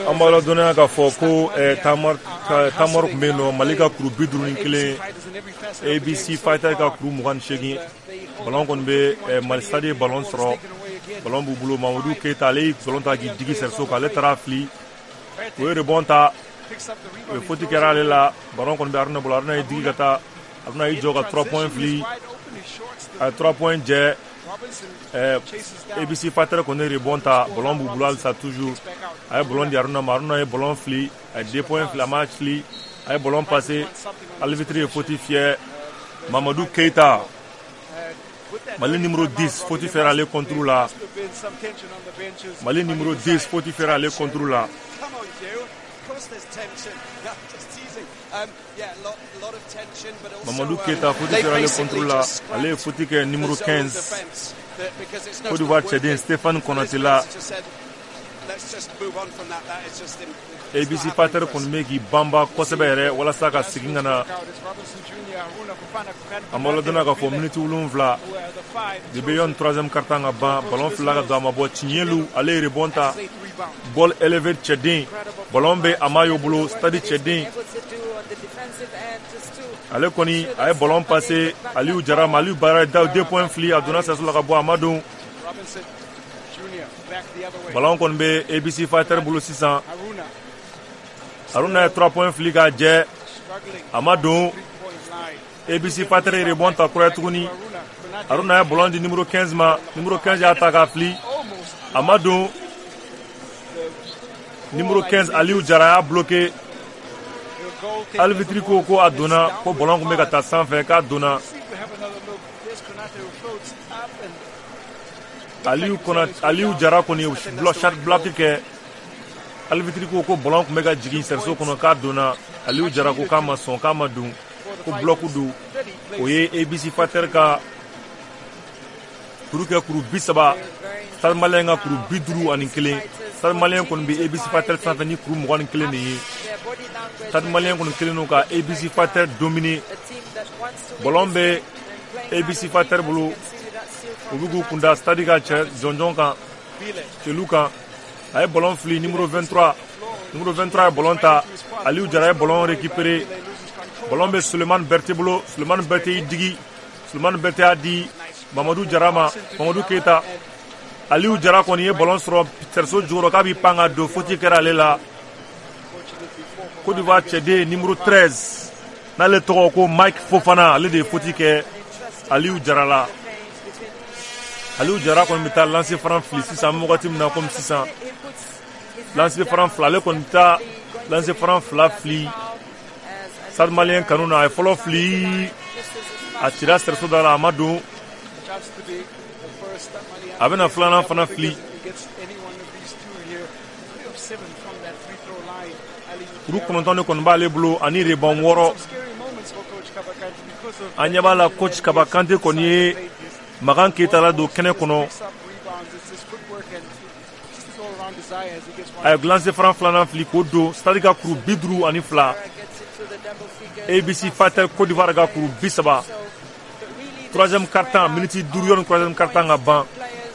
An b'a ladɔnniya k'a fɔ ko tamaro tun bɛ yen nɔ, Mali ka kuru bi duuru ni kelen, A B C Fighter ka kuru mugan ni seegin. Ballon kɔni bɛ Mali Stade ye ballon sɔrɔ, ballon b'u bolo. Mamadu Keyita ale ye ballon ta k'i digi cerceau kan, ale taara fili, o ye rebond ta, o ye faute kɛra ale la. Ballon kɔni bɛ Haruna bolo, Haruna ye digi ka taa, Haruna y'i jɔ ka trois points fili, a ye trois points jɛ. A B C Fighter kɔni ye rebond ta, ballon b'u bolo halisa toujours. A ye ballon di Haruna ma, Haruna ye ballon fili, a ye deux points fili, a ma fili, a ye ballon passé, arbitre ye faute fiyɛ. Mamadu Keyita, Mali numéro dix, faute fiyɛra ale contre la. Mali numéro dix, faute fiyɛra ale contre la. Mamadou Keita, faute fiyɛra ale contre la. Ale ye faute kɛ numéro quinze. Côte d'Ivoire cɛden Stéphane Konaté la. A B C Fighter kɔni bɛ k'i banba kosɛbɛ yɛrɛ walasa ka segin ka na. An b'a ladɔnniya k'a fɔ miniti wolonwula de bɛ yanni troisième quart-temps ka ban. Ballon fila ka don a ma bɔ. Tiɲɛlu ale ye rebond ta, ball élevé cɛden, ballon bɛ Amayo bolo, Stade cɛden. Ale kɔni a ye ballon passé Aliou Jara ma, Aliou Bara da deux points fili, a donna cerceau la ka bɔ, a ma don. Ballon kɔni bɛ A B C Fighter bolo sisan. Haruna ye trois points fili k'a jɛ, a ma don. A B C Fighter ye rebond ta kura ye tuguni. Haruna ye ballon di numéro quinze ma, numéro quinze y'a ta k'a fili, a ma don. Numéro quinze Aliou Jara y'a bloqué. Arbitre ko ko a donna, ko ballon tun bɛ ka taa sanfɛ, k'a donna. Aliou Konate, Aliou Jara kɔni ye shot block kɛ. Arbitre ko ko ballon tun bɛ ka jigin cerceau kɔnɔ, k'a donna. Aliou Jara ko k'a ma sɔn, k'a ma don, ko bloc don. O ye A B C Fighter ka kuru kɛ kuru bi saba, Stade Malien ka kuru bi duuru ani kelen. Stade Malien kɔni bɛ A B C Fighter sanfɛ ni kuru mugan ni kelen de ye. Stade Malien kɔni kelen don ka A B C Fighter dominer. Ballon bɛ A B C Fighter bolo, u bɛ k'u kunda Stade ka cɛ jɔnjɔn kan, cɛlu kan. A ye ballon fili numéro vingt-trois, numéro vingt-trois ye ballon ta, Aliou Jara ye ballon récupéré. Ballon bɛ Sulemani Berté bolo, Sulemani Berté y'i digi, Sulemani Berté y'a di Mamadou Jara ma, Mamadou Keita. Aliou Jara kɔni ye ballon sɔrɔ cerceau jukɔrɔ k'a b'i pan ka don, faute kɛra ale la. Côte d'Ivoire cɛden numéro treize, n'ale tɔgɔ ko Mike Fofana, ale de ye faute kɛ Aliou Jara la. Aliou Jara kɔni bɛ taa lancer franc fili sisan, an bɛ wagati min na komi sisan. Lancer franc fila, ale kɔni bɛ taa lancer franc fila fili Stade Malien kanu na. A ye fɔlɔ fili, a cira cerceau da la, a ma don. A bɛna filanan fana fili. Kuru kɔnɔntɔn de kɔni b'ale bolo ani rebond wɔɔrɔ. An ɲɛ b'a la coach Kaba Kante kɔni ye Makan Keita la don kɛnɛ kɔnɔ. A ye lancer franc filanan fili k'o don. Stade ka kuru bi duuru ani fila, A B C Fighter Côte d'Ivoire ka kuru bi saba. Troisième quart-temps, miniti duuru yanni troisième quart-temps ka ban.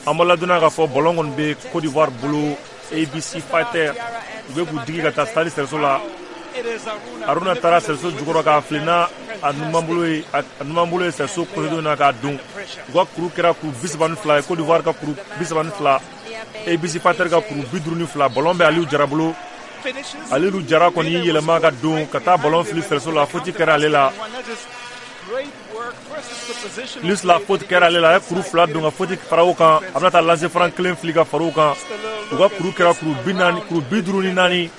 An b'a ladɔnniya k'a fɔ ballon kɔni bɛ Côte d'Ivoire bolo, A B C Fighter. U bɛ k'u digi ka taa Stade cerceau la. Haruna taara cerceau jukɔrɔ k'a fili n'a a numan bolo ye, a numan bolo ye cerceau côté na k'a don. U ka kuru kɛra kuru bi saba ni fila ye, Côte d'Ivoire ka kuru bi saba ni fila, A B C Fighter ka kuru bi duuru ni fila. Ballon bɛ Aliou Jara bolo. Aliou Jara kɔni y'i yɛlɛma ka don ka taa ballon fili cerceau la, faute kɛra ale la. Plus la faute kɛra ale la, a ye kuru fila don ka faute fara o kan. A bɛna taa lancer franc kelen fili ka fara o kan. U ka kuru kɛra kuru bi naani, kuru bi duuru ni naani,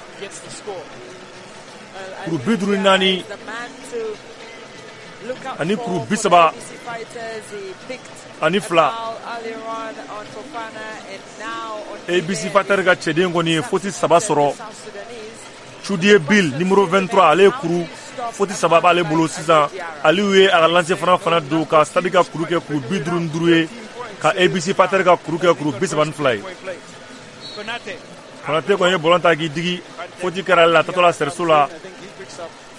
kuru bi duuru ni naani ani kuru bi saba ani fila. A B C Fighter ka cɛden kɔni ye faute saba sɔrɔ. Chudie Bill numéro vingt-trois, ale ye kuru faute saba b'ale bolo sisan. Aliou ye a ka lancer franc fana don ka Stade ka kuru kɛ kuru bi duuru ni duuru ye, ka A B C Fighter ka kuru kɛ kuru bi saba ni fila ye. Konate kɔni ye ballon ta k'i digi, faute kɛra ale la, a taatɔ la cerceau la.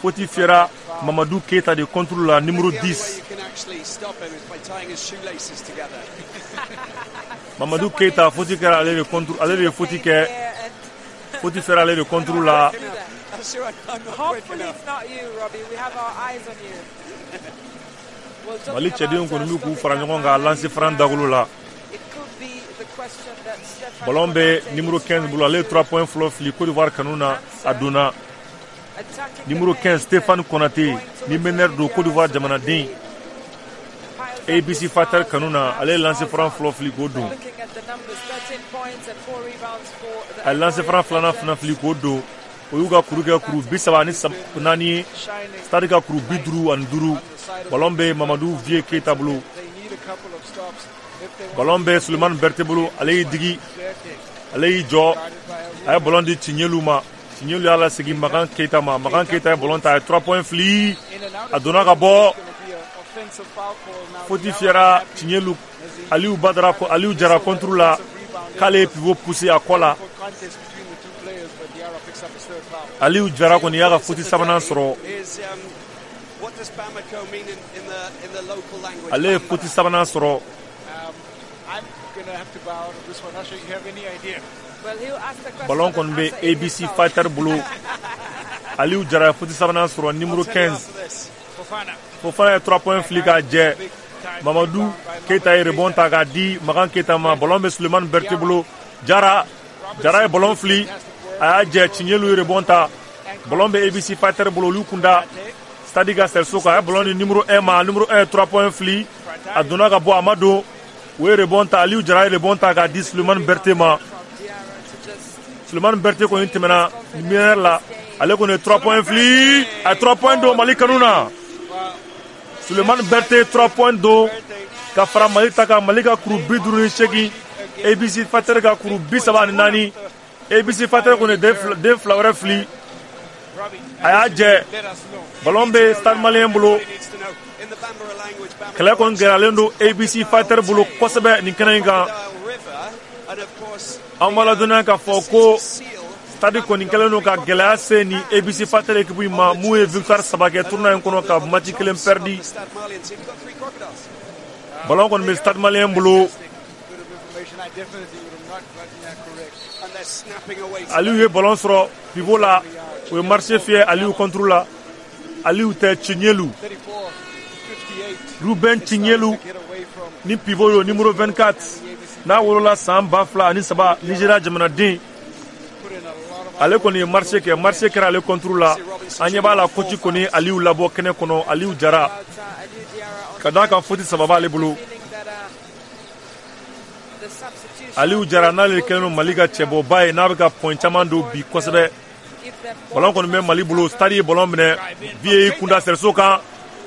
Faute fiyɛra Mamadu Keita de contre la, numéro dix. Mamadu Keita, faute kɛra ale de contre, ale de ye faute kɛ. Faute fiyɛra ale de contre la. Mali cɛdenw kɔni bɛ k'u fara ɲɔgɔn kan lancer franc dagolo la. Ballon bɛ numéro quinze bolo, ale ye trois points fɔlɔ fili Côte d'Ivoire kanu na, a donna. Numéro quinze Stéphane Konaté ni meneur don Côte d'Ivoire jamanaden. A B C Fighter kanu na, ale ye lancer franc fɔlɔ fili k'o don. A ye lancer franc filanan fana fili k'o don. O y'u ka kuru kɛ kuru bi saba ani naani ye. Stade ka kuru bi duuru ani duuru. Ballon bɛ Mamadu Vieux Keita bolo. Ballon bɛ Sulemani Berté bolo, ale y'i digi, ale y'i jɔ, a ye ballon di Tiɲɛlu ma. Tiɲɛlu y'a lasegin Makan Keita ma. Makan Keita ye ballon ta, a ye trois points fili, a donna ka bɔ. Faute fiyɛra Tiɲɛlu, Aliou Badara, Aliou Jara contre la, k'ale ye pivot poussé a kɔ la. Aliou Jara kɔni y'a ka faute sabanan sɔrɔ. Ale ye faute sabanan sɔrɔ. Ballon kɔni bɛ A B C Fighter bolo. Aliou Jara ye faute sabanan sɔrɔ, numéro quinze. Fofana ye trois points fili k'a jɛ. Mamadu Keita ye rebond ta k'a di Makan Keita ma. Ballon bɛ Sulemani Berté bolo. Jara Jara ye ballon fili, a y'a jɛ. Tiɲɛlu ye rebond ta. Ballon bɛ A B C Fighter bolo, olu kunda Stade ka sɛriso kan. A ye ballon di numéro un ma. Numéro un ye trois points fili, a donna ka bɔ, a ma don. O ye rebond ta. Aliou Jara ye rebond ta k'a di Sulemani Berté ma. Sulemani Berté kɔni tɛmɛna meneur la, ale kɔni ye trois points fili, a ye trois points don Mali kanu na. Sulemani Berté trois points don ka fara Mali ta kan. Mali ka kuru bi duuru ni seegin, A B C Fighter ka kuru bi saba ani naani. A B C Fighter kɔni ye den fila wɛrɛ fili, a y'a jɛ. Ballon bɛ Stade Malien bolo. Kɛlɛ kɔni gɛlɛyalen don A B C Fighter bolo kosɛbɛ nin kɛnɛ in kan. An b'a ladɔnniya k'a fɔ ko Stade kɔni kɛlen don ka gɛlɛya se ni A B C Fighter équipe in ma, mun ye victoire saba kɛ tournoi in kɔnɔ ka match kelen perdu. Ballon kɔni bɛ Stade Malien bolo. Aliou ye ballon sɔrɔ pivot la, o ye marché fiyɛ Aliou contre la. Aliou tɛ, Tiɲɛlu, Ruben Tiɲɛlu ni pivot yo, numéro vingt-quatre, n'a wolola san ba fila ani saba, Nigeria jamanaden. Ale kɔni ye marché kɛ, marché kɛra ale contre la. An ɲɛ b'a la coach kɔni Aliou labɔ kɛnɛ kɔnɔ, Aliou Jara, ka d'a kan faute saba b'ale bolo. Aliou Jara n'ale kɛlen don Mali ka cɛbɔba ye, n'a bɛ ka point caman don bi kosɛbɛ. Ballon kɔni bɛ Mali bolo. Stade ye ballon minɛ, Vieux y'i kunda sɛriso kan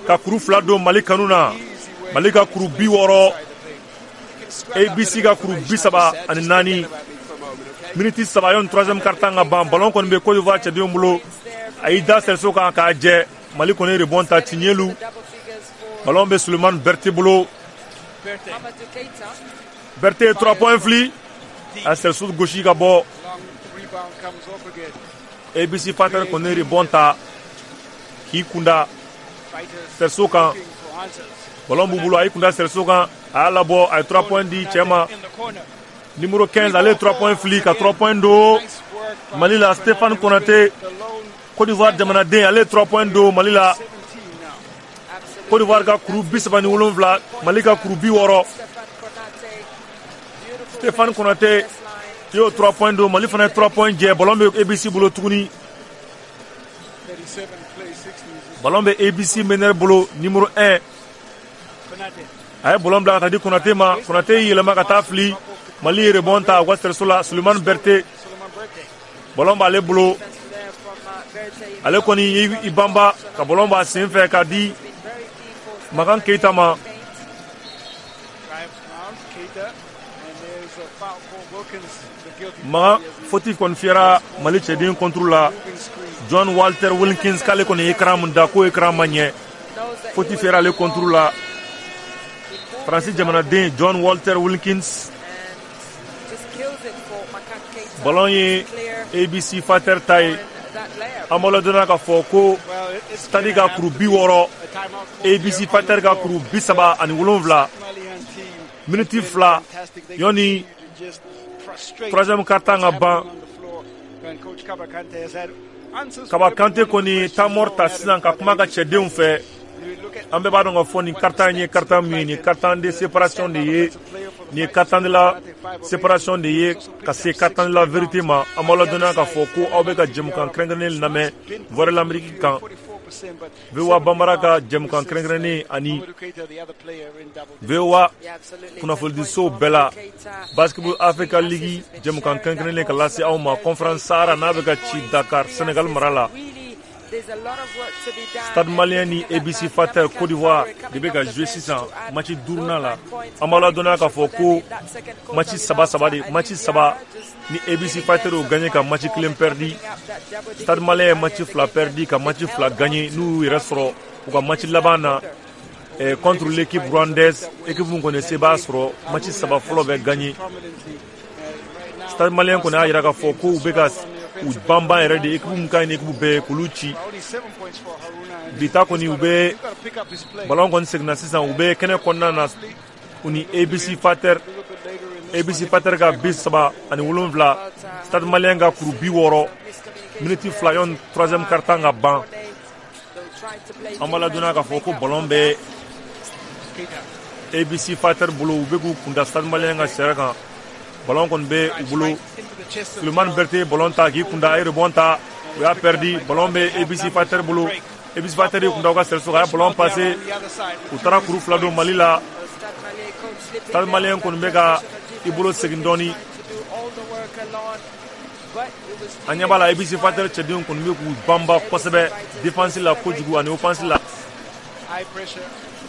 ka kuru fila don Mali kanu na. Mali ka kuru bi wɔɔrɔ, A B C ka kuru bi saba ani naani. Miniti saba yanni troisième quart-temps ka ban. Ballon kɔni bɛ Côte d'Ivoire cɛdenw bolo. A y'i da sɛriso kan k'a jɛ. Mali kɔni ye rebond ta, Tiɲɛlu. Ballon bɛ Sulemani Berté bolo. Berté ye trois points fili, a sɛriso gosi ka bɔ. A B C Fighter kɔni ye rebond ta k'i kunda sɛriso kan. Ballon b'u bolo, a y'i kunda sɛriso kan, a y'a labɔ, a ye trois points di cɛ ma. Numéro quinze, ale ye trois points fili ka trois points don Mali la. Stéphane Konaté, Côte d'Ivoire jamanaden, ale ye trois points don Mali la. Côte d'Ivoire ka kuru bi saba ni wolonwula, Mali ka kuru bi wɔɔrɔ. Stéphane Konaté y'o trois points don, Mali fana ye trois points jɛ. Ballon bɛ A B C bolo tuguni. Ballon bɛ A B C meneur bolo, numéro un. A ye ballon bila ka taa di Konaté ma. Konaté y'i yɛlɛma ka taa fili. Mali ye rebond ta u ka sɛriso la. Sulemani Berté, ballon b'ale bolo. Ale kɔni y'i banba ka ballon b'a sen fɛ k'a di Makan Keita ma. Makan faute kɔni fiyɛra Mali cɛden contre la. John Walter Wilkins k'ale kɔni ye écran mun da, k'o écran ma ɲɛ. Faute fiyɛra ale contre la. Faransi jamanaden John Walter Wilkins. Ballon ye A B C Fighter ta ye. An b'a ladɔnniya k'a fɔ ko Stade ka kuru bi wɔɔrɔ, A B C Fighter ka kuru bi saba ani wolonwula. Miniti fila yanni troisième quart-temps ka ban. Kaba Kante kɔni temps mort ta sisan ka kuma ka cɛdenw fɛ. An bɛɛ b'a dɔn k'a fɔ nin quart-temps in ye quart-temps min ye, nin ye quart-temps de séparation de ye, nin ye quart-temps de la séparation de ye ka se quart-temps de la vérité ma. An b'aw ladɔnniya k'a fɔ ko aw bɛ ka jɛmukan kɛrɛnkɛrɛnnen lamɛn Voix de l'Amérique kan, V O A Bambara ka jɛmukan kɛrɛnkɛrɛnnen ani V O A kunnafonidisow bɛɛ la, Basketball Africa League jɛmukan kɛrɛnkɛrɛnnen ka lase aw ma Conférence Sahara n'a bɛ ka ci Dakar, Sénégal mara la. Stade Malien ni A B C Fighter Côte d'Ivoire de bɛ ka jouer sisan match duurunan la. An b'aw ladɔnniya k'a fɔ ko match saba saba de, match saba ni A B C Fighter y'o gagné ka match kelen perdu. Stade Malien ye match fila perdu ka match fila gagné, n'u y'u yɛrɛ sɔrɔ u ka match laban na eh, contre l'équipe rwandaise, équipe min kɔni se b'a sɔrɔ match saba fɔlɔ bɛ gagné. Stade Malien kɔni y'a jira k'a fɔ ko u bɛ ka u banban yɛrɛ de, équipe min ka ɲi ni équipe bɛɛ ye k'olu ci. Bi ta kɔni u bɛ ballon kɔni seginna sisan, u bɛ kɛnɛ kɔnɔna na u ni A B C Fighter, A B C Fighter ka bi saba ani wolonwula, Stade Malien ka kuru bi wɔɔrɔ, miniti fila yanni troisième quart-temps ka ban. An b'a ladɔnniya k'a fɔ ko ballon bɛ A B C Fighter bolo, u bɛ k'u kunda Stade Malien ka sariya kan. Ballon kɔni bɛ u bolo. Sulemani Berté ye ballon ta k'i kunda, a ye rebond ta, u y'a perdu. Ballon bɛ A B C Fighter bolo. A B C Fighter y'i kunda u ka cerceau kan, a ye ballon passé, u taara kuru fila don Mali la. Stade Malien kɔni bɛ ka i bolo segin dɔɔni. An ɲɛ b'a la A B C Fighter cɛdenw kɔni bɛ k'u banba kosɛbɛ défense la kojugu ani offense la.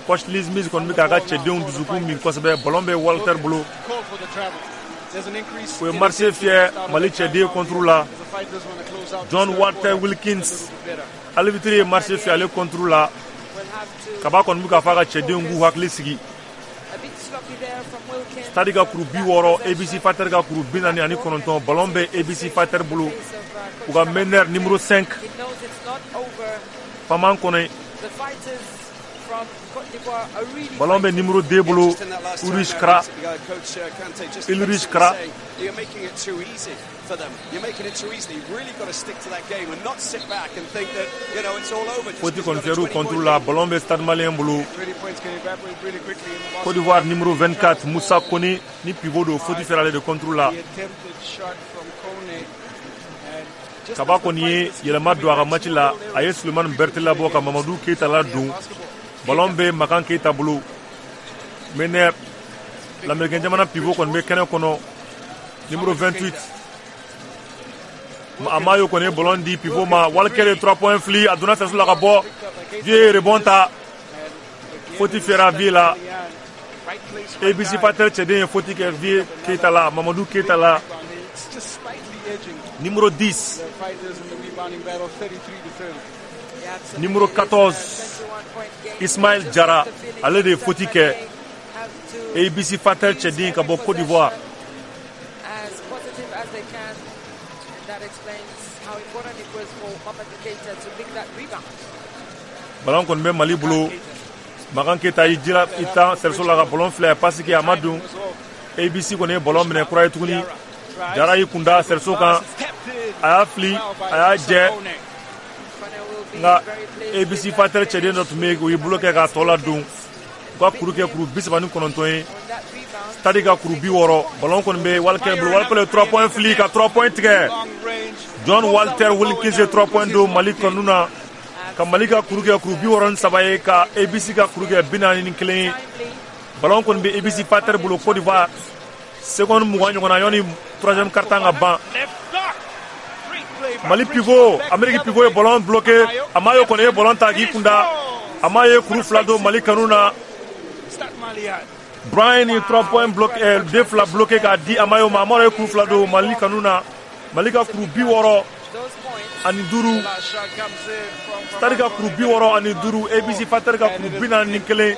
Coach Liz Mills kɔni bɛ k'a ka cɛdenw dusukun min kosɛbɛ. Ballon bɛ Walter bolo. O ye marché fiyɛ Mali cɛden contre la. John Walter Wilkins, arbitre ye marché fiyɛ ale contre la. Kaba kɔni bɛ k'a fɔ a ka cɛdenw k'u hakili sigi. Stade ka kuru bi wɔɔrɔ, A B C Fighter ka kuru bi naani ani kɔnɔntɔn. Ballon bɛ A B C Fighter bolo. U ka meneur numéro cinq, Faman Kone. Ballon bɛ numéro deux bolo, Ulrich Kra. Ulrich Kra. Faute kɔni fiyɛr'u contre la. Ballon bɛ Stade Malien bolo. Côte d'Ivoire numéro vingt-quatre, Moussa Kone ni pivot don, faute fiyɛra ale de contre la. Kaba kɔni ye yɛlɛma don a ka match la. A ye Sulemani Berté labɔ ka Mamadou Keita ladon. Ballon bɛ Makan Keita bolo. Meneur l'Américain jamana pivot kɔni bɛ kɛnɛ kɔnɔ, numéro vingt-huit. Amayo kɔni ye ballon di pivot ma. Walker ye trois points fili, a donna cerceau la ka bɔ. Vieux ye rebond ta. Faute fiyɛra Vieux la. A B C Fighter cɛden ye faute kɛ Vieux Keita la, Mamadou Keita la. Numéro dix. Numéro quatorze, Ismaël Jara, ale de ye faute kɛ A B C Fighter cɛden ka bɔ Côte d'Ivoire. Ballon kɔni bɛ Mali bolo. Makan Keita y'i jira i tan cerceau la ka ballon filɛ, a passe kɛ a ma don. A B C kɔni ye ballon minɛ kura ye tuguni. Jara y'i kunda cerceau kan, a y'a fili, a y'a jɛ. Nka A B C Fighter cɛden dɔ tun bɛ yen, o y'i bolo kɛ k'a tɔ ladon. U ka kuru kɛ kuru bi saba ni kɔnɔntɔn ye. Stade ka kuru bi wɔɔrɔ. Ballon kɔni bɛ Walker bolo. Walker ye trois points fili ka trois points tigɛ. John Walter Wilkins ye trois points don Mali kɔnɔna na. Ka Mali ka kuru kɛ kuru bi wɔɔrɔ ni saba ye, ka A B C ka kuru kɛ bi naani ni kelen ye. Ballon kɔni bɛ A B C Fighter bolo Côte d'Ivoire. Seconde mugan ɲɔgɔnna yanni troisième quart-temps ka ban. Mali pivot, Amérique pivot ye ballon bloqué. Amayo kɔni ye ballon ta k'i kunda. Amayo ye kuru fila don Mali kanu na. Brian ye trois points bloqué, eh, deux fila bloqué k'a di Amayo ma. Amayo ye kuru fila don Mali kanu na. Mali ka kuru bi wɔɔrɔ ani duuru. Stade ka kuru bi wɔɔrɔ ani duuru. A B C Fighter ka kuru bi naani ni kelen.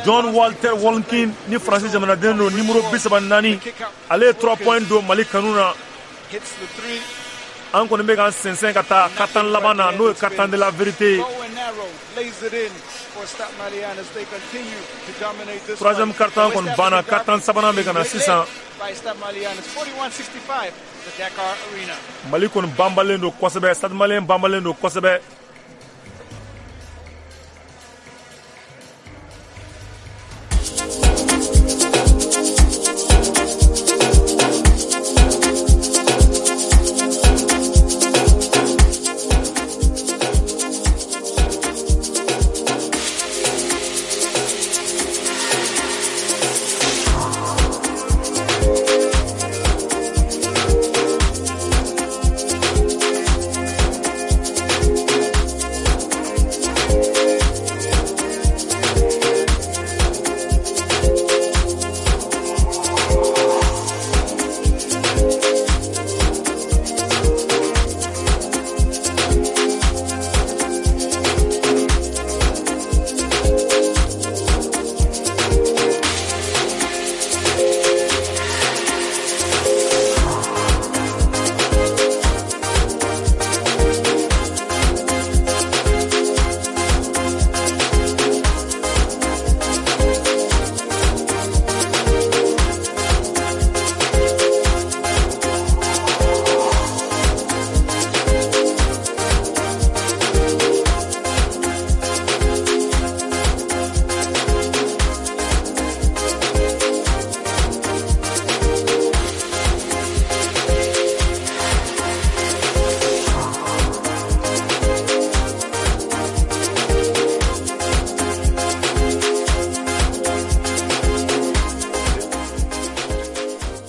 John Walter Wolkin ni Faransi jamanaden don, numéro bi saba ni naani. Ale ye trois points don Mali kanu na. An kɔni bɛ k'an sɛnsɛn ka taa quart-temps laban na, n'o ye quart-temps de la vérité ye. Troisième quart-temps kɔni banna, quart-temps sabanan bɛ ka na sisan. Mali kɔni banbalen don kosɛbɛ, Stade Malien banbalen don kosɛbɛ.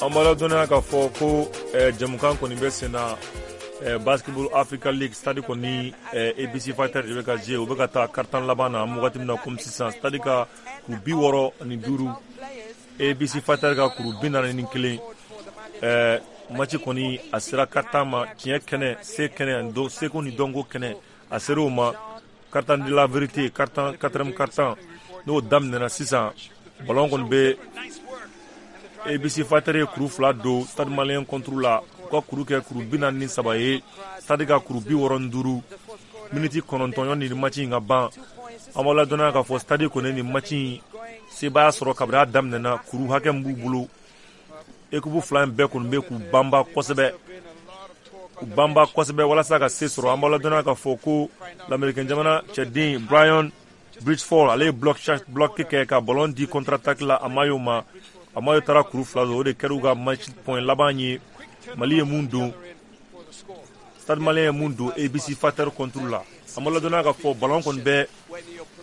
An b'a ladɔnniya k'a fɔ ko jɛmukan kɔni bɛ sen na, Basketball Africa League, Stade kɔni A B C Fighter de bɛ ka jouer, u bɛ ka taa quart-temps laban na an bɛ wagati min na komi sisan. Stade ka kuru bi wɔɔrɔ ani duuru, A B C Fighter ka kuru bi naani ni kelen. Match kɔni a sera quart-temps ma, tiɲɛ kɛnɛ, se kɛnɛ, seko ni dɔnko kɛnɛ, a sera o ma. Quart-temps de la vérité, quart-temps, quatrième quart-temps n'o daminɛna sisan. Ballon kɔni bɛ A B C Fighter ye kuru fila don Stade Malien contre la, u ka kuru kɛ kuru bi naani ni saba ye, Stade ka kuru bi wɔɔrɔ ni duuru. Miniti kɔnɔntɔn yanni nin match in ka ban. An b'aw ladɔnniya k'a fɔ Stade kɔni nin match in sebaaya sɔrɔ kabini a daminɛna, kuru hakɛ min b'u bolo, équipe fila in bɛɛ kɔni bɛ k'u banba kosɛbɛ, k'u banba kosɛbɛ walasa ka se sɔrɔ. An b'aw ladɔnniya k'a fɔ ko l'Américain jamana cɛden Brian Bridgeford, ale ye block block kɛ ka ballon di contre attaque la Amayo ma. Amayo taara kuru fila don, o de kɛra u ka match point laban ye. Mali ye mun don, Stade Malien ye mun don A B C Fighter contre la. An b'a ladɔnniya k'a fɔ ballon kɔni bɛ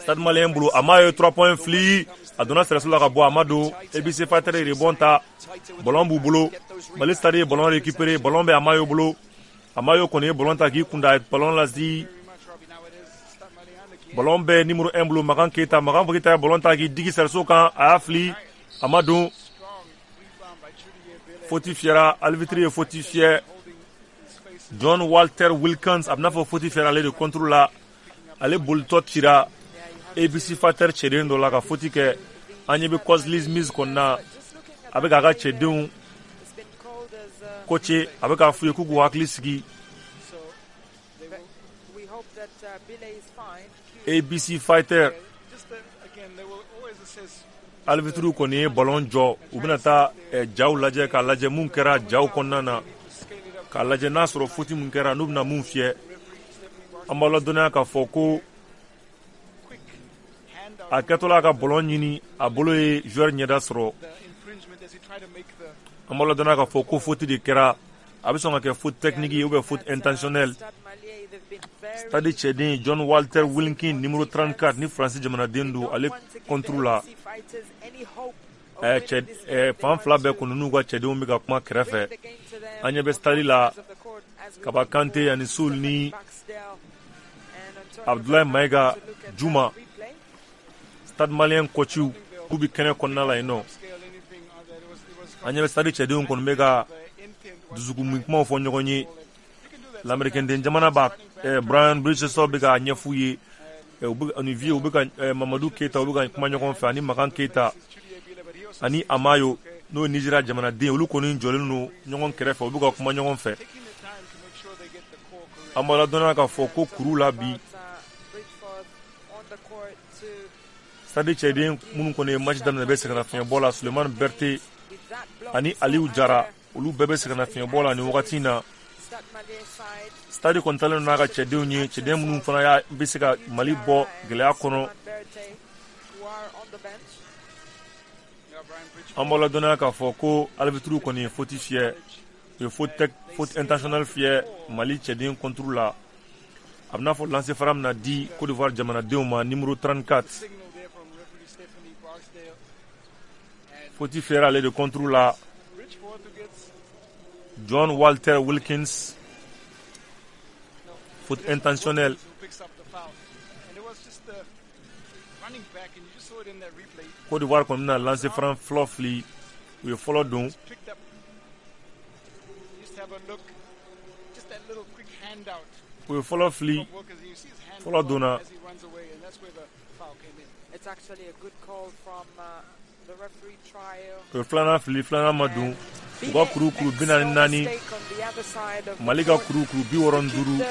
Stade Malien bolo. Amayo ye trois points fili, a donna sɛrɛso la ka bɔ, a ma don. A B C Fighter ye rebond ta, ballon b'u bolo. Mali Stade ye ballon récupéré, ballon bɛ Amayo bolo. Amayo kɔni ye ballon ta k'i kunda, a ye ballon lasi. Ballon bɛ numéro un bolo, Makan Keita. Makan Keita ye ballon ta k'i digi sɛrɛso kan, a y'a fili, a ma don. Faute fiyɛra, arbitre ye faute fiyɛ. John Walter Wilkins, a bɛna fɔ faute fiyɛra ale de contre la. Ale bolitɔ cira A B C Fighter cɛden dɔ la ka faute kɛ. An ɲɛ bɛ Coslis Mills kɔni na, a bɛ k'a ka cɛdenw coacher, a bɛ k'a f'u ye k'u k'u hakili sigi. A B C Fighter arbitre kɔni ye ballon jɔ, u bɛna taa jaw lajɛ k'a lajɛ mun kɛra jaw kɔnɔna na, k'a lajɛ n'a sɔrɔ faute mun kɛra, n'u bɛna mun fiyɛ. An b'aw ladɔnniya k'a fɔ ko a kɛtɔla ka ballon ɲini, a bolo ye joueur ɲɛda sɔrɔ. An b'aw ladɔnniya k'a fɔ ko faute de kɛra, a bɛ sɔn ka kɛ faute technique ye ou bien faute intentionnelle. Stade cɛden John Walter Wilkin numéro trente-quatre ni Faransi jamanaden don, ale contre la. Cɛ fan fila bɛɛ kɔni n'u ka cɛdenw bɛ ka kuma kɛrɛfɛ. An ɲɛ bɛ stade la, Kaba Kante ani Sul ni Abdoulaye Maïga Juma, Stade Malien coachiw k'u bɛ kɛnɛ kɔnɔna la yen nɔ. An ɲɛ bɛ stade cɛdenw kɔni bɛ ka dusukun kumaw fɔ ɲɔgɔn ye. L'Américain den jamana b'a Brian Bridgestone bɛ k'a ɲɛf'u ye, ani Vieux u bɛ ka Mamadu Keita u bɛ ka kuma ɲɔgɔn fɛ, ani Makan Keita ani Amayo n'o ye Nizeriya jamanaden, olu kɔni jɔlen don ɲɔgɔn kɛrɛfɛ, u bɛ ka kuma ɲɔgɔn fɛ. An b'a ladɔnniya k'a fɔ ko kuru la bi, Stade cɛden minnu kɔni ye match daminɛ bɛ sɛgɛnnafiɲɛbɔ la, Sulemani Berete ani Aliyu Jara, olu bɛɛ bɛ sɛgɛnnafiɲɛbɔ la nin wagati in na. Stade kɔni talen n'a ka cɛdenw ye, cɛden minnu fana y'a bɛ se ka Mali bɔ gɛlɛya kɔnɔ. An b'a ladɔnniya k'a fɔ ko arbitre kɔni ye faute fiyɛ, u ye faute faute intentionnelle fiyɛ Mali cɛden contre la. A bɛ n'a fɔ lancer franc bɛna di Côte d'Ivoire jamanadenw ma, numéro trente-quatre. Faute fiyɛra ale de contre la, John Walter Wilkins, faute intentionnelle. Côte d'Ivoire kɔni bɛna lancer franc fɔlɔ fili, u ye fɔlɔ don. U ye fɔlɔ fili, fɔlɔ donna. U ye filanan fili, filanan ma don. U ka kuru kuru bi naani naani, Mali ka kuru kuru bi wɔɔrɔ ni duuru.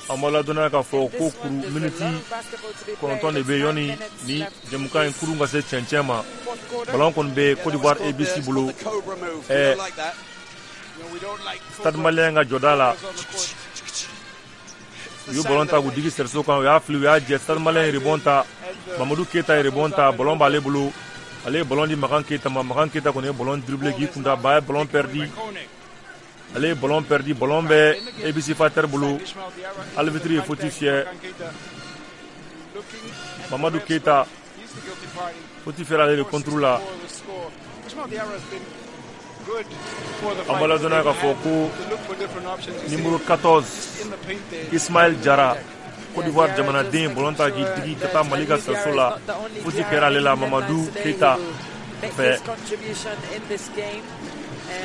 An b'a ladɔnniya k'a fɔ ko kuru miniti kɔnɔntɔn de bɛ yanni ni jɛmukan in kurun ka se cɛncɛn ma. Ballon kɔni bɛ Côte d'Ivoire A B C bolo, ɛɛ Stade Malien ka jɔda la. U ye ballon ta k'u digi sɛriso kan, u y'a fili, u y'a jɛ. Stade Malien ye rebond ta, Mamadu Keyita ye rebond ta, ballon b'ale bolo. Ale ye ballon di Makan Keyita ma, Makan Keyita kɔni ye ballon dribblé k'i kun da, ba ye ballon perdu. Ale ye ballon perdu, ballon bɛ A B C Fighter bolo. Arbitre ye faute fiyɛ. Mamadu Keyita, faute fiyɛra ale de contre la. An b'a ladɔnniya k'a fɔ ko numéro quatorze Ismaël Jara, Côte d'Ivoire jamanaden, ballon ta k'i digi ka taa Mali ka sɛso la. Faute kɛra ale la Mamadu Keyita fɛ.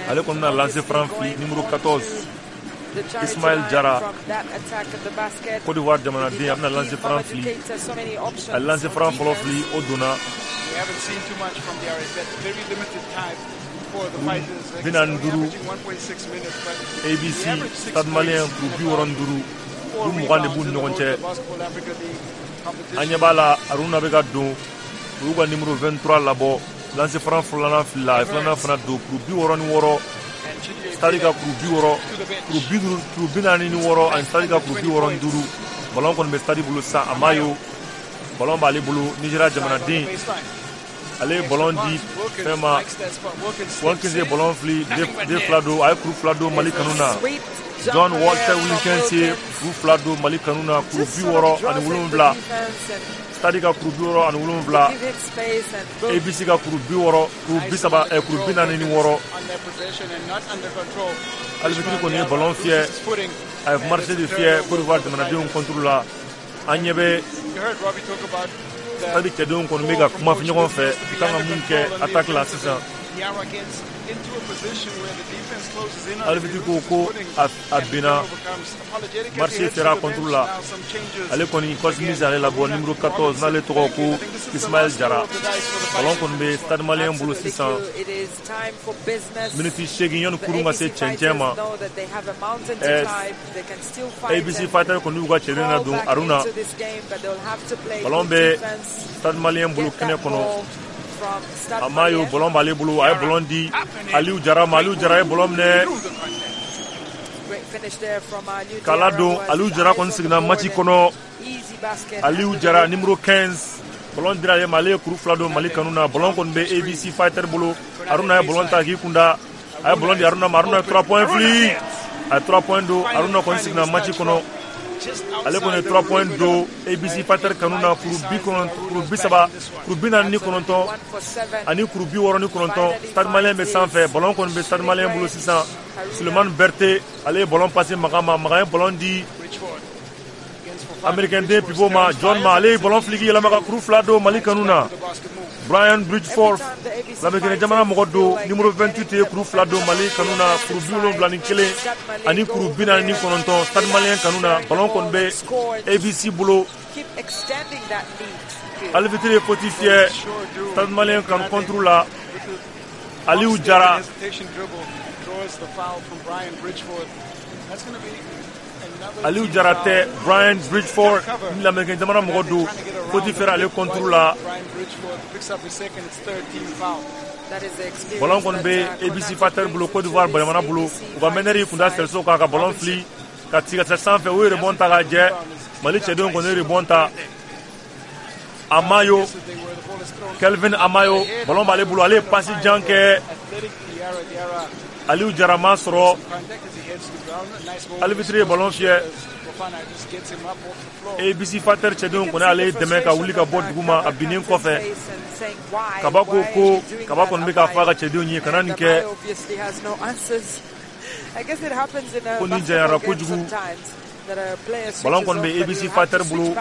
Ale kɔni bɛna lancer franc fili, numéro quatorze Ismaël Jara, Côte d'Ivoire jamanaden, a bɛna lancer franc fili. A lancer franc fɔlɔ fili, o donna. Bi naani duuru, A B C Stade Malien kuru bi wɔɔrɔ ni duuru, u mugan de b'u ni ɲɔgɔn cɛ. An ɲɛ b'a la Aruna bɛ ka don, u y'u ka numéro vingt-trois labɔ, lancer franc filanan filila, a ye filanan fana don, kuru bi wɔɔrɔ ni wɔɔrɔ, Stade ka kuru bi wɔɔrɔ, kuru bi duuru, kuru bi naani ni wɔɔrɔ, ani Stade ka kuru bi wɔɔrɔ ni duuru. Ballon kɔni bɛ Stade bolo sisan, a m'a ye, ballon b'ale bolo, Nigéria jamanaden. Ale ye ballon di fɛn ma, Wilkins ye ballon fili, den fila don, a ye kuru fila don Mali kanu na. John Walter Wilkins ye kuru fila don Mali kanu na, kuru bi wɔɔrɔ ani wolonwula. Stade ka kuru bi wɔɔrɔ ani wolonwula, A B C ka kuru bi wɔɔrɔ, kuru bi saba, ɛ kuru bi naani ni wɔɔrɔ. Arbitre kɔni ye ballon fiyɛ, a ye marché de fiyɛ Côte d'Ivoire jamanadenw contre la. An ɲɛ bɛ Stade cɛdenw kɔni bɛ ka kuma ɲɔgɔn fɛ, u kan ka mun kɛ attaque la sisan. Arbitre ko ko a binna, marché fiyɛra contre la. Ale kɔni Cosmis ale labɔ numéro quatorze, n'ale tɔgɔ ko Ismaël Jara. Ballon kɔni bɛ Stade Malien bolo sisan. Miniti seegin yanni kurun ka se cɛncɛn ma. Ɛɛ A B C Fighter kɔni y'u ka cɛden na don Aruna. Ballon bɛ Stade Malien bolo kɛnɛ kɔnɔ. A m'a ye, ballon b'ale bolo, a ye ballon di Aliyu Jara ma, Aliyu Jara ye ballon minɛ k'a ladon. Aliyu Jara kɔni seginna match kɔnɔ. Aliyu Jara numéro quinze, ballon dira ale ma, ale ye kuru fila don Mali kanu na. Ballon kɔni bɛ A B C Fighter bolo. Aruna ye ballon ta k'i kun da, a ye ballon di Aruna ma, Aruna ye trois points fili, a ye trois points don. Aruna kɔni seginna match kɔnɔ. Ale kɔni ye trois points don A B C Fighter kanu na, kuru bi kɔnɔntɔn, kuru bi saba, kuru bi naani ni kɔnɔntɔn ani kuru bi wɔɔrɔ ni kɔnɔntɔn. Stade Malien bɛ sanfɛ, ballon kɔni bɛ Stade Malien bolo sisan. Sulemani Berete, ale ye ballon passé Makan ma, Makan ye ballon di Américain den pivot ma, John ma, ale ye ballon fili k'i yɛlɛma ka kuru fila don Mali kanu na. Brian Bridgeforth, Lamerikɛn jamana mɔgɔ don, numéro vingt-huit ye kuru fila don Mali kanu na, kuru bi wolonwula ni kelen ani kuru bi naani ni kɔnɔntɔn Stade Malien kanu na. Ballon kɔni bɛ A B C bolo. Arbitre ye faute fiyɛ Stade Malien kanu contre la. Aliou Jara. Aliou Diarra tɛ, Brian Bridgeford ni Lamɛnnikɛ jamana mɔgɔ don, faute fiyɛra ale contre la. Ballon kɔni bɛ A B C Fighter bolo, Côte d'Ivoire jamana bolo. U ka meneur y'i kunda cerceau kan ka ballon fili ka ci ka taa sanfɛ. U ye rebond ta k'a jɛ. Mali cɛdenw kɔni ye rebond ta. Amayo, Kelvin Amayo, ballon b'ale bolo, ale ye passe jan kɛ. Aliou Diarra ma sɔrɔ. Arbitre ye ballon fiyɛ. A B C Fighter cɛdenw kɔni ale dɛmɛ ka wuli ka bɔ duguma a binnen kɔfɛ. Kaba ko ko Kaba kɔni bɛ k'a fɔ a ka cɛdenw ye kana nin kɛ, ko nin janyara kojugu. Ballon kɔni bɛ A B C Fighter bolo.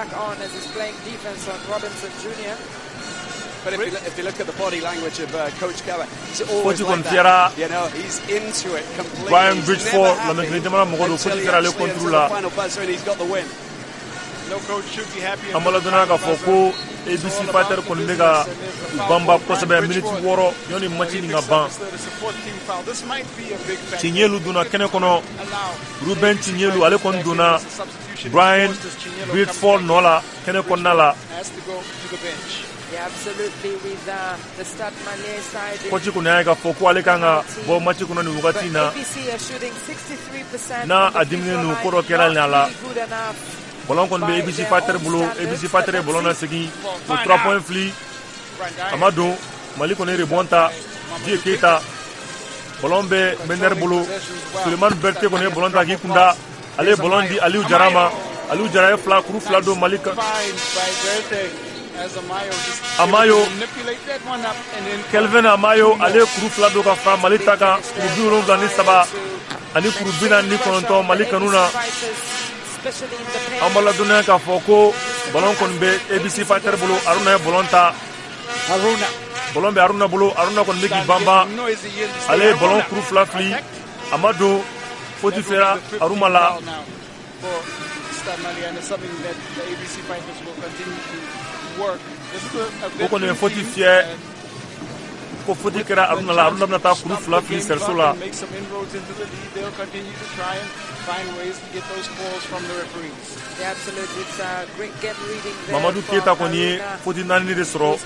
But if you, if you look at the body language of uh, Coach Kaba, he's always
Faute
like
kɔni fiyɛra
that. You know, he's into it completely.
Brian
He's
Bridgeford,
never happy
Lamɛnnikɛ jamana mɔgɔ don,
until
faute
he
fiyɛra ale
actually
contre
until
la.
the final buzzer and he's got the win.
An b'a ladɔnniya k'a fɔ ko A B C Fighter kɔni bɛ ka u banba kosɛbɛ. Miniti wɔɔrɔ yanni match nin ka ban. Tiɲɛlu donna kɛnɛ kɔnɔ, Ruben Tiɲɛlu, ale kɔni donna Brian Bridgeford nɔ la kɛnɛ kɔnɔna la. Coach kɔni y'a ye k'a fɔ ko ale kan ka bɔ match kɔnɔ nin wagati in na, n'a a diminen don, ko dɔ kɛra a la. Ballon kɔni bɛ A B C Fighter bolo. A B C Fighter ye ballon lasegin, o trois points fili, a ma don. Mali kɔni ye rebond ta. Dieu Keita, ballon bɛ meneur bolo. Sulemani Berté kɔni ye ballon ta k'i kunda, ale ye ballon di Aliou Diarra ma. Aliou Diarra ye fila kuru fila don Mali kan. Amayo, Kelvin Amayo, ale ye kuru fila don ka fara Mali ta kan, kuru bi wolonwula ni saba ani kuru bi naani ni kɔnɔntɔn Mali kanu na. An b'a ladɔnniya k'a fɔ ko ballon kɔni bɛ A B C Fighter bolo. Aruna ye ballon ta, ballon bɛ Aruna bolo. Aruna kɔni bɛ k'i banban, ale ye ballon kuru fila fili, a ma don. Faute fiyɛra Aruna la. O kɔni ye faute fiyɛ ko faute kɛra Aruna la. Aruna bɛna taa kuru fila fili cerceau la. Mamadu Keyita kɔni ye faute naani de sɔrɔ.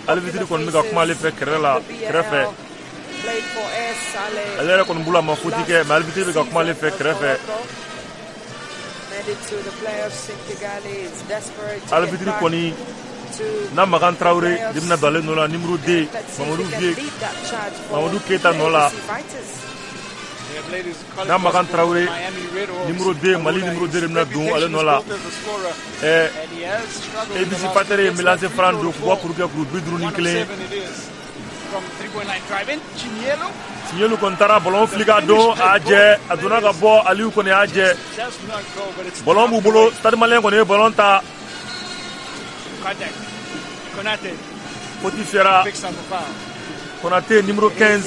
Arbitre kɔni bɛ ka kuma ale fɛ kɛrɛ la kɛrɛfɛ. Ale yɛrɛ kɔni bolo a ma faute kɛ, mais arbitre bɛ ka kuma ale fɛ kɛrɛfɛ. Arbitre kɔni n'a Makan Traoré de bɛna don ale nɔ la, numéro deux, Mamadu Vieux Mamadu Keyita nɔ la. N'a Makan Traoré, numéro deux, Mali numéro deux de bɛna don ale nɔ la. Ɛɛ A B C Fighter ye lancer franc don k'u ka kuru kɛ kuru bi duuru ni kelen. Tiɲɛlu kɔni taara ballon fili ka don, a jɛ, a donna ka bɔ. Aliou kɔni y'a jɛ. Ballon b'u bolo. Stade Malien kɔni ye ballon ta. Faute fiyɛra Konate, numéro quinze,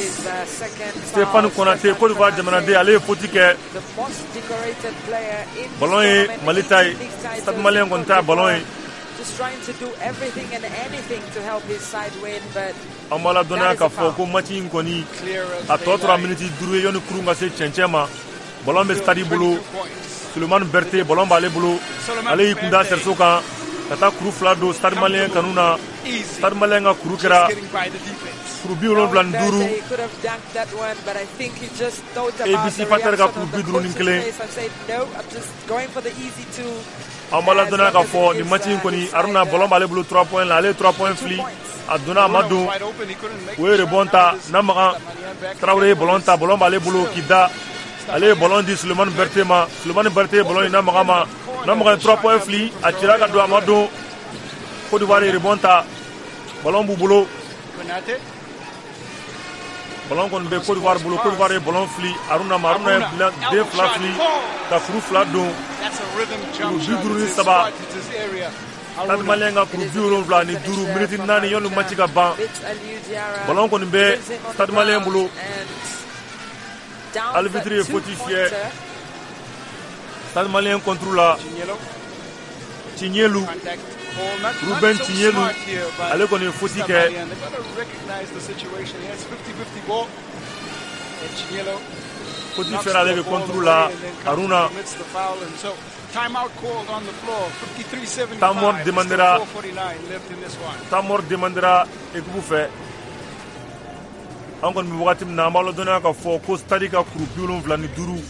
Stéphane Konate, Côte d'Ivoire jamanaden, ale ye faute kɛ. Ballon ye Mali ta ye. Stade Malien kɔni ta ye ballon ye. An b'a ladɔnniya k'a fɔ ko match in kɔni a tɔ tora miniti duuru ye yanni kurun ka se cɛncɛn ma. Ballon bɛ Stade bolo. Sulemani Berté, ballon b'ale bolo, ale y'i kunda cerceau kan ka taa kuru fila don Stade Malien kanu na. Stade Malien ka kuru kɛra kuru bi wolonwula ni duuru, A B C Fighter ka kuru bi duuru ni kelen. An b'a ladɔnniya k'a fɔ nin match in kɔni, Aruna, ballon b'ale bolo trois points la, ale ye trois points fili, a donna, a ma don. O ye rebond ta. Namakan Traoré ye ballon ta, ballon b'ale bolo k'i da, ale ye ballon di Sulemani Berté ma. Sulemani Berté ye ballon di Namakan ma. Namakan ye trois points fili, a cira ka don, a ma don. Côte d'Ivoire ye rebond ta, ballon b'u bolo. Ballon kɔni bɛ Côte d'Ivoire bolo. Côte d'Ivoire ye ballon fili Aruna ma. Aruna ye den fila fili ka kuru fila don, kuru bi duuru ni saba, Stade Malien ka kuru bi wolonwula ni duuru. Miniti naani yanni match ka ban. Ballon kɔni bɛ Stade Malien bolo. Arbitre ye faute fiyɛ Stade Malien contre la. Tiɲɛlu, Ruben Tiɲɛlu, ale kɔni ye faute kɛ. Faute fiyɛra ale bɛ contre la Haruna. Temps mort demandera temps mort demandera équipe fɛ. An kɔni bɛ wagati min na, an b'a ladɔnniya k'a fɔ ko Stade ka kuru bi wolonwula ni duuru,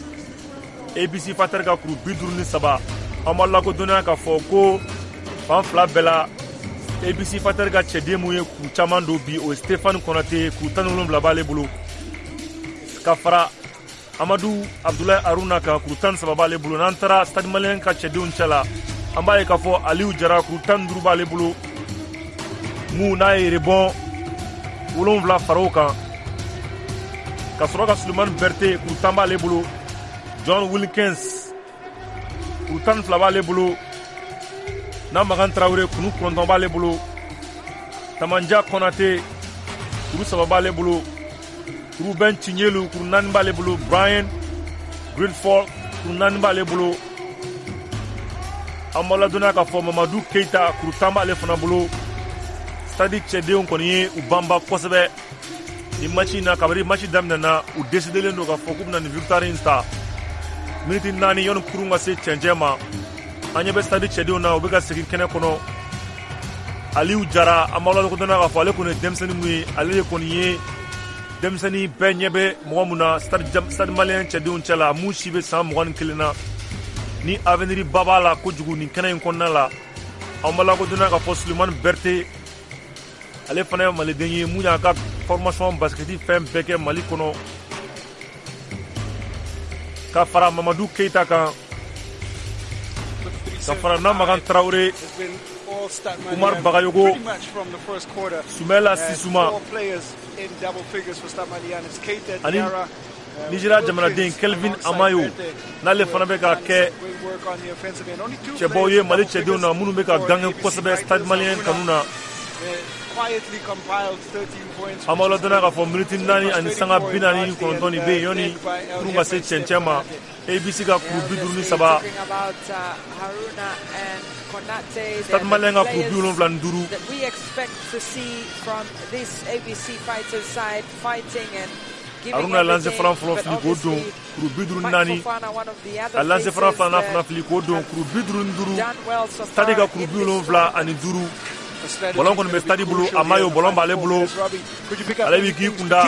A B C Fighter ka kuru bi duuru ni saba. An b'a lakodɔnniya k'a fɔ ko fan fila bɛɛ la, A B C Fighter ka cɛden mun ye kuru caman don bi, o ye Stéphane Konate, kuru tan ni wolonwula b'ale bolo, ka fara Amadu Abdoulaye Haruna kan, kuru tan ni saba b'ale bolo. N'an taara Stade Malien ka cɛdenw cɛ la, an b'a ye k'a fɔ Aliou Jara, kuru tan ni duuru b'ale bolo, mun n'a ye rebond wolonwula fara o kan, ka sɔrɔ ka Sulemani Berté, kuru tan b'ale bolo, John Wilkins, kuru tan ni fila b'ale bolo, Namagan Traoré, kuru kɔnɔntɔn b'ale bolo, Tamanja Konate, kuru saba b'ale bolo, Ruben Chinyelu, kuru naani b'ale bolo, Brian Greenford, kuru naani b'ale bolo. An b'aw ladɔnniya k'a fɔ Mamadu Keita, kuru tan b'ale fana bolo. Stade cɛdenw kɔni ye u banba kosɛbɛ ni match in na. Kabini match daminɛna, u décidelen don k'a fɔ k'u bɛna nin victoire in ta. Miniti naani yanni kurun ka se cɛncɛn ma, an ɲɛ bɛ Stade cɛdenw na, u bɛ ka segin kɛnɛ kɔnɔ. Aliou Jara, an b'aw ladɔnniya k'a fɔ ale kɔni ye denmisɛnnin mun ye, ale de kɔni ye denmisɛnnin bɛɛ ɲɛ bɛ mɔgɔ mun na Stade Stade Malien cɛdenw cɛ la, mun si bɛ san mugan ni kelen na, ni avenir ba b'a la kojugu nin kɛnɛ in kɔnɔna la. An b'a lakodɔnniya k'a fɔ Sulemani Berté, ale fana ye maliden ye mun y'a ka formation basket fɛn bɛɛ kɛ Mali kɔnɔ, ka fara Mamadu Keita kan, ka fara Namagan Traoré, Umar Bagayogo, Sumela Sisuma ani Nigeria jamanaden Kelvin Amayo, n'ale fana bɛ ka kɛ cɛbaw ye Mali cɛdenw na minnu bɛ ka gagner kosɛbɛ Stade Malien kanu na. An b'aw ladɔnniya k'a fɔ miniti naani ani sanga bi naani ni kɔnɔntɔn de bɛ yen yanni kurun ka se cɛncɛn ma. A B C ka kuru bi duuru ni saba, Stade Malien ka kuru bi wolonwula ni duuru.
That we expect to see from this A B C Fighters side, fighting and
Haruna lancer franc fɔlɔ fili k'o don, kuru bi duuru ni naani. A lancer franc filanan fana fili k'o don, kuru bi duuru ni duuru. Stade ka kuru bi wolonwula ani duuru. Ballon kɔni bɛ Stade bolo. A ma ye o ballon b'ale bolo, ale b'i k'i kunda,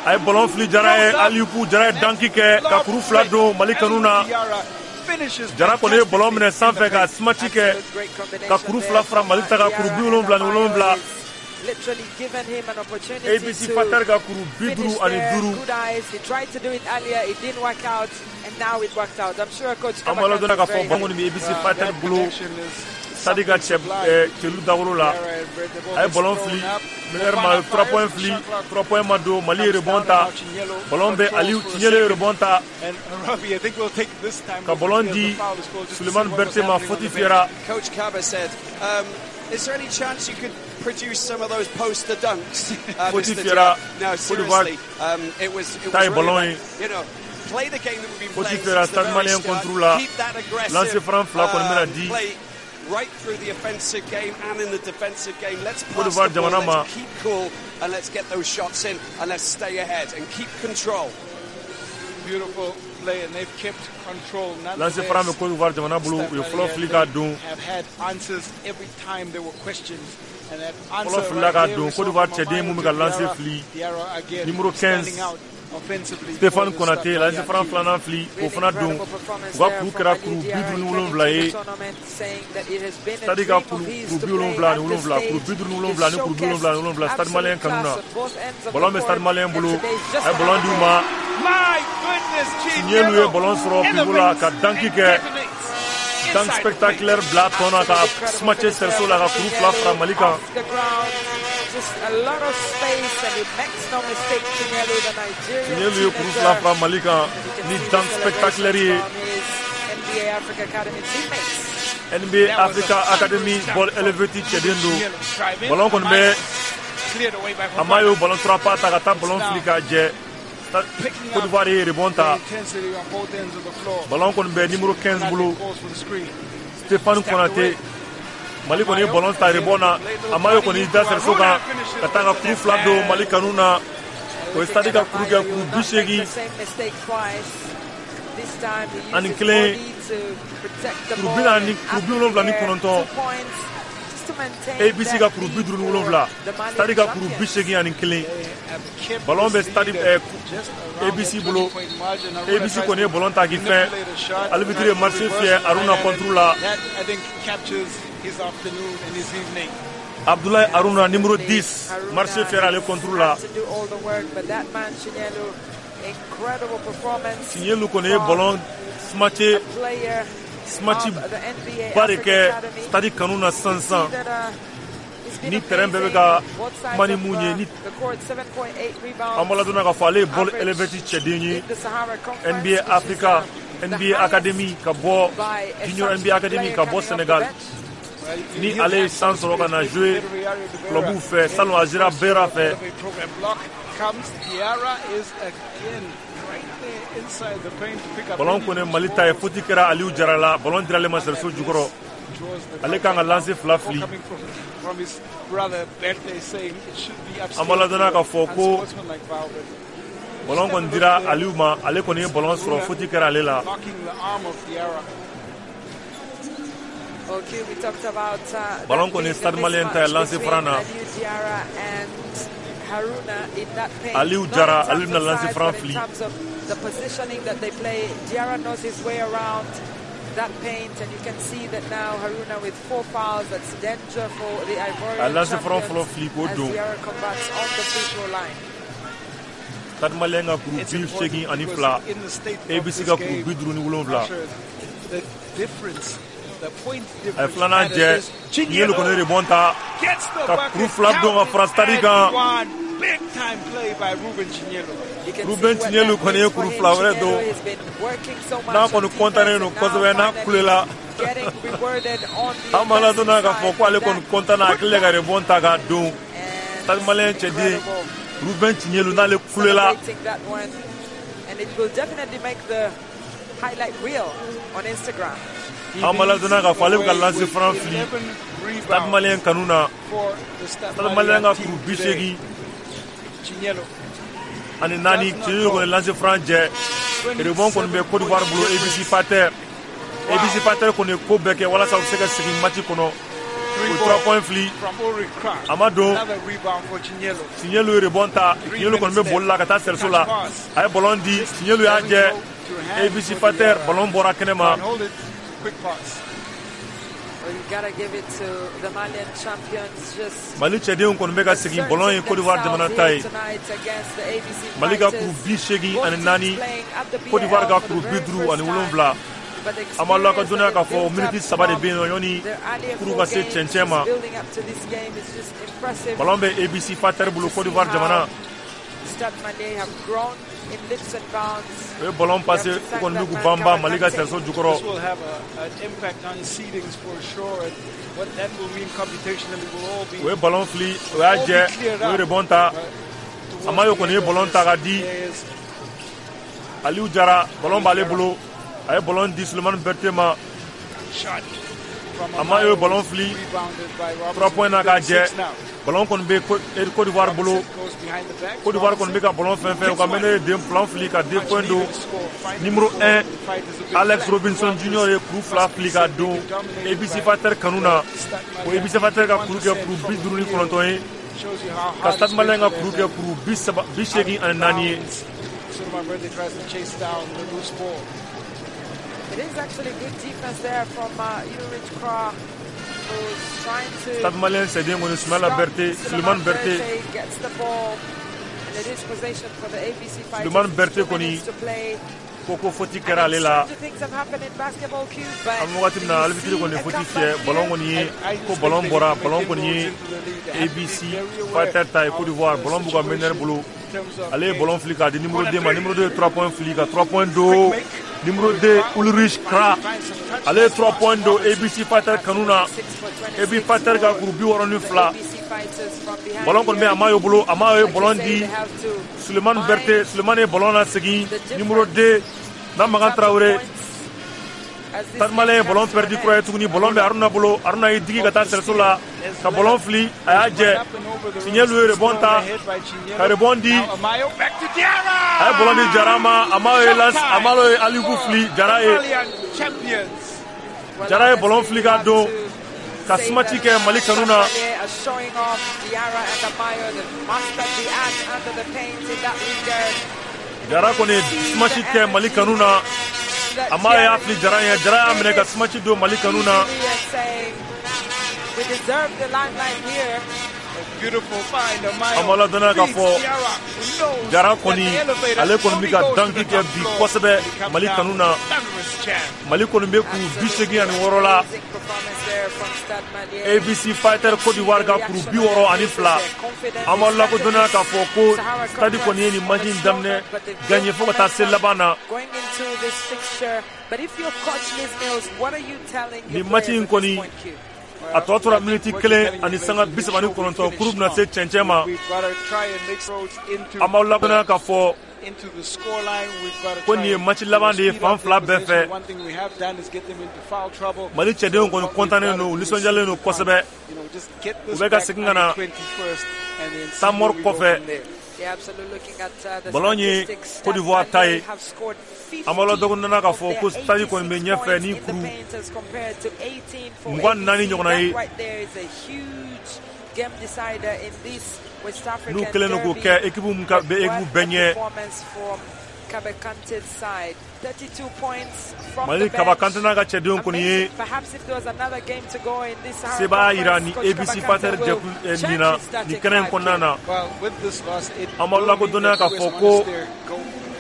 a ye ballon fili Jara ye, Aliou Jara ye dunk kɛ ka kuru fila don Mali kanu na. Jara kɔni ye ballon minɛ sanfɛ ka smash kɛ ka kuru fila fara Mali ta kan, kuru bi wolonwula ni wolonwula.
Literally given him an opportunity
A B C
to
Fighter ka kuru bi duuru ani duuru.
Good eyes. He tried to do it earlier. It didn't work out, and now it worked out. I'm sure Coach
An b'a ladɔnniya k'a fɔ ballon kɔni bɛ A B C Fighter bolo, Stade ka cɛ cɛlu dagolo la. A ye ballon fili meneur ma, trois points fili, trois points ma don. Mali ye rebond ta, ballon bɛ Aliou Tiɲɛle ye rebond ta ka ballon di Sulemani Berté ma, faute fiyɛra.
Coach Kaba said, um, is there any chance you could produce some of those poster dunks? Uh,
Faute
Mister
fiyɛra.
No,
Côte d'Ivoire
seriously, um, it was, it
ta
was
ye ballon
really,
ye.
you know, play the game that we've been
Faute
playing
fiyɛra
since the
Stade
very
Malien
start.
contre la.
Keep that aggressive.
Lancer franc fila kɔni bɛna
um,
di.
play right through the offensive game and in the defensive game. Let's
Côte
pass
d'Ivoire
the ball,
jamana ma.
let's keep cool, and let's get those shots in, and let's stay ahead and keep control.
Beautiful play, and they've kept control.
Lancer franc bɛ Côte d'Ivoire jamana bolo. U ye fɔlɔ fili k'a don.
Have had answers every time there were questions. And that
Fɔlɔ filila k'a don. Côte d'Ivoire cɛden mun bɛ ka lancer fili, numéro quinze, Stéphane Konaté, lancer franc filanan fili k'o fana don. U ka kuru kɛra kuru bi duuru ni wolonwula ye. Stade ka kuru kuru bi wolonwula ni wolonwula, kuru bi duuru ni wolonwula ni kuru bi wolonwula ni wolonwula Stade Malien kanu na. Ballon bɛ Stade Malien bolo, a ye ballon di u ma. Tiɲɛlu ye ballon sɔrɔ pivot la ka dunk kɛ, dunk spectaculaire bila tɔn na ka smash cerceau la ka kuru fila fara Mali kan.
Just a lot of space, and he makes no mistake, Chinyelu, the Nigerian
Tiɲɛlu ye kuru fila fara Mali kan ni dunk spectaculaire ye.
N B A Africa Academy teammates.
N B A Africa Academy ball elevate cɛden don. Ballon kɔni bɛ a ma y'o ballon trois pas ta ka taa ballon fili k'a jɛ. Côte d'Ivoire ye rebond ta. Ballon kɔni bɛ numéro quinze bolo, Stéphane Konaté. Mali kɔni ye ballon ta rebond na. A ma ye kɔni da cerceau kan ka taa ka kuru fila don Mali kanu na. O ye Stade ka kuru kɛ kuru bi seegin ani kelen, kuru bi naani, kuru bi wolonwula ni kɔnɔntɔn. A B C ka kuru bi duuru ni wolonwula, Stade ka kuru bi seegin ani kelen. Ballon bɛ Stade A B C bolo. A B C kɔni ye ballon ta k'i fɛn. Arbitre ye marché fiyɛ Aruna contre la. Abdoulaye Aruna, numéro dix, marché fiyɛra ale contre la. Signelu kɔni ye ballon smatché, smatch ba de kɛ Stade kanu na sisan sisan. Ni terrain bɛɛ bɛ ka kuma ni mun ye, ni an b'a ladɔnniya k'a fɔ ale ye Ball Elevate cɛden ye, N B A Africa, N B A Academy ka bɔ Junior N B A Academy ka bɔ Sénégal. Ni ale ye san sɔrɔ ka na jouer club fɛ salon, a sera Bera fɛ. Ballon kɔni Mali ta ye. Faute kɛra Aliou Jara la. Ballon dira ale ma cerceau jukɔrɔ. Ale kan ka lancer fila fili. An b'a ladɔnniya k'a fɔ ko ballon kɔni dira Aliou ma. Ale kɔni ye ballon sɔrɔ, faute kɛra ale la. Ballon kɔni Stade Malien ta ye lancer franc na. Aliou Jara, ale bɛna lancer franc fili.
The positioning that they play, Diarra knows his way around that paint, and you can see that now Haruna with four fouls, that's danger for the Ivorian
A lancer franc fɔlɔ
champions
fili k'o
as
don.
Diarra converts on the free throw line.
Stade Malien ka kuru bi seegin ani fila, A B C ka kuru bi duuru ni wolonwula. A ye filanan jɛ. Ɲelu kɔni rebond ta ka kuru fila don ka fara Stade kan. Ruben Chinyelu kɔni ye kuru fila wɛrɛ don. N'a kɔni kɔntannen don kosɛbɛ, n'a kulela, an b'a ladɔnniya k'a fɔ ko ale kɔni kɔntan na, a kɛlen ka rebond ta k'a don. Stade Malien cɛden Ruben Chinyelu, n'ale kulela.
Celebrating that one, and it will definitely make the highlight reel on Instagram.
An b'a ladɔnniya k'a fɔ ale bɛ ka lancer franc fili Stade Malien kanu na. Stade Malien ka kuru bi seegin ani naani. Chinyelu kɔni lancer franc jɛ. Rebond kɔni bɛ Côte d'Ivoire bolo, A B C Fighter. A B C Fighter kɔni ye ko bɛɛ kɛ walasa u bɛ se ka segin match kɔnɔ. O ye trois points fili, a ma don. Chinyelu ye rebond ta. Chinyelu kɔni bɛ boli la ka taa cerceau la. A ye ballon di Chinyelu, y'a jɛ. A B C Fighter, ballon bɔra kɛnɛ ma.
Well, you gotta give it to the Malian champions. Just
Mali cɛdenw kɔni bɛ ka segin. Ballon ye Côte d'Ivoire jamana ta ye.
tonight against the A B C
Mali ka
Fighters.
kuru bi seegin
Both
ani
teams
naani,
playing at the
Côte d'Ivoire ka
B A L for
kuru
the
bi
very
duuru
first
ani
time.
wolonwula.
But the
An b'a la ka
experience
dɔnniya
that
k'a
they've
fɔ
built
miniti
up
saba de
from
bɛ yen nɔ yanni
their earlier
kuru
four
ka se
games,
cɛncɛn ma.
just building up to this game is just impressive.
Ballon bɛ A B C Fighter bolo,
To
Côte
see
d'Ivoire jamana.
how Stade Malien have grown in leaps and bounds.
O ye ballon passé,
You have to
u
thank
kɔni bɛ
that
k'u
man,
banba Mali ka
Kara Kante.
cerceau jukɔrɔ.
This will have a, an impact on seedings for sure, and what that will mean computationally will all be
O ye ballon fili, o y'a jɛ. O ye rebond ta. Amayo kɔni ye ballon ta ka di Aliou Jara. Ballon b'ale bolo. A ye ballon di Sulemani Berté ma. Amayo ye ballon fili trois points na k'a jɛ. Ballon kɔni bɛ Côte d'Ivoire bolo. Côte d'Ivoire kɔni bɛ ka ballon fɛn fɛn. U ka meneur ye den ballon fili ka deux points don. Numéro un, Alex Robinson Junior ye kuru fila fili ka don A B C Fighter kanu na. O A B C Fighter ka kuru kɛ kuru bi duuru ni kɔnɔntɔn ye, ka Stade Malien ka kuru kɛ kuru bi saba bi seegin ani naani ye.
Suleiman Berthe tries to chase down the loose ball.
It is actually good defense there from uh, Ulrich Kra, who's trying to
Stade Malien cɛden kɔni Sumayila
stop
Berté,
Suleiman
Suleiman Berté.
Berté gets the ball, and it is possession for the A B C Fighters.
Suleiman
It's
Berté
two
kɔni
minutes to play.
ko ko faute kɛra ale la.
Stranger things have happened in basketball, Q, but
An bɛ wagati min na, arbitre kɔni ye faute fiyɛ. Ballon kɔni ye ko ballon bɔra. Ballon kɔni ye A B C Fighter ta ye, Côte d'Ivoire. Ballon b'u ka meneur bolo. Ale ye ballon fili k'a di numéro deux ma. Numéro deux ye trois points fili ka trois points don. Numéro deux, Ulrich Kra, ale ye trois points don A B C Fighter kanu na. A B C Fighter ka kuru bi wɔɔrɔ ni fila. Ballon kɔni bɛ Amayo bolo. Amayo ye ballon di Sulemani Berté. Sulemani ye ballon lasegin numéro deux na Makan Traoré. Stade Malien ye ballon perdu kura ye tuguni. Ballon bɛ Haruna bolo. Haruna y'i digi ka taa cerceau la ka ballon fili, a y'a jɛ. Tiɲɛlu ye rebond ta ka rebond di, a ye ballon di Jara ma. Amayo ye lance, Amayo ye Aliku fili Jara ye. Jara ye ballon fili ka don ka smash kɛ Mali kanu na. Jara kɔni ye smash kɛ Mali kanu na. Amayo y'a fili Jara ye, Jara y'a minɛ ka smash don Mali kanu na. An b'a ladɔnniya k'a fɔ Jara kɔni, ale kɔni bɛ ka danki kɛ bi kosɛbɛ Mali kanu na. Mali kɔni bɛ kuru bi seegin ani wɔɔrɔ la, A B C Fighter Côte d'Ivoire ka kuru bi wɔɔrɔ ani fila. An b'a lakodɔnniya k'a fɔ ko Stade kɔni ye nin match in daminɛ gagné fo ka taa se laban na. Nin match in kɔni, a tɔ tora miniti kelen ani sanga bi saba ni kɔnɔntɔn, kuru bɛna se cɛncɛn ma. An b'aw ladɔnniya k'a fɔ ko nin ye match laban de ye fan fila bɛɛ fɛ. Mali cɛdenw kɔni kɔntannen don, u nisɔndiyalen don kosɛbɛ. U bɛ ka segin ka na Samor kɔfɛ. Ballon ye Côte d'Ivoire ta ye. An b'a ladɔnniya k'a fɔ ko Stade kɔni bɛ ɲɛfɛ ni kuru mugan ni naani ɲɔgɔnna ye. N'u kɛlen don k'o kɛ équipe min ka bɛ équipe bɛɛ ɲɛ. Mali Kaba Kante n'a ka cɛdenw kɔni ye sebaaya yira ni A B C Fighter jɛkulu nin na nin kɛnɛ in kɔnɔna na. An b'aw lakodɔnniya k'a fɔ ko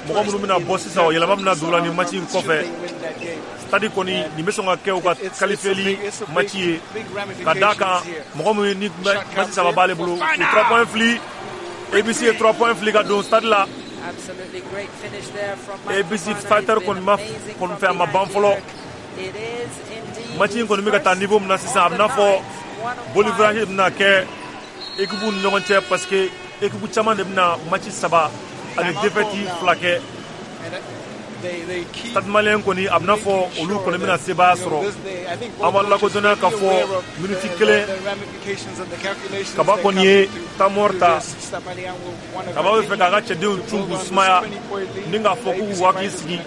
mɔgɔ minnu bɛna bɔ sisan, o yɛlɛma bɛna don u la nin match in kɔfɛ. Stade kɔni, nin bɛ sɔn ka kɛ u ka qualifieli match ye, ka d'a kan mɔgɔ min ni match saba b'ale bolo, u trois points fili. A B C ye trois points fili ka don Stade la. A B C Fighter kɔni ma kɔni fɛ, a ma ban fɔlɔ. Match in kɔni bɛ ka taa niveau min na sisan, a bɛ n'a fɔ boli virage bɛna kɛ équipe ni ɲɔgɔn cɛ, parce que équipe caman de bɛna match saba ani défaite fila kɛ. Stade Malien kɔni, a bɛna fɔ olu kɔni bɛna sebaaya sɔrɔ. An b'a lakodɔnniya k'a fɔ miniti kelen, Kaba kɔni ye Tamor ta. Kaba bɛ fɛ k'a ka cɛdenw cun k'u sumaya ni k'a fɔ k'u k'u hakili sigi,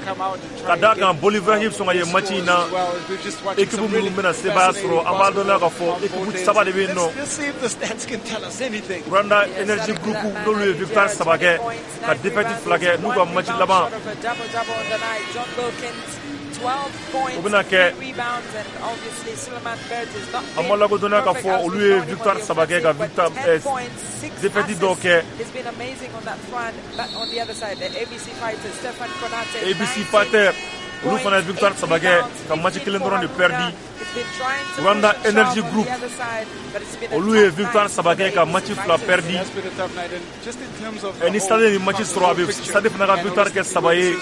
ka d'a kan boli virage bɛ sɔn ka ye match in na. Équipe minnu bɛna sebaaya sɔrɔ, an b'a dɔnniya k'a fɔ équipe saba de bɛ yen nɔ. Rwanda Energy Group, n'olu ye victoire saba kɛ ka défaite fila kɛ, n'u ka match laban o bɛna kɛ. An b'a lakodɔnniya k'a fɔ olu ye victoire saba kɛ ka victoire défaite dɔw kɛ. A B C Fighter, olu fana ye victoire saba kɛ ka match kelen dɔrɔn de perdu. Rwanda Energy Group, olu ye victoire saba kɛ ka match fila perdu. Ni Stade ni match sɔrɔ, a bɛ Stade fana ka victoire kɛ saba ye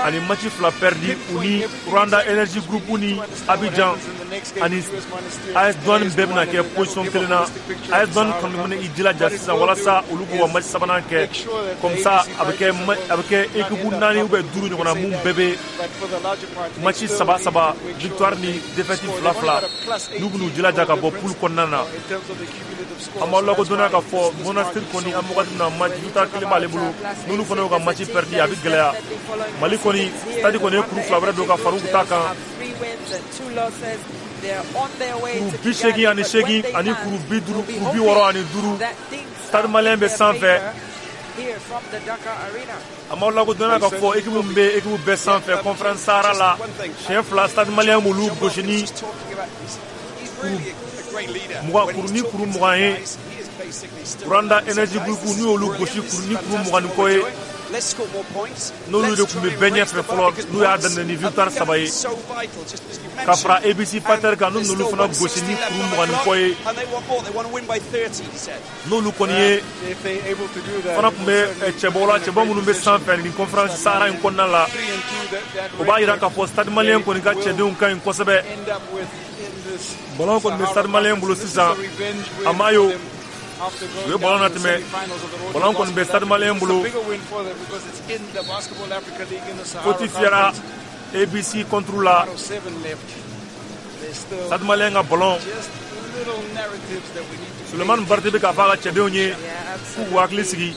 ani match fila perdu. U ni Rwanda Energy Group ni Abidjan ani A S Douane bɛɛ bɛna kɛ position kelen na. A S Douane kɔni bɛna i jilaja sisan walasa olu k'u ka match sabanan kɛ, comme ça a bɛ kɛ a bɛ kɛ équipe naani ou bien duuru ɲɔgɔnna mun bɛɛ bɛ match saba saba, victoire ni défaite fila fila, n'u bɛn'u jilaja ka bɔ poule kɔnɔna na. An b'aw lakodɔnniya k'a fɔ Monastir kɔni, an wagati min na, match victoire kelen b'ale bolo. N'olu fana y'u ka match perdu, a bɛ gɛlɛya. Mali kɔni, Stade kɔni ye kuru fila wɛrɛ don ka far'u ta kan, kuru bi seegin ani seegin ani kuru bi duuru, kuru bi wɔɔrɔ ani duuru. Stade Malien bɛ sanfɛ. An b'aw lakodɔnniya k'a fɔ équipe min bɛ équipe bɛɛ sanfɛ Conférence Sahara la, siɲɛ fila Stade Malien b'olu gosi ni kuru mugan, kuru ni kuru mugan ye. Rwanda Energy Group, n'u y'olu gosi kuru ni kuru mugan ni kɔ ye, n'olu de tun bɛ bɛɛ ɲɛfɛ fɔlɔ, n'u y'a daminɛ ni victoire saba ye, ka fara A B C Fighter kan, n'u n'olu fana gosi ni kuru mugan ni kɔ ye, n'olu kɔni ye fana tun bɛ cɛbɔ la, cɛbɔ minnu bɛ sanfɛ nin Conférence Sahara in kɔnɔna la. O b'a yira k'a fɔ Stade Malien kɔni ka cɛdenw ka ɲi kosɛbɛ. Ballon kɔni bɛ Stade Malien bolo sisan. Amayo, u ye ballon natɛmɛ. Ballon kɔni bɛ Stade Malien bolo. Faute fiyɛra A B C contre la. Stade Malien ka ballon. Souleymane Berthé bɛ k'a fɔ a ka cɛdenw ye k'u k'u hakili sigi.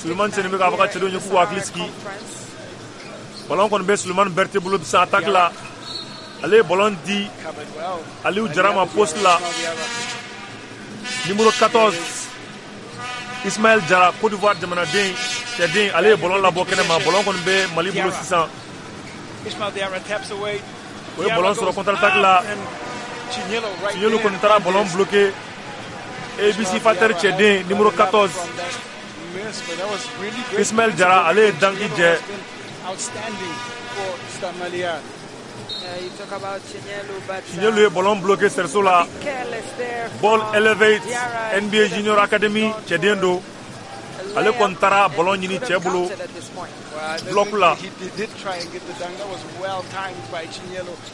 Souleymane Seni bɛ k'a fɔ a ka cɛdenw ye k'u k'u hakili sigi. Ballon kɔni bɛ Souleymane Berthé bolo sisan attaque la. Ale ye ballon di Aliou Jara ma poste la. Numéro quatorze Ismaël Jara, Côte d'Ivoire jamanaden cɛden, ale ye ballon labɔ kɛnɛ ma. Ballon kɔni bɛ Mali bolo sisan. O ye ballon sɔrɔ contre-attaque la. Chignelo kɔni taara ballon bloqué. A B C Fighter cɛden numéro quatorze Ismaël Jara, ale ye danki jɛ. Chignelo ye ballon bloqué cerceau la. Ball Elevate N B A Junior Academy cɛden don. Ale kɔni taara ballon ɲini cɛ bolo bloc la.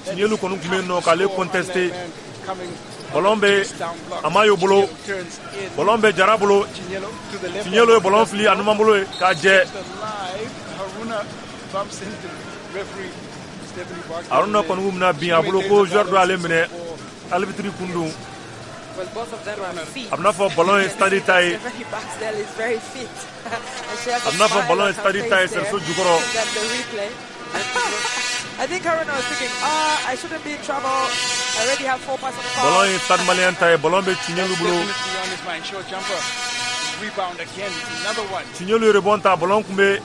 Chignelo kɔni tun bɛ yen nɔ k'ale contester. Ballon bɛ Amayo bolo. Ballon bɛ Jara bolo. Chignelo ye ballon fili a numan bolo ye k'a jɛ. Haruna kɔni b'u minɛ bin a bolo ko joueur dɔ y'ale minɛ arbitre kun don. A bɛna fɔ ballon ye stade ta ye. A bɛna fɔ ballon ye stade ta ye cerceau jukɔrɔ. Ballon ye Stade Malien ta ye. Ballon bɛ Chignelo bolo. Chignelo ye rebond ta. Ballon kun bɛ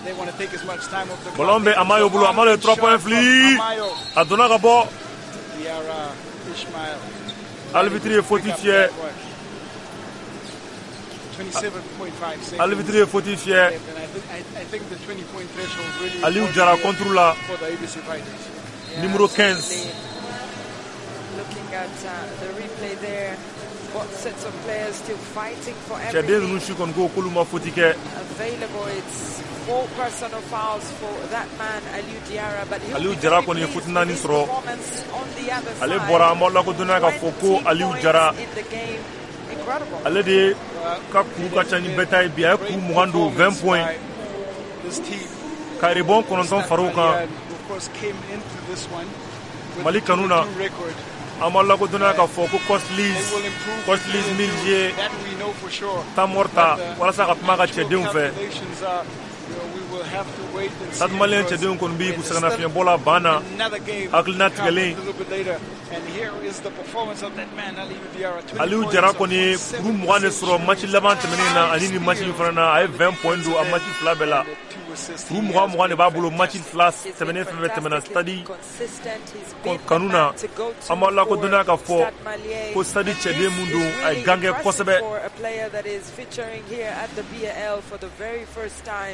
ballon bɛ Amayo bolo. Amayo ye trois points fili. A donna ka bɔ. Arbitre ye faute fiyɛ. Arbitre ye faute fiyɛ. Aliou Jara contre la. Numéro quinze. Cɛden ninnu si kɔni ko k'olu ma faute kɛ. Aliou Jara kɔni ye faute naani sɔrɔ. Ale bɔra an b'aw lakodɔnniya k'a fɔ ko Aliou Jara ale de ka kuru ka ca ni bɛɛ ta ye bi. A ye kuru mugan don, vingt points. Ka rebond kɔnɔntɔn far'o kan. Mali kanu na, an b'aw lakodɔnniya k'a fɔ ko Coach Liz, Coach Liz Mills ye temps mort ta walasa ka kuma a ka cɛdenw fɛ. Stade Malien cɛdenw kɔni bɛ k'u sɛgɛnnafiɲɛbɔ la ban na, hakilina tigɛlen. Aliou Jara kɔni ye kuru mugan de sɔrɔ match laban tɛmɛnen na ani ni match in fana na. A ye vingt points don a match fila bɛɛ la. Kuru mugan mugan de b'a bolo match fila tɛmɛnen fɛn fɛn tɛmɛna Stade kanu na. An b'aw lakodɔnniya k'a fɔ ko Stade cɛden mun don, a ye gan kɛ kosɛbɛ.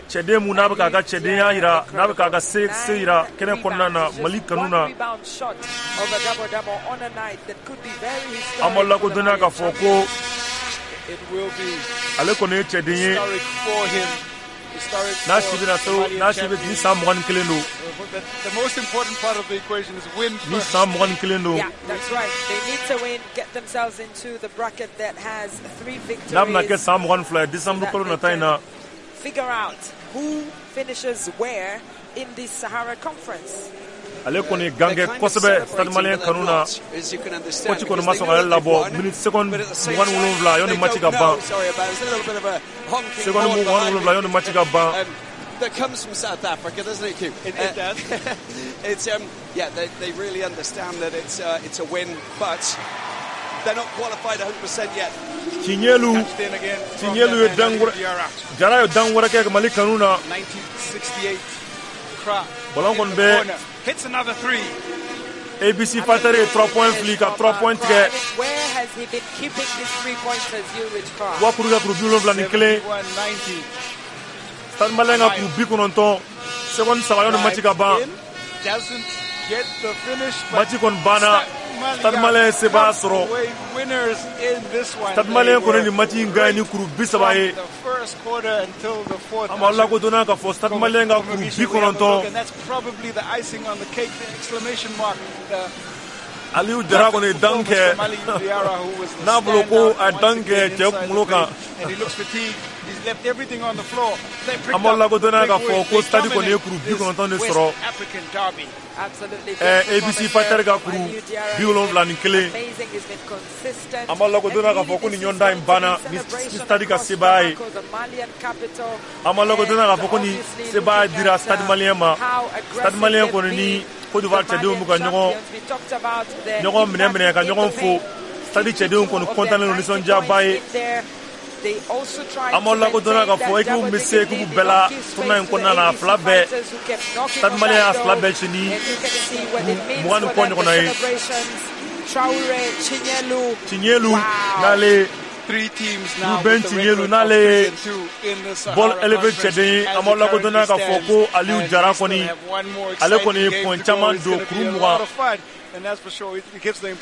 Cɛden mun n'a bɛ k'a ka cɛdenya yira, n'a bɛ k'a ka se se yira kɛnɛ kɔnɔna na Mali kanu na. An b'aw lakodɔnniya k'a fɔ ko ale kɔni ye cɛden ye. N'a si bɛna se, n'a si bɛ ni san mugan ni kelen don. Ni san mugan ni kelen don. N'a bɛna kɛ san mugan ni fila ye décembre kalo nata in na. Ale kɔni ye gan kɛ kosɛbɛ Stade Malien kanu na. Coach kɔni ma sɔn k'ale labɔ minute seconde mugan ni wolonwula yanni match ka ban. Seconde mugan ni wolonwula yanni match ka ban.
That comes from South Africa, doesn't it, Q?
It, it does.
It's um, yeah, they, they really understand that it's uh, it's a win, but they're not qualified one hundred percent yet.
Chignelo, Chignelo ye dan wɛrɛ, Jara ye dan wɛrɛ kɛ Mali kanu na. Ballon kɔni bɛ
Hits another three.
A B C Fighter ye trois points fili ka trois points tigɛ. Wa kuru kɛ kuru bi wolonwula ni kelen. Stade Malien ka kuru bi kɔnɔntɔn. Seconde saba yanni match ka ban. Match kɔni banna. Stade Malien ye sebaaya sɔrɔ. Stade Malien kɔni nin match in gagné ni kuru bi saba ye. An b'aw lakodɔnniya k'a fɔ Stade Malien ka kuru bi kɔnɔntɔn. Aliou Jara kɔni ye dan kɛ. N'a bolo ko a ye dan kɛ cɛ kunkolo kan. An b'aw lakodɔnniya k'a fɔ ko stade kɔni ye kuru bi kɔnɔntɔn de sɔrɔ. A B C Fighter ka kuru bi wolonwula ni kelen. An b'aw lakodɔnniya k'a fɔ ko nin ɲɔgɔndan in banna ni stade ka sebaaya ye. An b'aw lakodɔnniya k'a fɔ ko nin sebaaya dira Stade Malien ma. Stade Malien kɔni ni Côte d'Ivoire cɛdenw b'u ka ɲɔgɔn ɲɔgɔn minɛ minɛ ka ɲɔgɔn fo. Stade cɛdenw kɔni kɔntannen don, nisɔndiyaba ye. An b'aw lakodɔnniya k'a fɔ équipe bɛ se équipe bɛɛ la tournoi in kɔnɔna na, a fila bɛɛ. Stade Malien y'a fila bɛɛ ci ni mugan ni kɔ ɲɔgɔnna ye. Chinyelu n'ale Ruben Chinyelu n'ale ye ball élevé cɛden ye. An b'aw lakodɔnniya k'a fɔ ko Aliou Jara kɔni, ale kɔni ye point caman don, kuru mugan.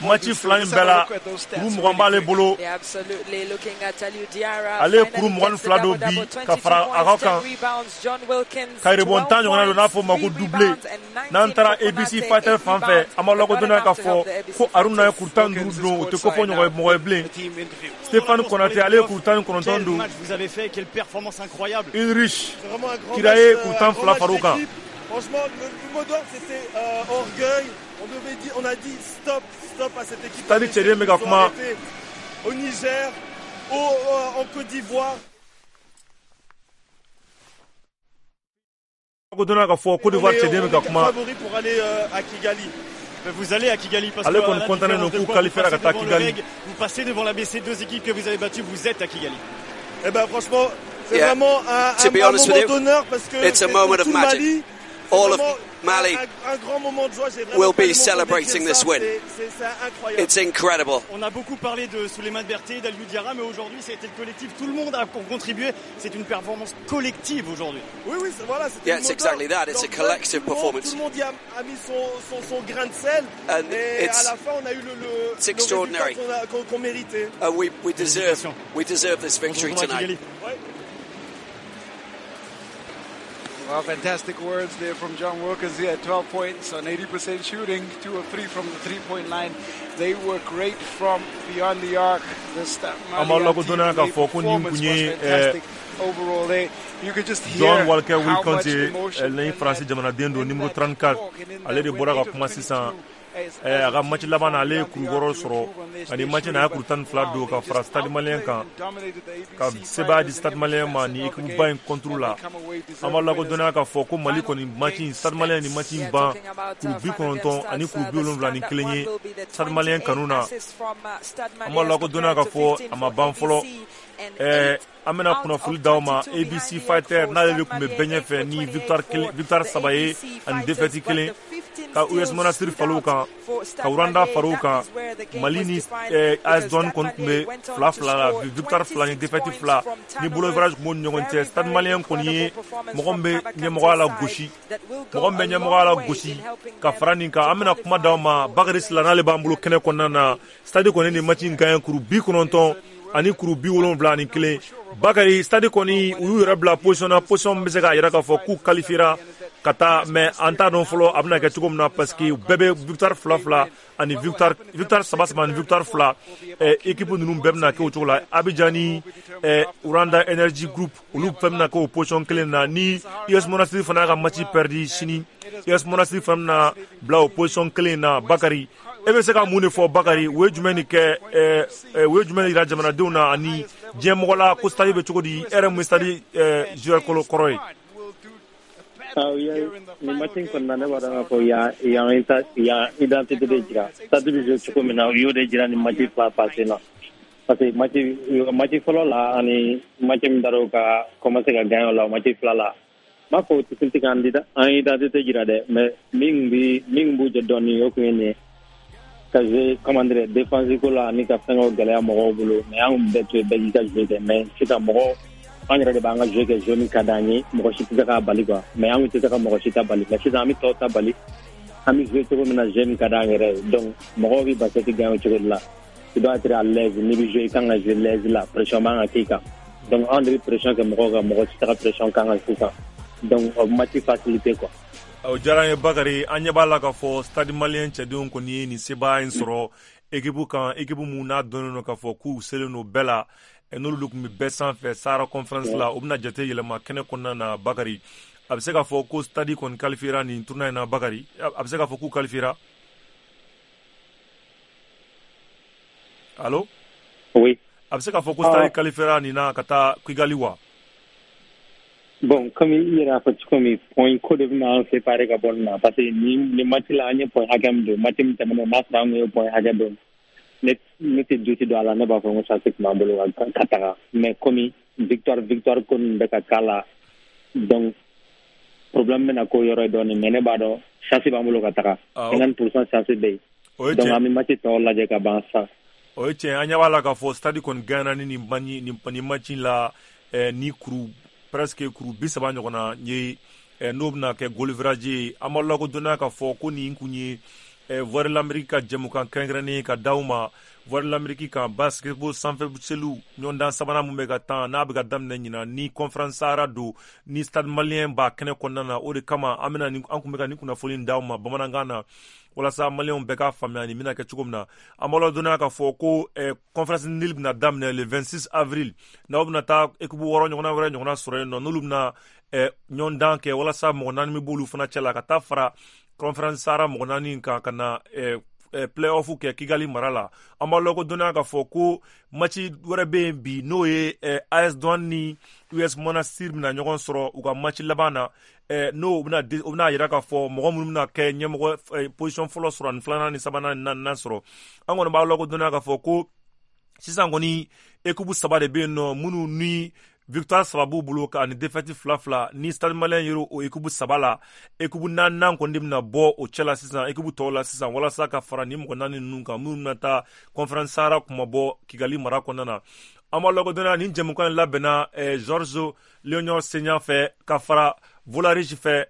Match fila in bɛɛ la, kuru mugan b'ale bolo. Ale ye kuru mugan ni fila don bi ka fara a ka kan. Ka rebond tan ɲɔgɔnna don, n'a fɔ o ma ko doublé. N'an taara A B C Fighter fan fɛ, an b'aw lakodɔnniya k'a fɔ ko Aruna ye kuru tan ni duuru don, o tɛ kofɔ ɲɔgɔn ye mɔgɔ ye bilen. Stéphane Konaté, ale ye kuru tan ni kɔnɔntɔn don. Ulrich Kira ye kuru tan fila far'o kan.
Franchement, le, le mot d'ordre, c'était euh, orgueil. On devait dire, on a dit stop, stop à cette équipe.
Stade cɛden bɛ ka kuma.
Au Niger, au, euh, en Côte d'Ivoire.
Lakodɔnniya k'a fɔ Côte d'Ivoire cɛden bɛ ka kuma.
Favori pour aller euh, à Kigali.
Vous allez à Kigali parce que
ale kɔni kɔntannen don k'u qualifiera ka taa Kigali.
Vous passez devant l'A B C, deux équipes que vous avez battues, vous êtes à Kigali.
Eh ben franchement, c'est
yeah.
vraiment un, un, un moment d'honneur parce que
it's a moment
pour
of
tout
magic.
Mali.
All of Mali will be celebrating this win. It's incredible.
On a beaucoup parlé de Souleymane Berté, d'Aliou Diarra, mais aujourd'hui, ça a été le collectif. Tout le monde a contribué. C'est une performance collective aujourd'hui.
Oui, oui, voilà.
Yeah, it's exactly that. It's a collective performance.
Tout le monde y a, a mis son, son, son grain de sel.
And
et
it's,
à la fin, on a eu le, le,
it's extraordinary.
le résultat qu'on, qu'on méritait.
Uh, we, we deserve, we deserve this victory tonight.
Ouais.
Well, fantastic words there from John Wilkins. He had twelve points on eighty percent shooting, two of three from the three-point line. They were great from beyond the arc. This Malian team, the performance was fantastic overall. They, you could just hear
John Walker
how much
Wilkins ye
emotion
ni
in
Faransi
that,
jamanaden don,
in
numéro
that
trente-quatre.
talk and in
Ale de
that
bɔra
win.
ka kuma sisan. A ka match laban na, ale ye kuru wɔɔrɔ sɔrɔ ani match na, a ye kuru tan ni fila don ka fara Stade Malien kan, ka sebaaya di Stade Malien ma ni équipe ba in contre la. An b'a lakodɔnniya k'a fɔ ko Mali kɔni match in, Stade Malien ni match in ban kuru bi kɔnɔntɔn ani kuru bi wolonwula ni kelen ye Stade Malien kanu na. An b'a lakodɔnniya k'a fɔ a ma ban fɔlɔ. Ɛɛ, an bɛna kunnafoni d'aw ma. A B C Fighter n'ale de tun bɛ bɛɛ ɲɛfɛ ni victoire kelen, victoire saba ye ani défaite kelen, ka U S Monastir far'o kan, ka Rwanda far'o kan. Mali ni A S Douanes kɔni tun bɛ fila fila la, victoire fila ni défaite fila ni bolo average tun b'u ni ɲɔgɔn cɛ. Stade Malien kɔni ye mɔgɔ min bɛ ɲɛmɔgɔya la gosi, mɔgɔ min bɛ ɲɛmɔgɔya la gosi ka fara nin kan. An bɛna kuma d'aw ma Bakary Sila, n'ale b'an bolo kɛnɛ kɔnɔna na. Stade kɔni ni match in gagné kuru bi kɔnɔntɔn ani kuru bi wolonwula ni kelen. Bakary, Stade kɔni u y'u yɛrɛ bila position na, position min bɛ se k'a yira k'a fɔ k'u qualifiera ka taa, mais an t'a dɔn fɔlɔ a bɛna kɛ cogo min na, parce que bɛɛ bɛ victoire fila fila ani victoire victoire saba saba ani victoire fila. Équipe ninnu bɛɛ bɛna kɛ o cogo la. Abidjan ni Rwanda Energy Group, olu fɛn bɛna kɛ o position kelen na. Ni U S Monastir fana y'a ka match perdu sini, U S Monastir fana bɛna bila o position kelen na. Bakary, e bɛ se ka mun de fɔ Bakary? U ye jumɛn de kɛ, u ye jumɛn de yira jamanadenw na ani diɲɛ mɔgɔ la ko stade bɛ cogo di? E yɛrɛ mun ye stade joueur kɔrɔ ye?
Nin match in kɔnɔna, ne b'a dɔn k'a fɔ yan yan identité de jira. Stade bɛ jouer cogo min na, u y'o de jira nin match fila passé la. Parce que match match fɔlɔ la ani match min dar'o ka commencer ka gagner o la, o match fila la, n b'a fɔ o tɛ se k'an identité jira dɛ, mais min bi min b'u jɛ dɔɔnin, o kun ye nin ye. Ka jouer, comment dire, défense ko la ani ka fɛngɛw gɛlɛya mɔgɔw bolo, mais an kun bɛɛ to yen, bɛɛ k'i ka jouer kɛ. Mais sisan mɔgɔ an yɛrɛ de b'an ka jouer kɛ, jouer min ka d'an ye, mɔgɔ si tɛ se k'a bali quoi. Mais an kun tɛ se ka mɔgɔ si ta bali, mais sisan an bɛ tɔw ta bali, an bɛ jouer cogo min na, jouer min ka d'an yɛrɛ ye. Donc mɔgɔw bɛ basket gagner o cogo de la. Tu dois être à l'aise, n'i bɛ jouer, i kan ka jouer l'aise la, pression man ka k'i kan. Donc anw de bɛ pression kɛ mɔgɔw kan, mɔgɔ si tɛ ka pression k'an kan sisan. Donc o match facilité quoi.
O diyara an ye Bakary. An ɲɛ b'a la k'a fɔ Stade Malien cɛdenw kɔni ye nin sebaaya in sɔrɔ équipe kan, équipe mun n'a dɔnnen don k'a fɔ k'u selen don bɛɛ la. N'olu tun bɛ bɛɛ sanfɛ Sahara Conference la, o bɛna jate yɛlɛma kɛnɛ kɔnɔna na. Bakari, a bɛ se k'a fɔ ko Stade kɔni qualifiera nin tournoi in na. Bakari, a bɛ se k'a fɔ k'u qualifiera? Allo?
Oui.
A bɛ se k'a fɔ ko Stade qualifiera nin na ka taa Kigali wa?
Bon, comme i yɛrɛ y'a fɔ cogo min, point ko de bɛna an séparer ka bɔ nin na, parce que nin nin match la, an ye point hakɛ min don, match min tɛmɛnen, n'a sɔrɔ an kun ye point hakɛ don, ne ne tɛ doute don a la, ne b'a fɔ ko chance tun b'an bolo ka ka taga. Mais comme victoire victoire ko ninnu bɛ ka k'a la, donc problème bɛna k'o yɔrɔ ye dɔɔnin, mais ne b'a dɔn chance b'an bolo ka taga, cinquante pour cent chance bɛ yen. Donc an bɛ match tɔw lajɛ ka ban sa.
O ye tiɲɛ. An ɲɛ b'a la k'a fɔ Stade kɔni gagné ni nin nin match la ni kuru presque kuru bi saba ɲɔgɔn na ye, n'o bɛna kɛ goal average ye. An b'aw lakodɔnniya k'a fɔ ko nin kun ye Voix de l'Amérique ka jɛmukan kɛrɛnkɛrɛnnen ka d'aw ma Voix de l'Amérique kan, basketball sanfɛ seliw ɲɔgɔndan sabanan mun bɛ ka tan, n'a bɛ ka daminɛ ɲinan, ni Conférence Sahara don, ni Stade Malien b'a kɛnɛ kɔnɔna na. O de kama an bɛna an kun bɛ ka nin kunnafoni d'aw ma bamanankan na, walasa maliyɛnw bɛɛ k'a faamuya nin bɛna kɛ cogo min na. An b'aw ladɔnniya k'a fɔ ko Conférence Nil bɛna daminɛ le vingt-six avril, n'aw bɛna taa équipe wɔɔrɔ ɲɔgɔnna wɛrɛ ɲɔgɔnna sɔrɔ yen nɔ, n'olu bɛna ɲɔgɔndan kɛ walasa mɔgɔ naani bɛ b'olu fana cɛ la ka taa fara Conférence Sahara mɔgɔ naani kan ka na play-off kɛ Kigali mara la. An b'aw lakodɔnniya k'a fɔ ko match wɛrɛ bɛ yen bi, n'o ye A S Douane ni U S Monastir bɛna ɲɔgɔn sɔrɔ u ka match laban na, n'o bɛna o bɛna yira k'a fɔ mɔgɔ minnu bɛna kɛ ɲɛmɔgɔ position fɔlɔ sɔrɔ, ani filanan ni sabanan ni naaninan sɔrɔ. An kɔni b'aw lakodɔnniya k'a fɔ ko sisan kɔni équipe saba de bɛ yen nɔ minnu ni victoire saba b'u bolo ani défaite fila fila. Ni Stade Malien yɛrɛ o équipe saba la, équipe naaninan kɔni de bɛna bɔ o cɛ la sisan, équipe tɔw la sisan, walasa ka fara ni mɔgɔ naani ninnu kan minnu bɛna taa Conférence Sahara kumabɔ Kigali mara kɔnɔna na. An b'a lakodɔnniya nin jɛmukan in labɛnna Georges Léonard Senya fɛ ka fara Volarich fɛ.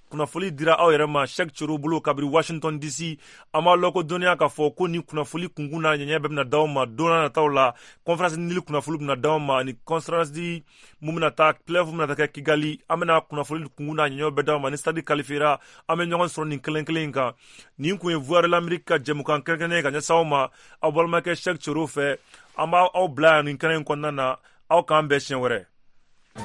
Kunnafoli dira aw yɛrɛ ma Cheikh Cero bolo kabiri Washington D C. An b'a lakodɔnniya k'a fɔ ko nin kunnafoli kunkun n'a ɲɛɲɛ bɛɛ bɛna d'aw ma don n'a nataw la. Conférence Nil kunnafoli bɛna d'aw ma, ani conférence di mun bɛna taa play-off bɛna taa kɛ Kigali. An bɛna kunnafoli kunkun n'a ɲɛɲɛ bɛɛ d'aw ma. Ni Stade qualifiera, an bɛ ɲɔgɔn sɔrɔ nin kelen kelen in kan. Nin kun ye Voix de l'Amérique ka jɛmukan kɛrɛnkɛrɛnnen ka ɲɛsin aw ma, aw balimakɛ Cheikh Cero fɛ. An b'aw bila yan nin kɛnɛ in kɔnɔna na. Aw k'an bɛn siɲɛ wɛrɛ.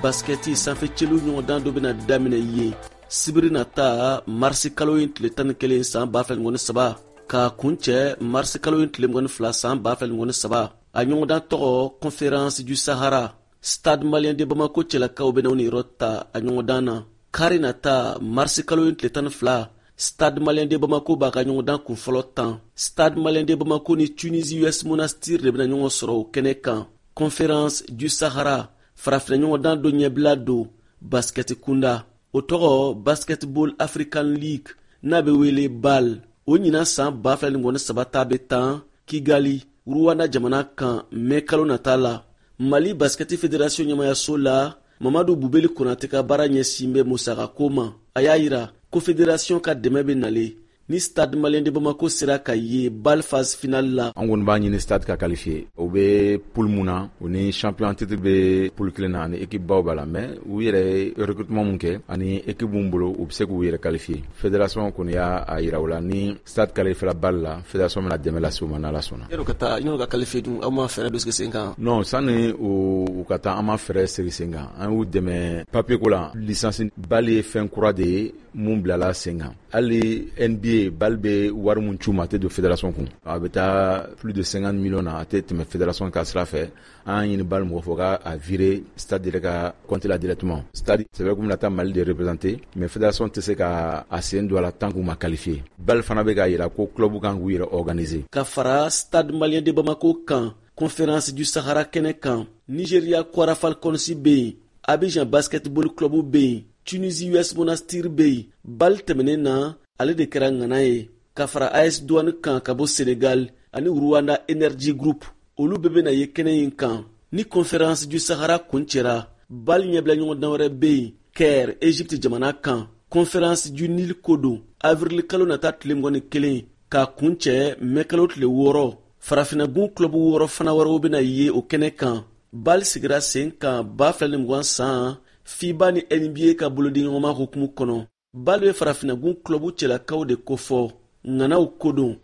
Basketi sanfɛ celu ɲɔgɔndan dɔ bɛna daminɛ yen sibiri nata, marisi kalo in tile tan ni kelen san ba fila ni saba, k'a kuncɛ marisi kalo in tile mugan ni fila san ba fila ni saba. A ɲɔgɔndan tɔgɔ Conférence du Sahara. Stade Malien de Bamako cɛlakaw bɛna u niyɔrɔ ta a ɲɔgɔndan na. Kari nata, marisi kalo in tile tan ni fila, Stade Malien de Bamako b'a ka ɲɔgɔndan kunfɔlɔ tan. Stade Malien de Bamako ni Tunisie U S Monastir de bɛna ɲɔgɔn sɔrɔ o kɛnɛ kan. Conférence du Sahara farafinna ɲɔgɔndan dɔ ɲɛbila don basketi kunda, o tɔgɔ Basketball African League, n'a bɛ wele BAL. O ɲinan san ba fila ni mugan ni saba ta bɛ tan Kigali, Rwanda jamana kan, mɛ kalo nata la. Mali Basketi Fédération ɲɛmayaso la, Mamadu Bubeli Konate ka baara ɲɛsin bɛ musakako ma. A y'a yira ko fédération ka dɛmɛ bɛ nalen ni Stade Malien de Bamako sera ka ye BAL phase finale la.
An kɔni b'a ɲini Stade ka qualifier. O bɛ poule mun na, o ni champion titre bɛ poule kelen na, ani équipe baw b'a la, mais u yɛrɛ ye recrutement mun kɛ ani équipe mun bolo, u bɛ se k'u yɛrɛ qualifier. Fédération kɔni y'a yira u la ni Stade qualifiera BAL la, fédération bɛna dɛmɛ lase u ma n'Ala sɔnna.
Yan'u ka taa, yan'u ka qualifier dun, aw ma fɛɛrɛ dɔ sigi sen kan?
Non, sanni u ka taa, an ma fɛɛrɛ sigi sen kan. An y'u dɛmɛ papier ko la. Licence BAL ye fɛn kura de ye mun bilala sen kan. Hali N B A BAL bɛ wari mun c'u ma, a tɛ don fédération kun, a bɛ taa plus de cinquante millions na, a tɛ tɛmɛ fédération ka sira fɛ. An ɲini BAL mɔgɔ fɔ k'a virer Stade yɛrɛ ka compte la directement. Stade, c'est vrai k'u bɛna taa Mali de représenter, mais fédération tɛ se ka a sen don a la tant k'u ma qualifier. BAL fana bɛ k'a yira ko club kan k'u yɛrɛ organiser.
Ka fara Stade Malien de Bamako kan, Conférence du Sahara kɛnɛ kan, Nigeria Kwara Falcons bɛ yen, Abidjan Basketball Club bɛ yen, Tunisie U S Monastir bɛ yen. BAL tɛmɛnen na, ale de kɛra ŋana ye ka fara A S Douane kan ka bɔ Senegal ani Rwanda Energy Group, olu bɛɛ bɛna ye kɛnɛ in kan. Ni Conférence du Sahara kuncɛra, BAL ɲɛbila ɲɔgɔndan wɛrɛ bɛ yen Caire, Egypte jamana kan. Conférence du Nil ko don avril kalo nata tile mugan ni kelen k'a kuncɛ mɛ kalo tile wɔɔrɔ. Farafinnagun club wɔɔrɔ fana wɛrɛw bɛna ye o kɛnɛ kan. BAL sigira sen kan ba fila ni mugan san FIBA ni N B A ka bolodiɲɔgɔnma hukumu kɔnɔ. BAL bɛ farafinnagun club cɛlakaw de kofɔ, ŋanaw ko don.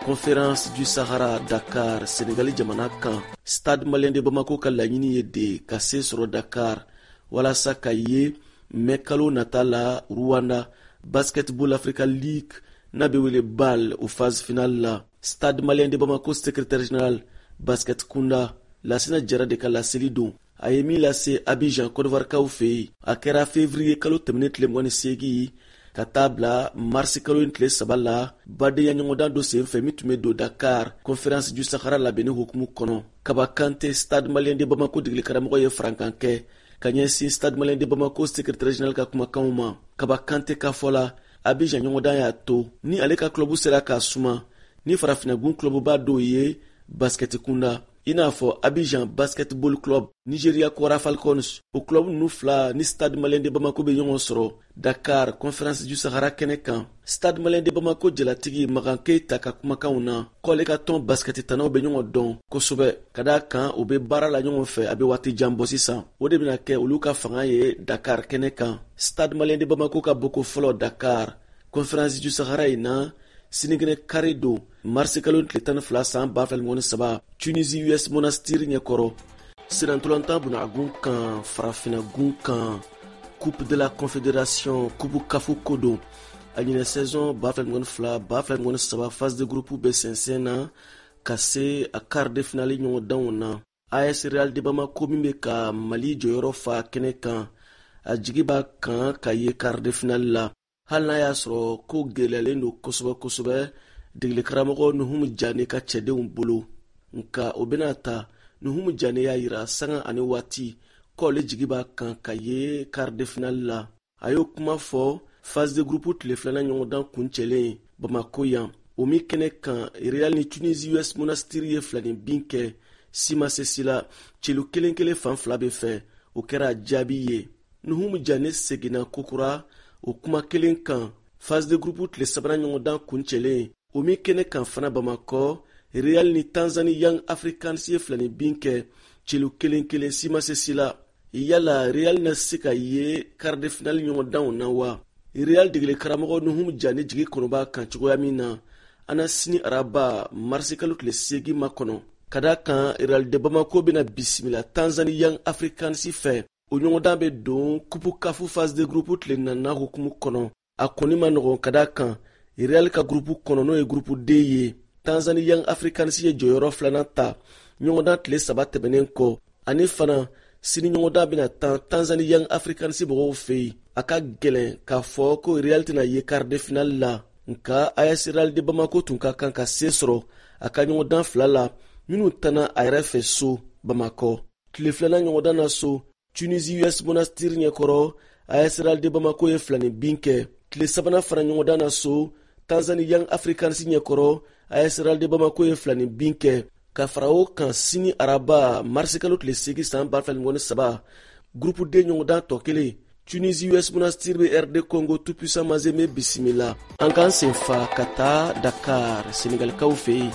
Conférence du Sahara Dakar, Senegali jamana kan. Stade Malien de Bamako ka laɲini ye de ka se sɔrɔ Dakar walasa ka ye mɛ kalo nata la Rwanda Basketball Africa League n'a bɛ wele B A L o phase finale la. Stade Malien de Bamako secrétaire général basket kunda, Lasina Jara de ka laseli don, a ye min lase Abidjan, Côte d'Ivoire fɛ yen. A kɛra février kalo tɛmɛnen tile mugan ni seegin ka taa bila marisi kalo in tile saba la, badenya ɲɔgɔndan dɔ sen fɛ min tun bɛ don Dakar Conférence du Sahara labɛnni hukumu kɔnɔ. Kaba Kante, Stade Malien de Bamako degeli karamɔgɔ, ye farankan kɛ ka ɲɛsin Stade Malien de Bamako secrétaire général ka kumakanw ma. Kaba Kante ka fɔ la, Abidjan ɲɔgɔndan y'a to ni ale ka club sera k'a suma ni farafinagun clubba dɔw ye basketi kunda, i n'a fɔ Abidjan Basketball Club, Nigeria Kwara Falcons. O club ninnu fila ni Stade Malien de Bamako bɛ ɲɔgɔn sɔrɔ Dakar Conférence du Sahara kɛnɛ kan. Stade Malien de Bamako jalatigi Magan Keita ka kumakanw na, k'ale ka tɔn basketi tanaw bɛ ɲɔgɔn dɔn kosɛbɛ, ka d'a kan u bɛ baara la ɲɔgɔn fɛ a bɛ waati jan bɔ sisan. O de bɛna kɛ olu ka fanga ye Dakar kɛnɛ kan. Stade Malien de Bamako ka bɔko fɔlɔ Dakar Conférence du Sahara in na, sinikɛnɛ kari don, marisi kalo tile tan ni fila san ba fila ni saba, Tunisie U S Monastir ɲɛkɔrɔ. Senatɔlɔntan bunagun kan, farafinagun kan, Coupe de la Confédération, Coupe CAF ko don. A ɲinɛ saison ba fila ni fila ba fila ni saba phase de groupe bɛ sɛnsɛn na ka se a quart de finale ɲɔgɔndanw na. A S Real de Bamako min bɛ ka Mali jɔyɔrɔ fa kɛnɛ kan, a jigi b'a kan ka ye quart de finale la, hali n'a y'a sɔrɔ ko gɛlɛyalen don kosɛbɛ kosɛbɛ degeli karamɔgɔ Nuhumu Jane ka cɛdenw bolo. Nka o bɛna ta, Nuhumu Jane y'a yira sanga ani waati k'ale jigi b'a kan ka ye quart de finale la. A y'o kuma fɔ phase de groupe tile filanan ɲɔgɔndan kuncɛlen Bamako yan, o min kɛnɛ kan Real ni Tunisie U S Monastir ye filani bin kɛ si ma se si la, celu kelen kelen fan fila bɛ fɛ. O kɛra jaabi ye. Nuhumu Jane seginna kokura o kuma kelen kan phase de groupe tile sabanan ɲɔgɔndan kuncɛlen, o min kɛnɛ kan fana Bamakɔ, Real ni Tanzanie Young Africans ye filani bin kɛ celu kelen kelen, si ma se si la. Yala Real na se ka ye quart de finale ɲɔgɔndanw na wa? Real degeli karamɔgɔ Nuhumu Jane jigi kɔnɔ b'a kan cogoya min na, an na sini araba marisi kalo tile seegin makɔnɔ, ka da kan Real de Bamako bɛna bisimila Tanzanie Young Africans fɛ. O ɲɔgɔndan bɛ don Coupe CAF phase de groupe tile nana hukumu kɔnɔ. A kɔni ma nɔgɔn, ka da kan Real ka groupe kɔnɔ, n'o ye groupe D ye, Tanzanie Young Africans ye jɔyɔrɔ filanan ta ɲɔgɔndan tile saba tɛmɛnen kɔ. Ani fana sini ɲɔgɔndan bɛna tan Tanzanie Young Africans mɔgɔw fɛ yen. A ka gɛlɛn k'a fɔ ko Real tɛna ye quart de finale la, nka A S Real de Bamako tun ka kan ka se sɔrɔ a ka ɲɔgɔndan fila la minnu tanna a yɛrɛ fɛ so Bamakɔ. Tile filanan ɲɔgɔndan na so, Tunisie U S Monastir ɲɛkɔrɔ, A S Real de Bamako ye filani bin kɛ. Tile sabanan fana ɲɔgɔndan na so, Tanzanie Young Africans ɲɛkɔrɔ, A S Real de Bamako ye filani bin kɛ. Ka fara o kan, sini araba marisikalo tile seegin san ba fila ni saba, groupe D ɲɔgɔndan tɔ kelen, Tunisie U S Monastir bɛ R D Congo Tout Puissant Mazembe bisimila. An k'an sen fa ka taa Dakar, Senegalikaw fɛ yen.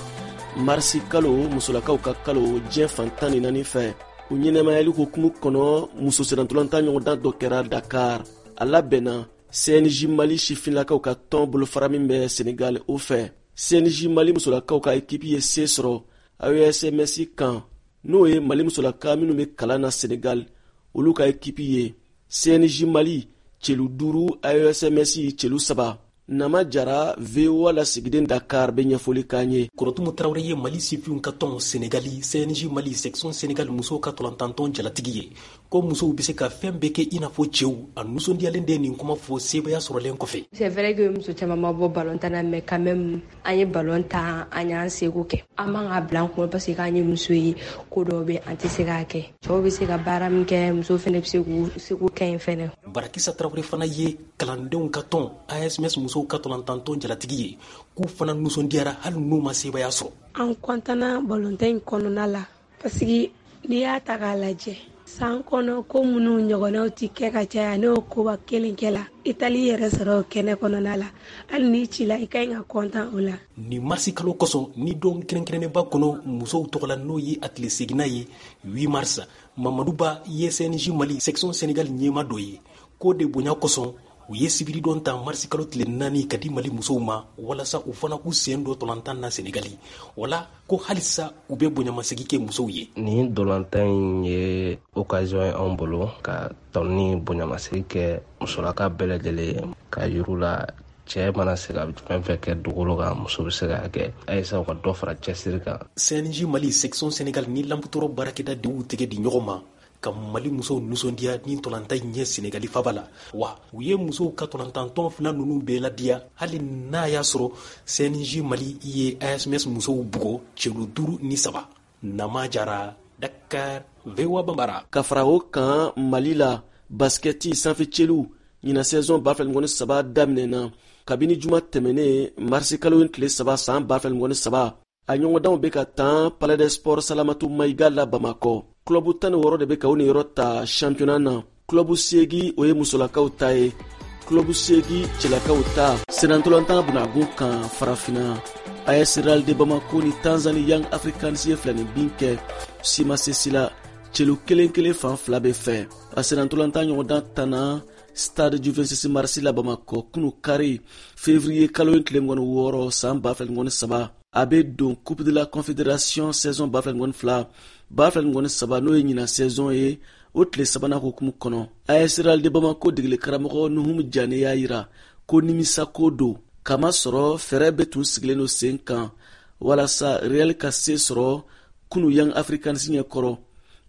Marisi kalo, musolakaw ka kalo diɲɛ fan tan ni naani fɛ, o ɲɛnɛmayali hukumu kɔnɔ, muso sennantolatan ɲɔgɔndan dɔ kɛra Dakar. A labɛnna C N J Mali sifinlakaw ka tɔn bolofara min bɛ Senegal o fɛ. C N J Mali musolakaw ka ekipi ye se sɔrɔ A E S M S kan, n'o ye Mali musolaka minnu bɛ kalan na Senegal, olu ka ekipi ye. C N J Mali celu duuru, A E S M S celu saba. Nama Jara, V O A lasigiden Dakar, bɛ ɲɛfɔli k'an ye.
Kɔrɔtumu Tarawele ye Mali sifinw ka tɔn Senegali C N J Mali section Senegal musow ka tɔlɔntantɔn jalatigi ye, ko musow bɛ se ka fɛn bɛɛ kɛ i n'a fɔ cɛw. A nisɔndiyalen de nin kuma fɔ sebaya sɔrɔlen kɔfɛ.
C'est vrai que muso caman ma bɔ ballon tan na, mais quand même an ye ballon tan, an y'an seko kɛ. An man ka bila an kunna parce que k'an ye muso ye, ko dɔw bɛ an tɛ se k'a kɛ. Cɛw bɛ se ka baara min kɛ, muso fɛnɛ bɛ se k'u seko kɛ yen fɛnɛ.
Barakisa Tarawele fana ye kalandenw ka tɔn A S M S musow ka tɔlɔntantɔn jalatigi ye, k'u fana nisɔndiyara hali n'u ma sebaya sɔrɔ.
An kɔntana balontan in kɔnɔna la parce que n'i y'a ta k'a lajɛ, san kɔnɔ ko minnu ɲɔgɔnnaw ti kɛ ka caya, n'o koba kelen kɛ la, i taali yɛrɛ sɔrɔ o kɛnɛ kɔnɔna la, hali n'i cila, i ka ɲi ka kɔntan o la.
Nin marisi kalo kosɔn ni don kɛrɛnkɛrɛnnenba kɔnɔ musow tɔgɔ la, n'o ye a tile seginna ye huit mars, Mamadu Ba ye C N J Mali section Senegal ɲɛma dɔ ye, k'o de bonya kosɔn. U ye sibiridon ta marisi kalo tile naani ka di Mali musow ma walasa u fana k'u sen don tɔlantan na Senegali. Wala ko halisa u bɛ bonyamasegin kɛ musow ye.
Nin dolantan in ye occasion ye anw bolo ka tɔn ni bonyamasegin kɛ musolaka bɛɛ lajɛlen ka yir'u la cɛ mana se ka fɛn fɛn kɛ dugukolo kan, muso bɛ se k'a kɛ. Ayisa u ka dɔ fara cɛsiri kan.
C N J Mali section Sénégal ni Lamtoro baarakɛda de y'u tɛgɛ di ɲɔgɔn ma ka Mali musow nisɔndiya ni tɔlantan in ye Senegali faba la. Wa u ye musow ka tɔlantantɔn fila ninnu bɛɛ ladiya, hali n'a y'a sɔrɔ C N J Mali ye A S M S musow bugɔ celu duuru ni saba. Nama Jara, Dakar, V O A Bambara.
Ka fara o kan Mali la, basketi sanfɛ celu ɲinan saison ba fila ni saba daminɛna kabini juma tɛmɛnen marisi kalo in tile saba san ba fila ni saba. A ɲɔgɔndanw bɛ ka tan Palais des Sports Salamatu Mayiga la Bamakɔ. Club tan ni wɔɔrɔ de bɛ ka u niyɔrɔ ta championnat na. Club seegin o ye musolakaw ta ye, club seegin cɛlakaw ta. Sennantolatan bunagun kan farafinna, A S Real de Bamako ni Tanzanie Young Africans ye filani bin kɛ Sima Sesi la celu kelen kelen fan fila bɛ fɛ. A sennantolatan ɲɔgɔndan tanna Stade du vingt-six mars la Bamakɔ kunu kari février kalo in tile mugan ni wɔɔrɔ san ba fila ni saba. A bɛ don Coupe de la Confédération saison ba fila ni fila ba fila ni saba n'o ye ɲinan saison ye, o tile sabanan hukumu kɔnɔ. A S Real de Bamako degeli karamɔgɔ Nuhum Jane y'a yira ko nimisako don, kamasɔrɔ fɛɛrɛ bɛɛ tun sigilen don sen kan walasa Real ka se sɔrɔ kunu Young Africans ɲɛkɔrɔ.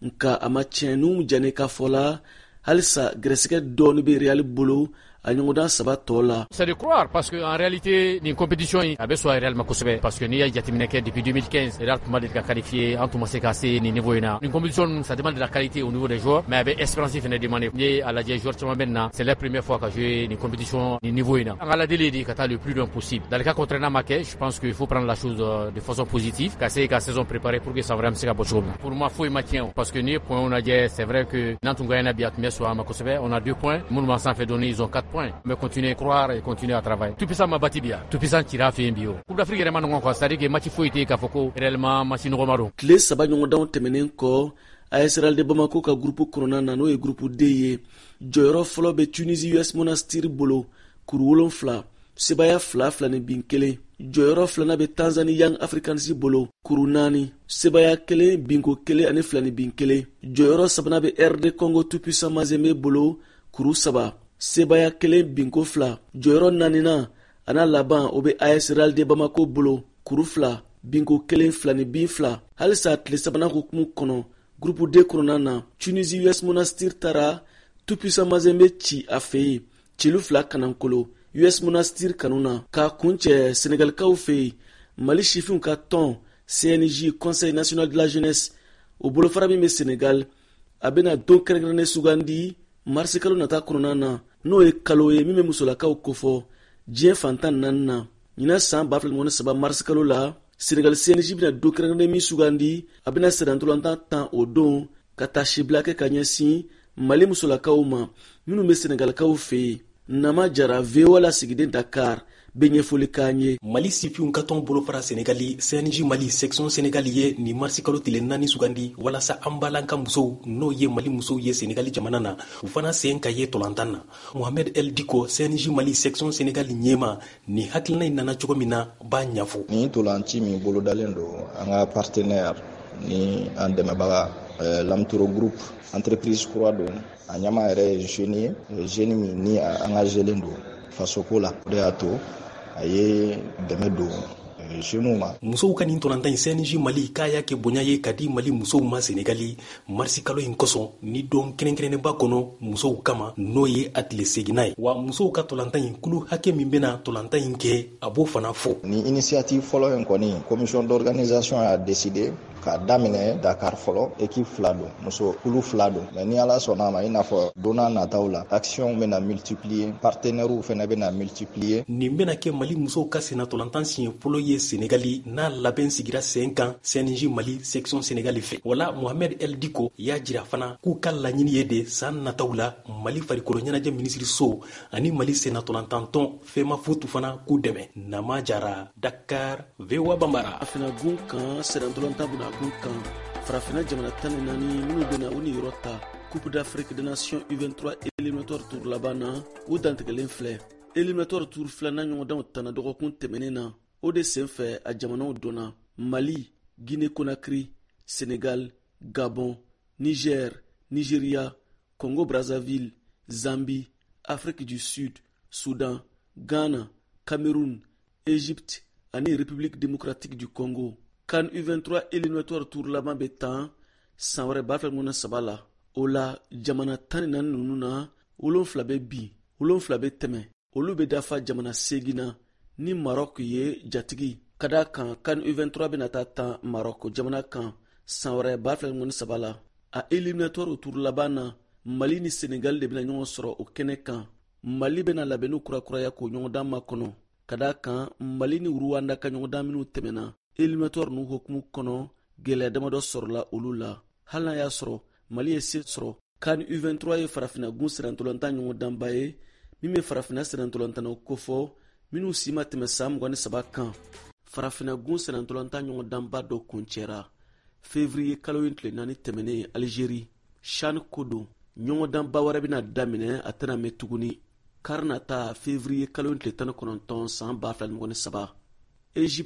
Nka a ma tiɲɛ. Nuhum Jane ka fɔ la, halisa gɛrɛsɛgɛ dɔɔni bɛ Real bolo a ɲɔgɔndan saba tɔ la.
C'est de croire parce que en réalité nin compétition in a bɛ sɔn Real ma kosɛbɛ, parce que n'i y'a jateminɛ kɛ depuis deux mille quinze Real tun ma deli ka qualifier, an tun ma se ka se nin niveau in na. Nin compétition ça demande de la qualité au niveau des joueurs, mais a bɛ espérance fɛnɛ demander. N'i ye a lajɛ joueur caman bɛ nin na, c'est la première fois ka jouer nin compétition nin niveau in na. An ka ladili de ka taa le plus loin possible. Dans le cas contraire n'a ma kɛ, je pense qu'il faut prendre la chose de façon positive, ka se ka saison préparer pour que ça vraiment se ka bɔ cogo min. Pour moi foyi ma tiɲɛ, parce que n'i ye points lajɛ, c'est vrai que n'an tun gagné bi a tun bɛ sɔn a ma kosɛbɛ. On a deux points, minnu b'an sanfɛ dɔɔni, ils ont quatre points. Mais continuer à croire et continuer à travailler. Tout puissant ma bati bien. Tout puissant tira fait bio. Coupe d'Afrique yɛrɛ ma nɔgɔn quoi, c'est-à-dire que match foyi tɛ yen k'a fɔ ko réellement match nɔgɔma don.
Tile saba ɲɔgɔndanw tɛmɛnen kɔ, A S Real de Bamako ka groupe kɔnɔna na n'o ye groupe D ye, jɔyɔrɔ fɔlɔ bɛ Tunisie U S Monastir bolo kuru wolonfila, sebaya fila fila ni bin kelen. Jɔyɔrɔ filanan bɛ Tanzanie Young Africans bolo kuru naani, sebaya kelen binko kelen ani fila ni bin kelen. Jɔyɔrɔ sabanan bɛ R D Congo Tout Puissant Mazembe bolo kuru saba, sebaya kelen binko fila. Jɔyɔrɔ naaninan a n'a laban o bɛ A S Real de Bamako bolo kuru fila, binko kelen fila ni bin fila. Halisa tile sabanan hukumu kɔnɔ groupe D kɔnɔna na, Tunisie U S Monastir taara Tout Puissant Mazembe ci a fɛ yen celu fila kanankolo U S Monastir kanu na. K'a kuncɛ Senegalikaw fɛ yen, Mali sifinw ka tɔn C N J Conseil national de la jeunesse o bolofara min bɛ Senegal, a bɛna don kɛrɛnkɛrɛnnen sugandi marisi kalo nata kɔnɔna na, n'o ye kalo ye min bɛ musolakaw kofɔ diɲɛ fantan naani na. Ɲinan san ba fila ni saba marisi kalo la, Senegal C N J bɛna don kɛrɛnkɛrɛnnen min sugandi, a bɛna sennantolatan tan o don ka taa sibila kɛ ka ɲɛsin Mali musolakaw ma minnu bɛ Senegalikaw fɛ yen. Nama Jara, V O A lasigiden Dakar, bɛ ɲɛfɔli k'an ye.
Mali sifinw ka tɔn bolofara Senegali C N J Mali section Senegali ye nin marisi kalo tile naani sugandi walasa an balanka musow n'o ye Mali musow ye Senegali jamana na, u fana sen ka ye tɔlantan na. Mohamed El Diko, C N J Mali section Senegali ɲɛma, nin hakilina in nana cogo min na b'a ɲɛfɔ.
Nin tɔlanci min bolodalen don an ka partenaire ni an dɛmɛbaga Lamtoro Group, entreprise kura don, a ɲɛmaa yɛrɛ ye jeune ye, jeune min ni a engagélen don fasoko la, o de y'a to a ye dɛmɛ don jeunes ma.
Musow ka nin tɔlantan in C N J Mali k'a y'a kɛ bonya ye ka di Mali musow ma Senegali marisi kalo in kosɔn ni don kɛrɛnkɛrɛnnenba kɔnɔ musow kama, n'o ye a tile seginna ye. Wa musow ka tɔlantan in kulu hakɛ min bɛna tɔlantan in kɛ, a b'o fana fɔ.
Ni initiative fɔlɔ in kɔni, commission d'organisation y'a décidé k'a daminɛ Dakar fɔlɔ, équipe fila don, muso kulu fila don. Mais ni Ala sɔnna a ma, i n'a fɔ don n'a nataw la, action bɛna multiplier, partenaires fɛnɛ bɛna multiplier.
Nin bɛna kɛ Mali musow ka sennatɔlantan siɲɛ fɔlɔ ye Senegali n'a labɛn sigira sen kan C N J Mali section Senegali fɛ. Wala Mohamed El Diko y'a jira fana k'u ka laɲini ye de san nataw la Mali farikolo ɲɛnajɛ minisiriso ani Mali sennatɔlantantɔn FEMAFOOT fana k'u dɛmɛ. Nama Jara, Dakar, V O A Bambara.
Farafinna gun kan sennatɔlantan bɛna gun kan farafinna jamana tan ni naani minnu bɛna u niyɔrɔ ta Coupe d'Afrique des Nations U vingt-trois éliminatoire tour laban na, u dantigɛlen filɛ. Éliminatoire tour filanan ɲɔgɔndanw tanna dɔgɔkun tɛmɛnen na. O de sen fɛ, a jamanaw dɔnna: Mali, Guinée Conakry, Sénégal, Gabon, Niger, Nigeria, Congo Brazzaville, Zambie, Afrique du Sud, Soudan, Ghana, Cameroun, Égypte ani République démocratique du Congo. CAN U vingt-trois éliminatoire tour laban bɛ tan san wɛrɛ ba fila saba la. O la, jamana tan ni naani ninnu na, wolonfila bɛ bin, wolonfila bɛ tɛmɛ. Olu bɛ dafa jamana seegin na ni Maroc ye jatigi ka da kan. CAN U vingt-trois bɛna taa tan Maroc jamana kan san wɛrɛ ba fila saba la. A éliminatoire tour laban na, Mali ni Senegal de bɛna ɲɔgɔn sɔrɔ o kɛnɛ kan. Mali bɛna labɛnniw kurakuraya k'o ɲɔgɔndan makɔnɔ, ka da kan Mali ni Ruwanda ka ɲɔgɔndan minw tɛmɛna éliminatoire ninnu hukumu kɔnɔ, gwɛlɛya damadɔ sɔrɔla olu la, hali n'a y'a sɔrɔ Mali ye se sɔrɔ. CAN U vingt-trois ye farafina gun sirantɔlantan ɲɔgɔndanba ye min bɛ farafina sirantɔlantannaw kofɔ minw si ma tɛmɛ san mugan ni saba kan. Farafina gun sirantɔlantan ɲɔgɔndanba dɔ kuncɛra fevriye kalo in tile naani tɛmɛnen Alizeri. CHAN ko don. Ɲɔgɔndanba wɛrɛ bɛna daminɛ, a tɛna mɛn tuguni, kari nata, fevriye kalo in tile tan ni kɔnɔntɔn san ba fila ni mugan ni saba, Egypte.